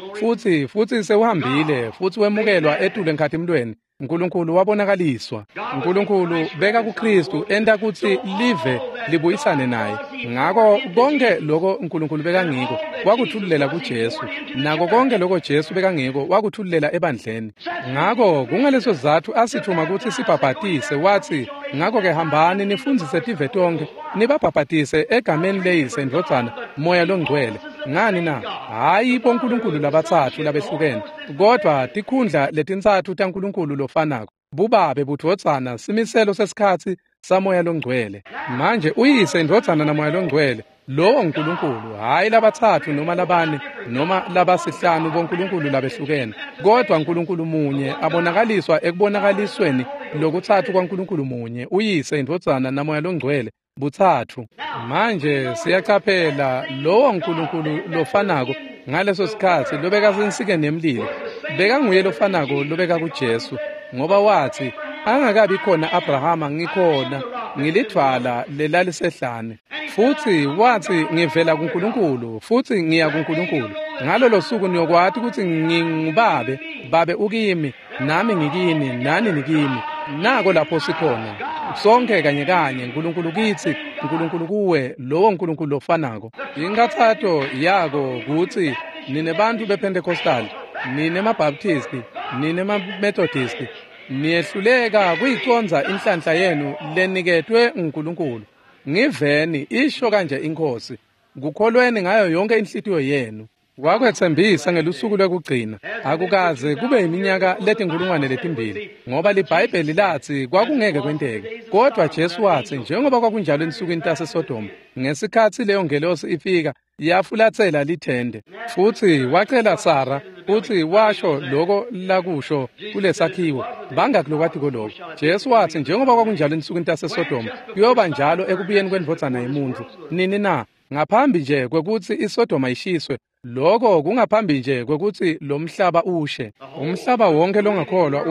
futsi sewuhambile futsi wemukelwa etulu enkhatimlweni. uNkulunkulu wabonakaliswa. uNkulunkulu beka kuKristu enta kutsi live libuyisane naye. Ngako konke lokho uNkulunkulu bekangiko wakuthululela kuJesu, nako konke lokho Jesu bekangiko wakuthululela ebandleni. Ngako kungaleso sizatfu asithuma kutsi sibhabhatise, watsi ngako-ke hambani nifundzise tive tonkhe, nibabhabhatise egameni leYise, Ndvodzana, Moya loNgcwele. Ngani na? Hhayi boNkulunkulu labatsatfu labehlukene, kodwa tikhundla letintsatfu taNkulunkulu lofanako, bubabe, budvodzana, simiselo sesikhatsi saMoya loNgcwele. Manje uYise, Indvodzana naMoya loNgcwele, lowo nguNkulunkulu, hhayi labatsatfu noma labane noma labasihlanu boNkulunkulu labehlukene, kodwa uNkulunkulu munye abonakaliswa ekubonakalisweni lokutsatfu kwaNkulunkulu munye, uYise, Indvodzana naMoya loNgcwele, butsatfu. Manje siyacaphela lowo nkulunkulu lofanako ngaleso sikhatsi lobekasensikeni yemlilo bekanguye lofanako lobeka kuJesu, ngoba watsi angakabi khona Abrahama ngikhona, ngilidvwala lelalisehlane. Futsi watsi ngivela kuNkulunkulu futsi ngiya kuNkulunkulu. Ngalolo suku niyokwati kutsi ngingubabe, babe ukimi, nami ngikini, nani nikimi. Nako lapho sikhona sonke kanye kanye, uNkulunkulu kitsi, uNkulunkulu kuwe, lowo uNkulunkulu lofanako. Inkathato yako kutsi nine bantfu bePentecostal, nine maBaptisti, nine maMethodisti, niyehluleka kuyicondza inhlanhla yenu leniketwe nguNkulunkulu. Ngiveni isho kanje iNkhosi, kukholweni ngayo yonke inhlitiyo yenu. Wakwetsembisa ngelusuku lwekugcina, akukaze kube iminyaka 2000, ngoba liBhayibheli latsi kwakungeke kwenteke. Kodwa Jesu watsi njengoba kwakunjalo ensukwini taseSodoma, ngesikhatsi leyo ngelosi ifika yafulatsela lithende. Futsi wacela Sara futsi washo loko lakusho kulesakhiwo, bangakulokwatiko lokho. Jesu watsi njengoba kwakunjalo ensukwini taseSodoma, kuyoba njalo ekubuyeni kwendvodzana yemuntfu. Nini na? Ngaphambi nje kwekutsi iSodoma ishiswe. Lokho kungaphambi nje kwekutsi lo mhlaba ushe. Umhlaba wonke longakholwa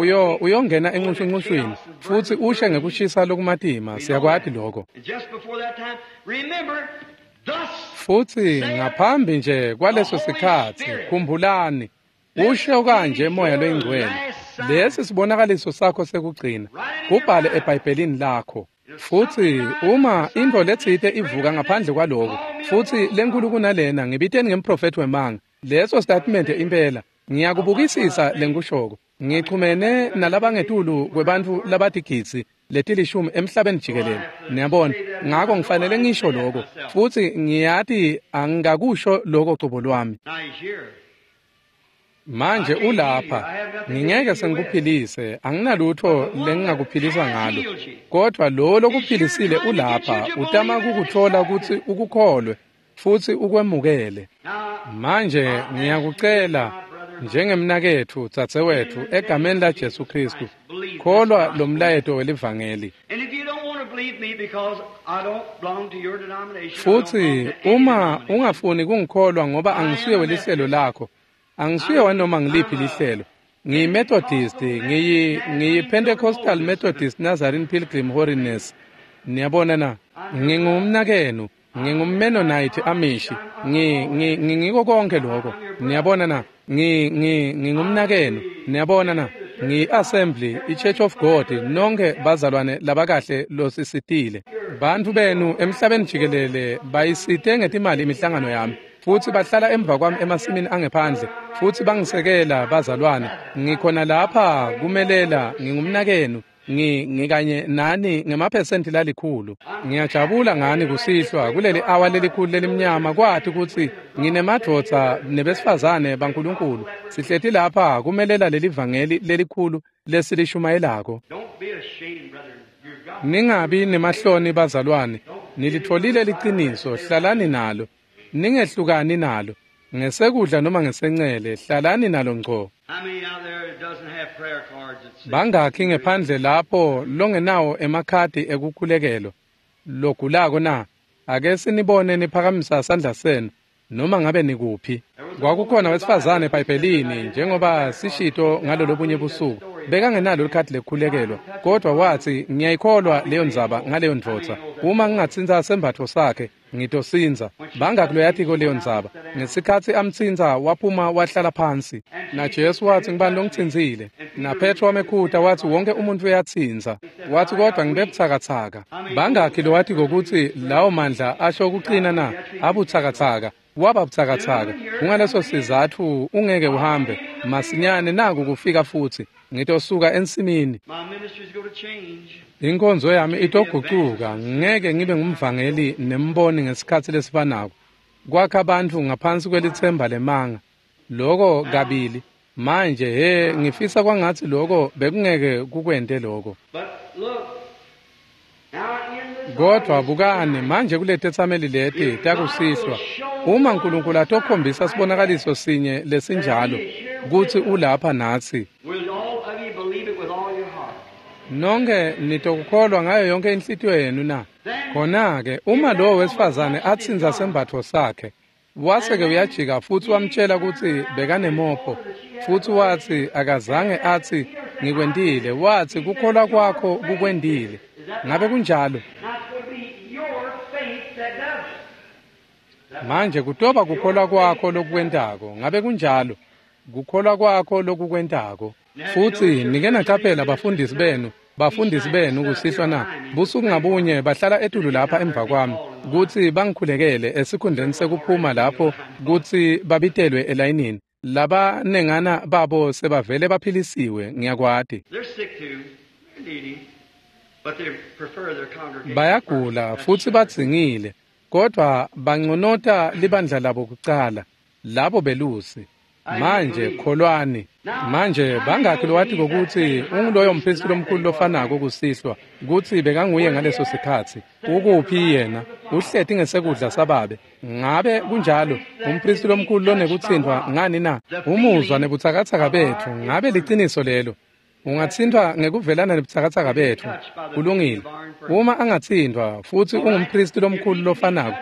uyongena encushuncushwini futsi ushe ngekushisa lokumatima. Siyakwati lokho. Futsi ngaphambi nje kwaleso sikhatsi, khumbulani, usho kanje Moya loyiNgcwele, lesi sibonakaliso sakho sekugcina, kubhale eBhayibhelini lakho. Futsi uma intfo letsite ivuka ngaphandle kwaloko, futsi lenkulu kunalena, ngibiteni ngemprofethi wemanga. Leso statement impela, ngiyakubukisisa lengikushoko. Ngichumene nalabangetulu kwebantfu labatigidzi letilishumi emhlabeni jikelele. Niyabona, ngako ngifanele ngisho lokho, futsi ngiyati angikakusho lokho cobo lwami. Manje ulapha, ngingeke sengikuphilise, anginalutho lengingakuphilisa ngalo. Kodwa lo lokuphilisile ulapha, utama kukuthola kutsi ukukholwe futsi ukwemukele. Manje ngiyakucela njengemnaketfu, dzadzewetfu, egameni la Jesu Kristu, kholwa lo mlayeto welivangeli. Futsi uma ungafuni kungikholwa ngoba angisuye welihlelo lakho, angisuye wanoma ngiliphi lihlelo. Ngiyi-Methodist, ngiyi-Pentecostal Methodist Nazarene Pilgrim Holiness. Niyabona na? Ngingumnakenu, ngingumMennonite Amish, ngingiko konke lokho. Niyabona na? Ngingumnakenu. Niyabona na? Ngiyi-Assembly, i-Church of God, nonke bazalwane labakahle losisitile. Bantfu benu emhlabeni jikelele bayisite ngetimali imihlangano yami. Futsi bahlala emva kwami emasimini angephandle, futsi bangisekela bazalwane. Ngikhona lapha kumelela, ngingumnakenu, ngikanye nani ngemaphesenti lalikhulu. Ngiyajabula ngani kusihlwa kuleli awa lelikhulu lelimnyama, kwati kutsi nginemadvodza nebesifazane baNkulunkulu. Sihleti lapha kumelela leli vangeli lelikhulu lesilishumayelako. Ningabi nemahloni bazalwane, nilitfolile liciniso, hlalani nalo. Ningehlukani nalo, ngesekudla noma ngesencele, hlalani nalo ngco. Bangakhi ngephandle lapho longenawo emakhadi ekukhulekelo logulako na? Ake sinibone niphakamisa sandla senu noma ngabe nikuphi. Kwakukhona wesifazane eBhayibhelini, njengoba sishito ngalolobunye busuku, bekangenalo likhadi lekukhulekelwa, kodwa watsi, ngiyayikholwa leyo ndzaba ngaleyo ndvodza. Uma ngingatsintsa sembatfo sakhe, ngitosindza. Bangakhi loyatiko leyo ndzaba? Ngesikhatsi amtsintsa, waphuma wahlala phansi. Na Jesu watsi, ngibani longitsintsile? Na Petro wamekhuta watsi, wonke umuntu uyatsintsa. Watsi, kodwa ngibe butsakatsaka. Bangakhi lowatiko kutsi lawo mandla asho kucina na? Abutsakatsaka. Waba butsakatsaka. Kungaleso sizatfu ungeke uhambe. Masinyane naku kufika futsi. Ngitosuka ensimini. Inkonzo yami itogucuka, ngeke ngibe ngumvangeli nemboni ngesikhatsi lesifanako. Kwakha bantfu ngaphansi kwelitsemba lemanga. Loko kabili. Manje he, ngifisa kwangatsi loko bekungeke kukwente loko. Kodwa bukani manje kuletetsameli leti takusihlwa, uma Nkulunkulu atokhombisa sibonakaliso sinye lesinjalo kutsi ulapha natsi, nonke nitokukholwa ngayo yonke inhlitiyo yenu na? Khona-ke uma lowo wesifazane atsintsa sembatfo sakhe, wase-ke uyajika futsi wamtjela kutsi bekanemopho, futsi watsi akazange atsi ngikwentile, watsi kukholwa kwakho kukwentile. Ngabe kunjalo? Manje kutoba kukholwa kwakho lokukwentako. Ngabe kunjalo? Kukholwa kwakho lokukwentako. Futsi nike nacaphela bafundisi benu kusihlwa na? Busuku ngabunye bahlala etulu lapha emva kwami kutsi bangikhulekele esikhundleni sekuphuma lapho kutsi babitelwe elayinini. Labanengana babo sebavele baphilisiwe, ngiyakwati. Bayagula futsi badzingile, kodwa banconota libandla labo kucala, labo belusi. Manje kholwani. Manje bangakhi lowatiko kutsi unguloyo mphristi lomkhulu lofanako kusihlwa, kutsi bekanguye ngaleso sikhatsi? Ukuphi yena? Uhleti ngesekudla sababe. Ngabe kunjalo? Umphristi lomkhulu lonekutsintfwa ngani na? Umuzwa nebutsakatsaka betfu. Ngabe liciniso lelo? Ungatsintfwa ngekuvelana nebutsakatsaka betfu. Kulungile. Uma angatsintfwa futsi ungumphristi lomkhulu lofanako,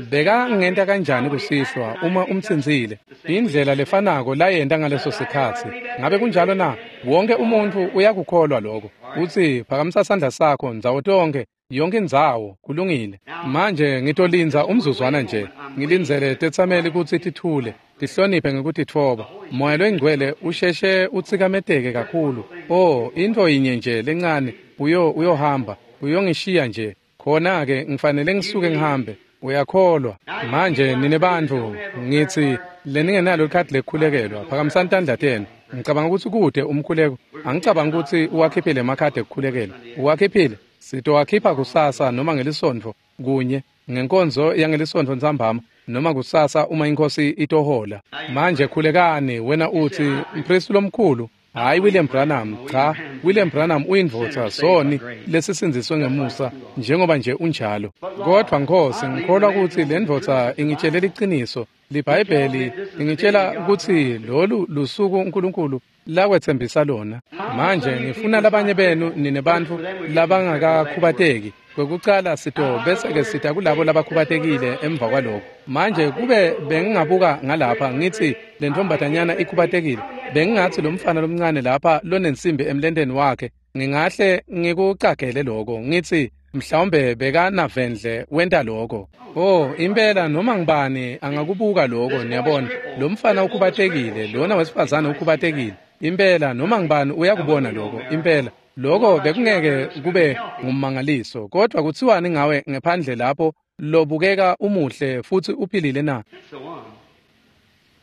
bekangenta kanjani kusihlwa uma umtsintsile? Indlela lefanako layenta ngaleso sikhatsi. Ngabe kunjalo na? Wonke umuntfu uyakukholwa lokho. Utsi phakamisa sandla sakho ndzawo tonke, yonke indzawo. Kulungile. Manje ngitolindza umzuzwana nje. Ngilindzele tetsameli kutsi tithule, tihloniphe ngekutitfoba. Moya loyingcwele usheshe utsikameteke kakhulu. Oh, intfo yinye nje lencane, uyohamba. Uyongishiya nje. Khona-ke ngifanele ngisuke ngihambe. Uyakholwa. Manje nine bantfu ngitsi leningenalo likhadi lekukhulekelwa, phakamisani tandla tenu. Ngicabanga ukuthi kude umkhuleko. Angicabanga ukuthi uwakhiphile emakhadi ekukhulekelwa. Uwakhiphile? Sitowakhipha kusasa noma ngelisontfo kunye ngenkonzo yangelisontfo ntsambama noma kusasa uma inkosi itohola. Manje khulekani. Wena uthi, mpristi lomkhulu, hayi William Branham, cha, William Branham uyindvodza soni lesisindziswe ngemusa njengoba nje unjalo. Kodwa Nkosi, ngikholwa ukuthi le ndvodza ingitshele liciniso. LiBhayibheli ingitshela ukuthi lolu lusuku uNkulunkulu lakwetsembisa lona. Manje ngifuna labanye benu nine bantfu labangakakhubateki. Kwekucala sito bese-ke sita kulabo labakhubatekile emva kwaloko. Manje kube bengingabuka ngalapha ngithi le ntombazanyana ikhubatekile, bengingathi lo mfana lomncane lapha lonensimbi emlenteni wakhe, ngingahle ngikucagele lokho ngithi mhlawumbe bekanavendle wenta lokho. Oh, impela noma ngibani angakubuka lokho, niyabona. Lo mfana ukhubatekile, lona wesifazane ukhubatekile. Impela noma ngibani uyakubona lokho, impela. Lokho bekungeke kube ngummangaliso, kodwa kuthiwani ngawe ngephandle lapho lobukeka umuhle futhi uphilile na? That's the one.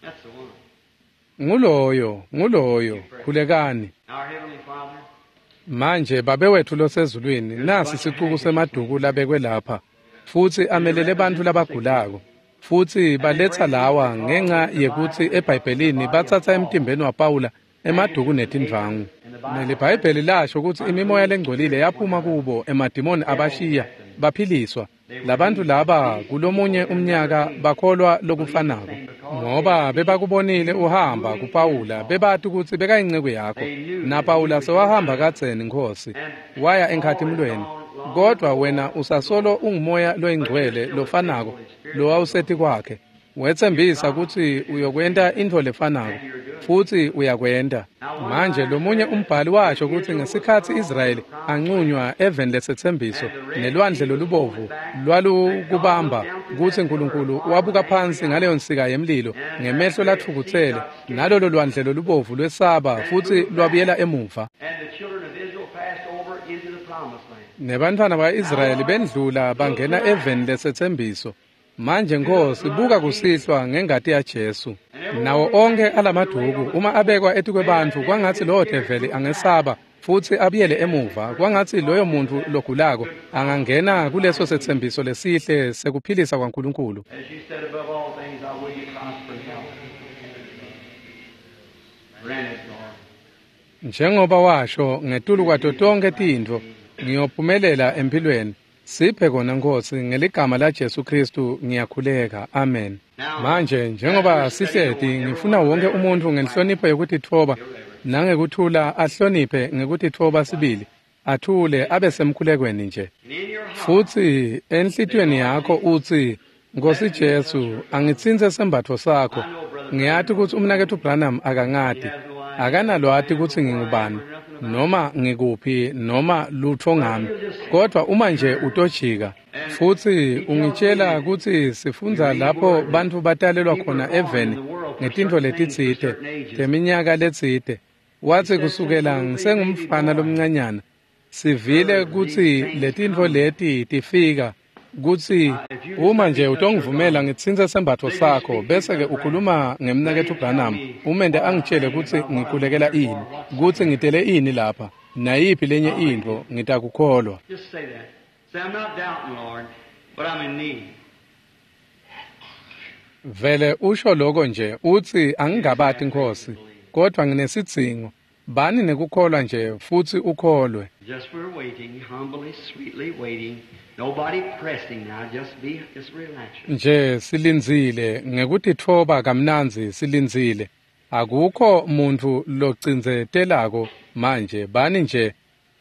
That's the one. Nguloyo, nguloyo, khulekani. Our Heavenly Father, Manje Babe wethu losezulwini, nasi sicuku semaduku labekwe lapha, futsi amelele bantfu labagulako. Futsi baletsa lawa ngenca yekutsi eBhayibhelini batsatsa emtimbeni waPawula emaduku netindvangu. NeliBhayibheli lasho kutsi imimoya lengcolile yaphuma kubo, emadimoni abashiya, baphiliswa. Labantfu laba kulomunye umnyaka bakholwa lokufanako, ngoba bebakubonile uhamba kuPawula, bebati kutsi bekayinceku yakho. NaPawula sewahamba kadzeni, Nkhosi, waya enkhatimulweni. Kodwa wena usasolo ungumoya loyingcwele lofanako lowawuseti kwakhe. Wetsembisa kutsi uyokwenta intfo lefanako, futsi uyakwenta. Manje lomunye umbhali washo kutsi ngesikhatsi Israyeli ancunywa eveni lesetsembiso nelwandle lolubovu lwalukubamba, kutsi Nkulunkulu wabuka phansi ngaleyo nsika yemlilo ngemehlo latfukutsele, nalolo lwandle lolubovu lwesaba futsi lwabuyela emuva. and the children of Israel passed over into the promised land. Nebantfwana ba-Israyeli bendlula bangena eveni lesetsembiso. Manje Nkosi, buka kusihlwa ngengati yaJesu. Nawo onkhe alamaduku uma abekwa etikwebantfu, kwangatsi lowo develi angesaba futsi abuyele emuva, kwangatsi loyo muntfu logulako angangena kuleso setsembiso lesihle sekuphilisa kwaNkulunkulu. As you said, above all things, I will you prosper in health. Grant it, Lord. Njengoba washo, ngetulu kwato tonkhe tintfo, ngiyophumelela empilweni. Siphe kona Nkosi, ngeligama la Jesu Kristu ngiyakhuleka. Amen. Manje njengoba sihleti, ngifuna wonke umuntfu ngenhlonipho yekutitfoba nangekuthula ahloniphe ngekutitfoba sibili, athule abe semkhulekweni nje. And in your heart, Futsi enhlitiyweni yakho utsi, Nkosi Jesu, angitsintse sembatfo sakho. Ngiyati kutsi umnaketfu Branham akangati, akanalwati kutsi ngingubani, noma ngikuphi, noma lutfo ngami. Kodwa uma nje utojika, futsi ungitshela kutsi sifundza lapho bantfu batalelwa khona eveni ngetintfo letitsite, teminyaka letsite. Watsi kusukela ngisengumfana lomncanyana, sivile kutsi letintfo leti tifika, kutsi uma nje utongivumela ngitsintse sembatfo sakho, bese-ke ukhuluma ngemnaketfu Branham, umente angitshele kutsi ngikhulekela ini, kutsi ngitele ini lapha, nayiphi lenye intfo, ngitakukholwa. just say that. Say, I'm not doubting, Lord, but I'm in need. Vele usho lokho nje, utsi angingabati Nkosi, kodwa nginesidzingo. Bani nekukholwa nje futsi ukholwe. Just we're waiting, humbly, sweetly waiting. Nobody pressing now. Just relax. Nje silindzile ngekutitfoba kamnandzi silindzile. Akukho muntfu locindzetelako manje, bani nje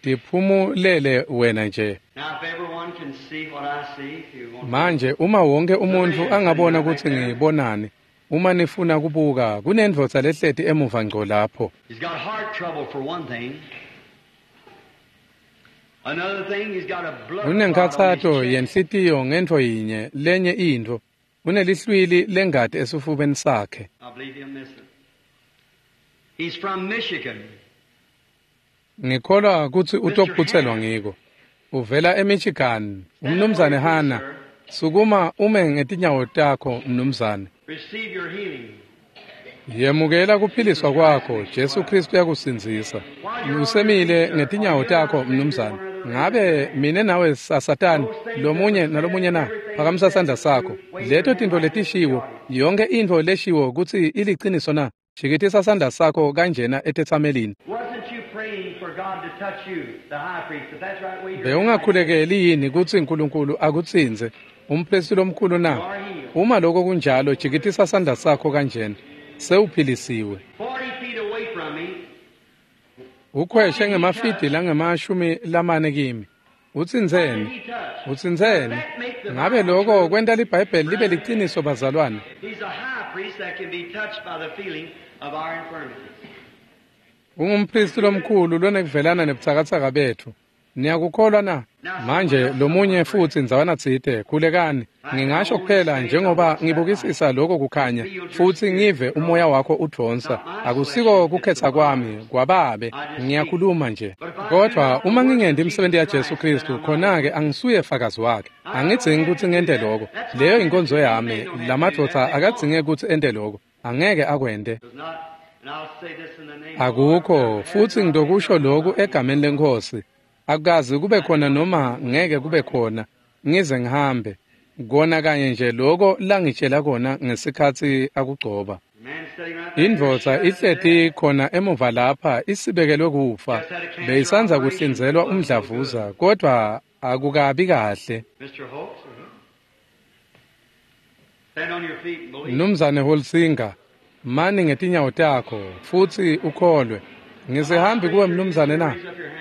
tiphumulele wena nje. Now, if everyone can see what I see, if you want. Manje uma wonke umuntfu angabona kutsi ngibonani, uma nifuna kubuka, kunendvodza lehleti emuva ngco lapho. He's got heart trouble for one thing. Another thing, he's got a blood clot on his Unenkhatsato chest. yenhlitiyo ngentfo yinye, lenye intfo. Unelihlwili lengati esifubeni sakhe. I believe he'll miss it. He's from Michigan. Ngikholwa kutsi utophutselwa ngiko. Uvela eMichigan, umnumzane Hana. Sukuma ume ngetinyawo takho, mnumzane. Receive your healing. Yemukela kuphiliswa kwakho, Jesu Kristu uyakusindzisa. Usemile ngetinyawo takho, mnumzane. Ngabe mine nawe sasatani lomunye nalomunye na? Phakamisa sandla sakho. Leto tintfo letishiwo, yonke intfo leshiwo kutsi iliciniso na? Jikitisa sandla sakho kanjena etetsamelini. Wasn't you praying for God to touch you, the high priest? If that's right, wave your hand. Bewungakhulekeli yini kutsi uNkulunkulu akutsintse, umphristi lomkhulu na? Uma lokho kunjalo, jikitisa sandla sakho kanjena. Sewuphilisiwe. 40 feet away from me, Ukhweshe ngemafidi langama-40 kimi. Utsintseni? he touched. Utsintseni? Ngabe lokho kwenta liBhayibheli libe liciniso bazalwane? He's a high priest that can be touched by the feeling of our infirmities. Ungumphristi lomkhulu lonekuvelana nebutsakatsaka bethu. Niyakukholwa na? Manje lomunye futsi ndzawana tsite, khulekani. Ngingasho kuphela njengoba ngibukisisa lokho kukhanya futsi ngive umoya wakho udvonsa. Akusiko kukhetsa kwami, kwababe, ngiyakhuluma nje. Kodwa uma ngingenti imisebenti yaJesu Kristu, khona-ke angisuye fakazi wakhe. Angidzingi kutsi ngente lokho. Leyo inkonzo yami, lamadvodza akadzinge kutsi ente lokho. Angeke akwente. Does not, and I'll say this in the name of the Lord. Akukho futhi ngidokusho lokhu egameni lenkosi. Akukaze kube khona noma ngeke kube khona ngize ngihambe. Kona kanye nje lokho langitshela kona ngesikhathi akugcoba. The man sitting right there, Indvodza ihleti khona emuva lapha isibekelwe kufa. Beyisandza kuhlinzelwa umdlavuza kodwa akukabi kahle. Mr. Holtz, stand on your feet and believe. Mnumzane Holsinger, mani ngetinyawo takho futsi ukholwe. Ngisihambi kuwe mnumzane na?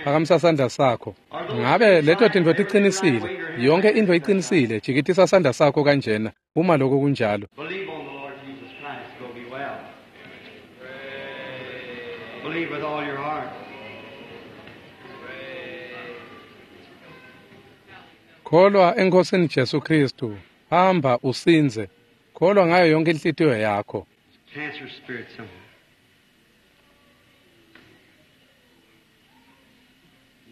Phakamisa sandla sakho. Ngabe leto tintfo ticinisile? Yonke intfo icinisile. Jikitisa sandla sakho kanjena uma lokho kunjalo. Believe on the Lord Jesus Christ, you'll be well. Believe with all your heart. Kholwa eNkosini Jesu Kristu. Hamba usindze. Kholwa ngayo yonke inhlitiyo yakho. Cancer spirit somewhere.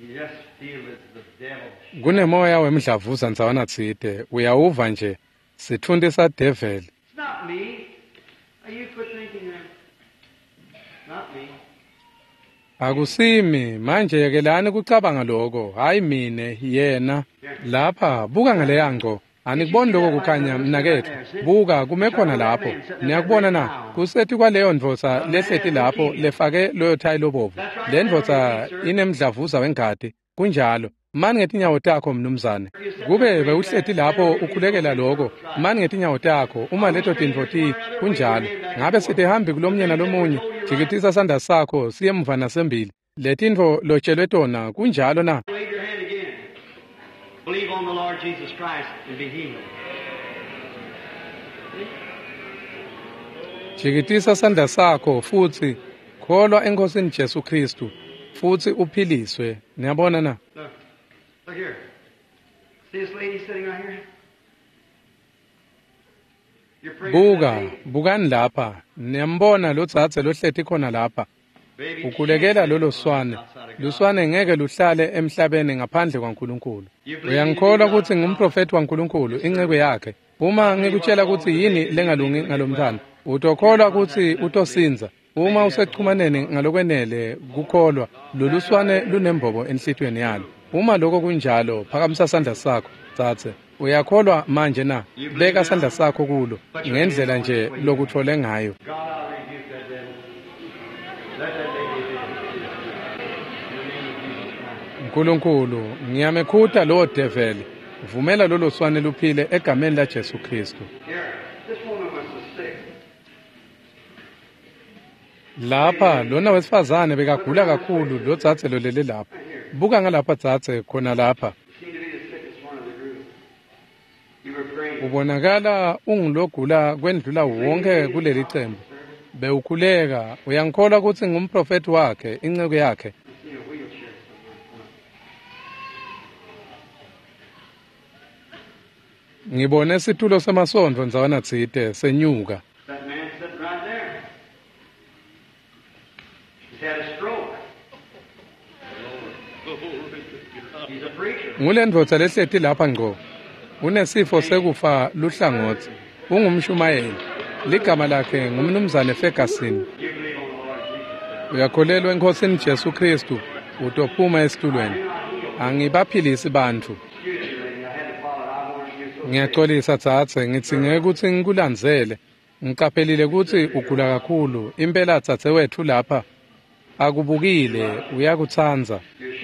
You just feel it's the devil. Kunemoya wemdlavuza ndzawana tsite. Uyawuva nje. Sitfunti sadeveli. It's not me. You quit thinking that. Not me. Akusimi manje yekelani kucabanga lokho, hayi mine yena. Lapha buka ngaleya ngco. Anikuboni lokho kukhanya mnaketfu. Buka kume khona lapho. Niyakubona na? Kusethi kwaleyo ndvodza lehleti lapho lefake loyo thayi lobovu. Le ndvodza inemdlavuza wengati. Kunjalo. Mani ngetinyawo takho mnumzane. Kube bewuhleti lapho ukhulekela lokho, mani ngetinyawo takho uma leto tintfo ti kunjalo. Ngabe sitihambi kulomnye nalomunye, jikitisa sandla sakho siye emuva nasembili. Letintfo lotshelwe tona kunjalo na? Wave your hand again. Believe on the Lord Jesus Christ and be healed. Jikitisa sandla sakho futsi kholwa eNkosini Jesu Kristu futsi uphiliswe. Niyabona na? Look. Look here. See this lady sitting right here? You're praying for Buka, that baby. bukani lapha. Niyambona lo dzadze lohleti khona lapha. Baby Ukhulekela can't lolo live swane. outside of God. Luswane ngeke luhlale emhlabeni ngaphandle kwaNkulunkulu. Uyangikholwa kutsi ngumprofeti waNkulunkulu, inceku yakhe. Uma ngikutshela kutsi yini lengalungi ngalomntwana, utokholwa kutsi utosindza. Uma usechumaneni ngalokwenele kukholwa, lolu swane lunembobo enhlitiyweni yalo. Uma lokho kunjalo, phakamisa sandla sakho, dzadze. Uyakholwa manje na? Beka sandla sakho kulo ngendlela nje lokuthole ngayo. God, I rebuke that devil. Let that baby live. In the name of Jesus Christ. Nkulunkulu, ngiyamekhuta lowo develi. Vumela lolo swane luphile egameni la Jesu Kristu. Here, this woman was so sick. Lapha lona wesifazane bekagula kakhulu lo dzadze lolele lapha. Buka ngalapha dzadze khona lapha. You seem to be the sickest one of the group. You were praying. Ubonakala ungulogula kwendlula wonke kuleli cembu. Bewukhuleka, uyangikholwa kutsi ngumprofeti wakhe, inceku yakhe. I seen a wheelchair somewhere. Ngibone situlo semasondvo ndzawana tsite senyuka. That man sitting right there. He's had a stroke. He's a preacher. Ngulendvodza lehleti lapha ngco. Unesifo sekufa luhlangotsi. Ungumshumayeli. Ligama lakhe ngumnumzane Ferguson. You believe on the Lord Jesus. Uyakholelwa eNkhosini Jesu Kristu, utophuma esitulweni. Angibaphilisi bantfu. Excuse me, lady. I had to follow it. I wanted you so Ngiyaxolisa dzadze, ngidzinge kutsi ngikulandzele. Ngiqaphelile kutsi ugula kakhulu. Impela dzadzewetfu lapha akubukile, uyakutsandza.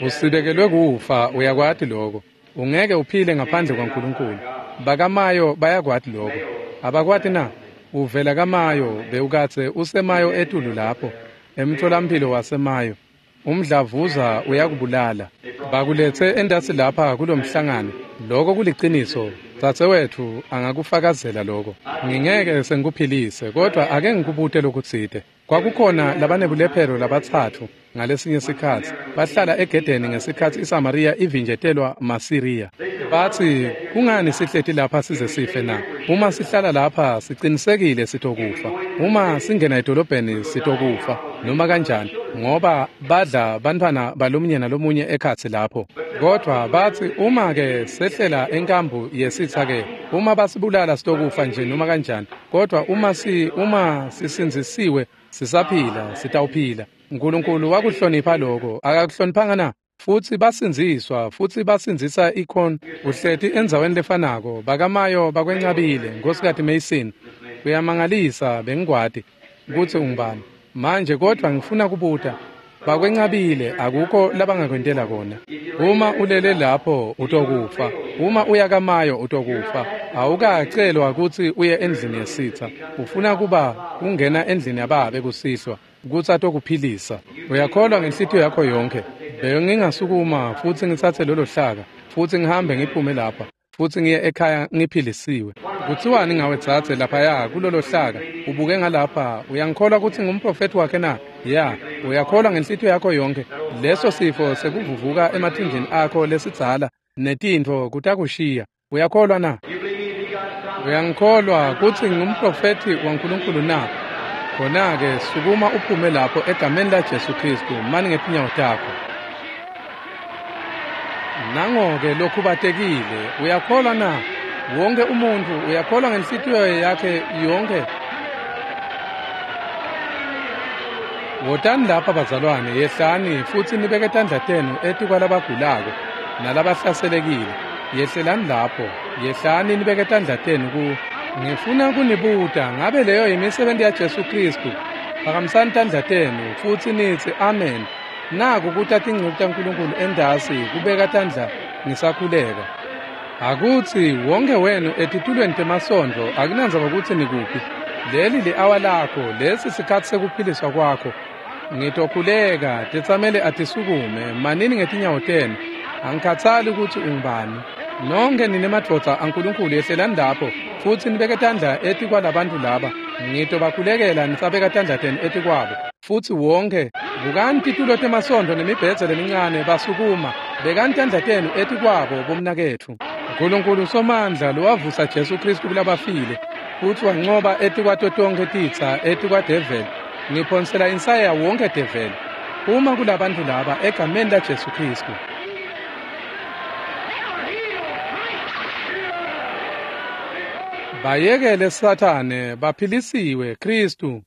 Usibekelwe kufa, uyakwati lokho. Ungeke uphile ngaphandle kwaNkulunkulu. Bakamayo bayakwati lokho. Abakwati na? Uvela kaMayo, bewukadze usemayo etulu lapho, emtholampilo wasemayo. Umdlavuza uyakubulala. Bakuletse entasi lapha kulomhlangano. Lokho kuliciniso. Dzadzewetfu angakufakazela lokho. Ngingeke sengikuphilise, kodwa ake ngikubute lokutsite. Kwakukhona labanebulephero labatsatfu ngalesinye sikhatsi. Bahlala egedeni ngesikhatsi iSamariya ivinjetelwa maSiriya. Batsi, kungani sihleti lapha size sife na? Uma sihlala lapha sicinisekile sitokufa. Uma singena edolobheni sitokufa noma kanjani, ngoba badla bantfwana balomunye nalomunye ekhatsi lapho. Kodwa batsi uma ke sehlela enkambu yesitsa ke, uma basibulala sitokufa nje noma kanjani. Kodwa uma sisindzisiwe sisaphila sitawuphila. Nkulunkulu wakuhlonipha lokho, akakuhloniphanga na? Futsi basindziswa, futsi basindzisa ikhon. Uhleti endzaweni lefanako, bakamayo bakwencabile, Nkhosikati Mason. Kuyamangalisa bengikwati kutsi ungubani. Manje kodwa ngifuna kubuta. Bakwencabile, akukho labangakwentela kona. Uma ulele lapho utokufa. Uma uya kaMayo utokufa. Awukacelwa kutsi uye endlini yesitha. Ufuna kuba kungena endlini yababe kusihlwa kutsi atokuphilisa. Uyakholwa ngenhlitiyo yakho yonke. Bengingasukuma futsi ngitsatse lolo hlaka futsi ngihambe ngiphume lapha futsi ngiye ekhaya ngiphilisiwe. Kutsiwani ngawe dzadze laphaya kulolo hlaka ubuke ngalapha, uyangikholwa kutsi ngumprofethi wakhe na? Ya, uyakholwa ngenhlitiyo yakho yonke. Leso sifo sekuvuvuka emathunjini akho lesidzala netintfo kutakushiya. Uyakholwa na? You believe me to be God's prophet? Uyangikholwa kutsi ngumprofethi waNkulunkulu na? Khona-ke sukuma uphume lapho egameni laJesu Kristu, mani ngetinyawo takho. Nango-ke lokhubatekile, uyakholwa na? Wonke umuntfu uyakholwa ngenhlitiyo yakhe yonke. Wotani lapha bazalwane, yehlani futsi nibeke tandla tenu etikwalabagulako nalabahlaselekile. Yehlelani lapho, yehlani nibeke tandla tenu ku. Ngifuna kunibuta, ngabe leyo yimisebenti yaJesu Kristu? Phakamisani tandla tenu futsi nitsi amen. Naku kuta tinceku taNkulunkulu entasi kubeka tandla ngisakhuleka. Akutsi wonke wenu etitulweni temasondvo, akunandzaba kutsi nikuphi. Leli li-awa lakho, lesi sikhatsi sekuphiliswa kwakho. Ngitokhuleka, tetsamele atisukume, manini ngetinyawo tenu. Angikhatsali kutsi ungubani. Nonke nine madvodza aNkulunkulu yehlelani lapho futsi nibeke tandla etikwalabantfu laba. Ngitobakhulekela nisabeka tandla tenu etikwabo. Futsi wonke bukani titulo temasondvo nemibhedze lemincane basukuma. Bekani tandla tenu etikwabo bomnaketfu. Nkulunkulu Somandla lowavusa Jesu Kristu kulabafile futsi wancoba etikwato tonkhe titsa etikwadeveli. Ngiphonsela insaya wonke develi. Uma kulabantfu laba egameni laJesu Kristu. Bayekele Sathane, baphilisiwe Kristu.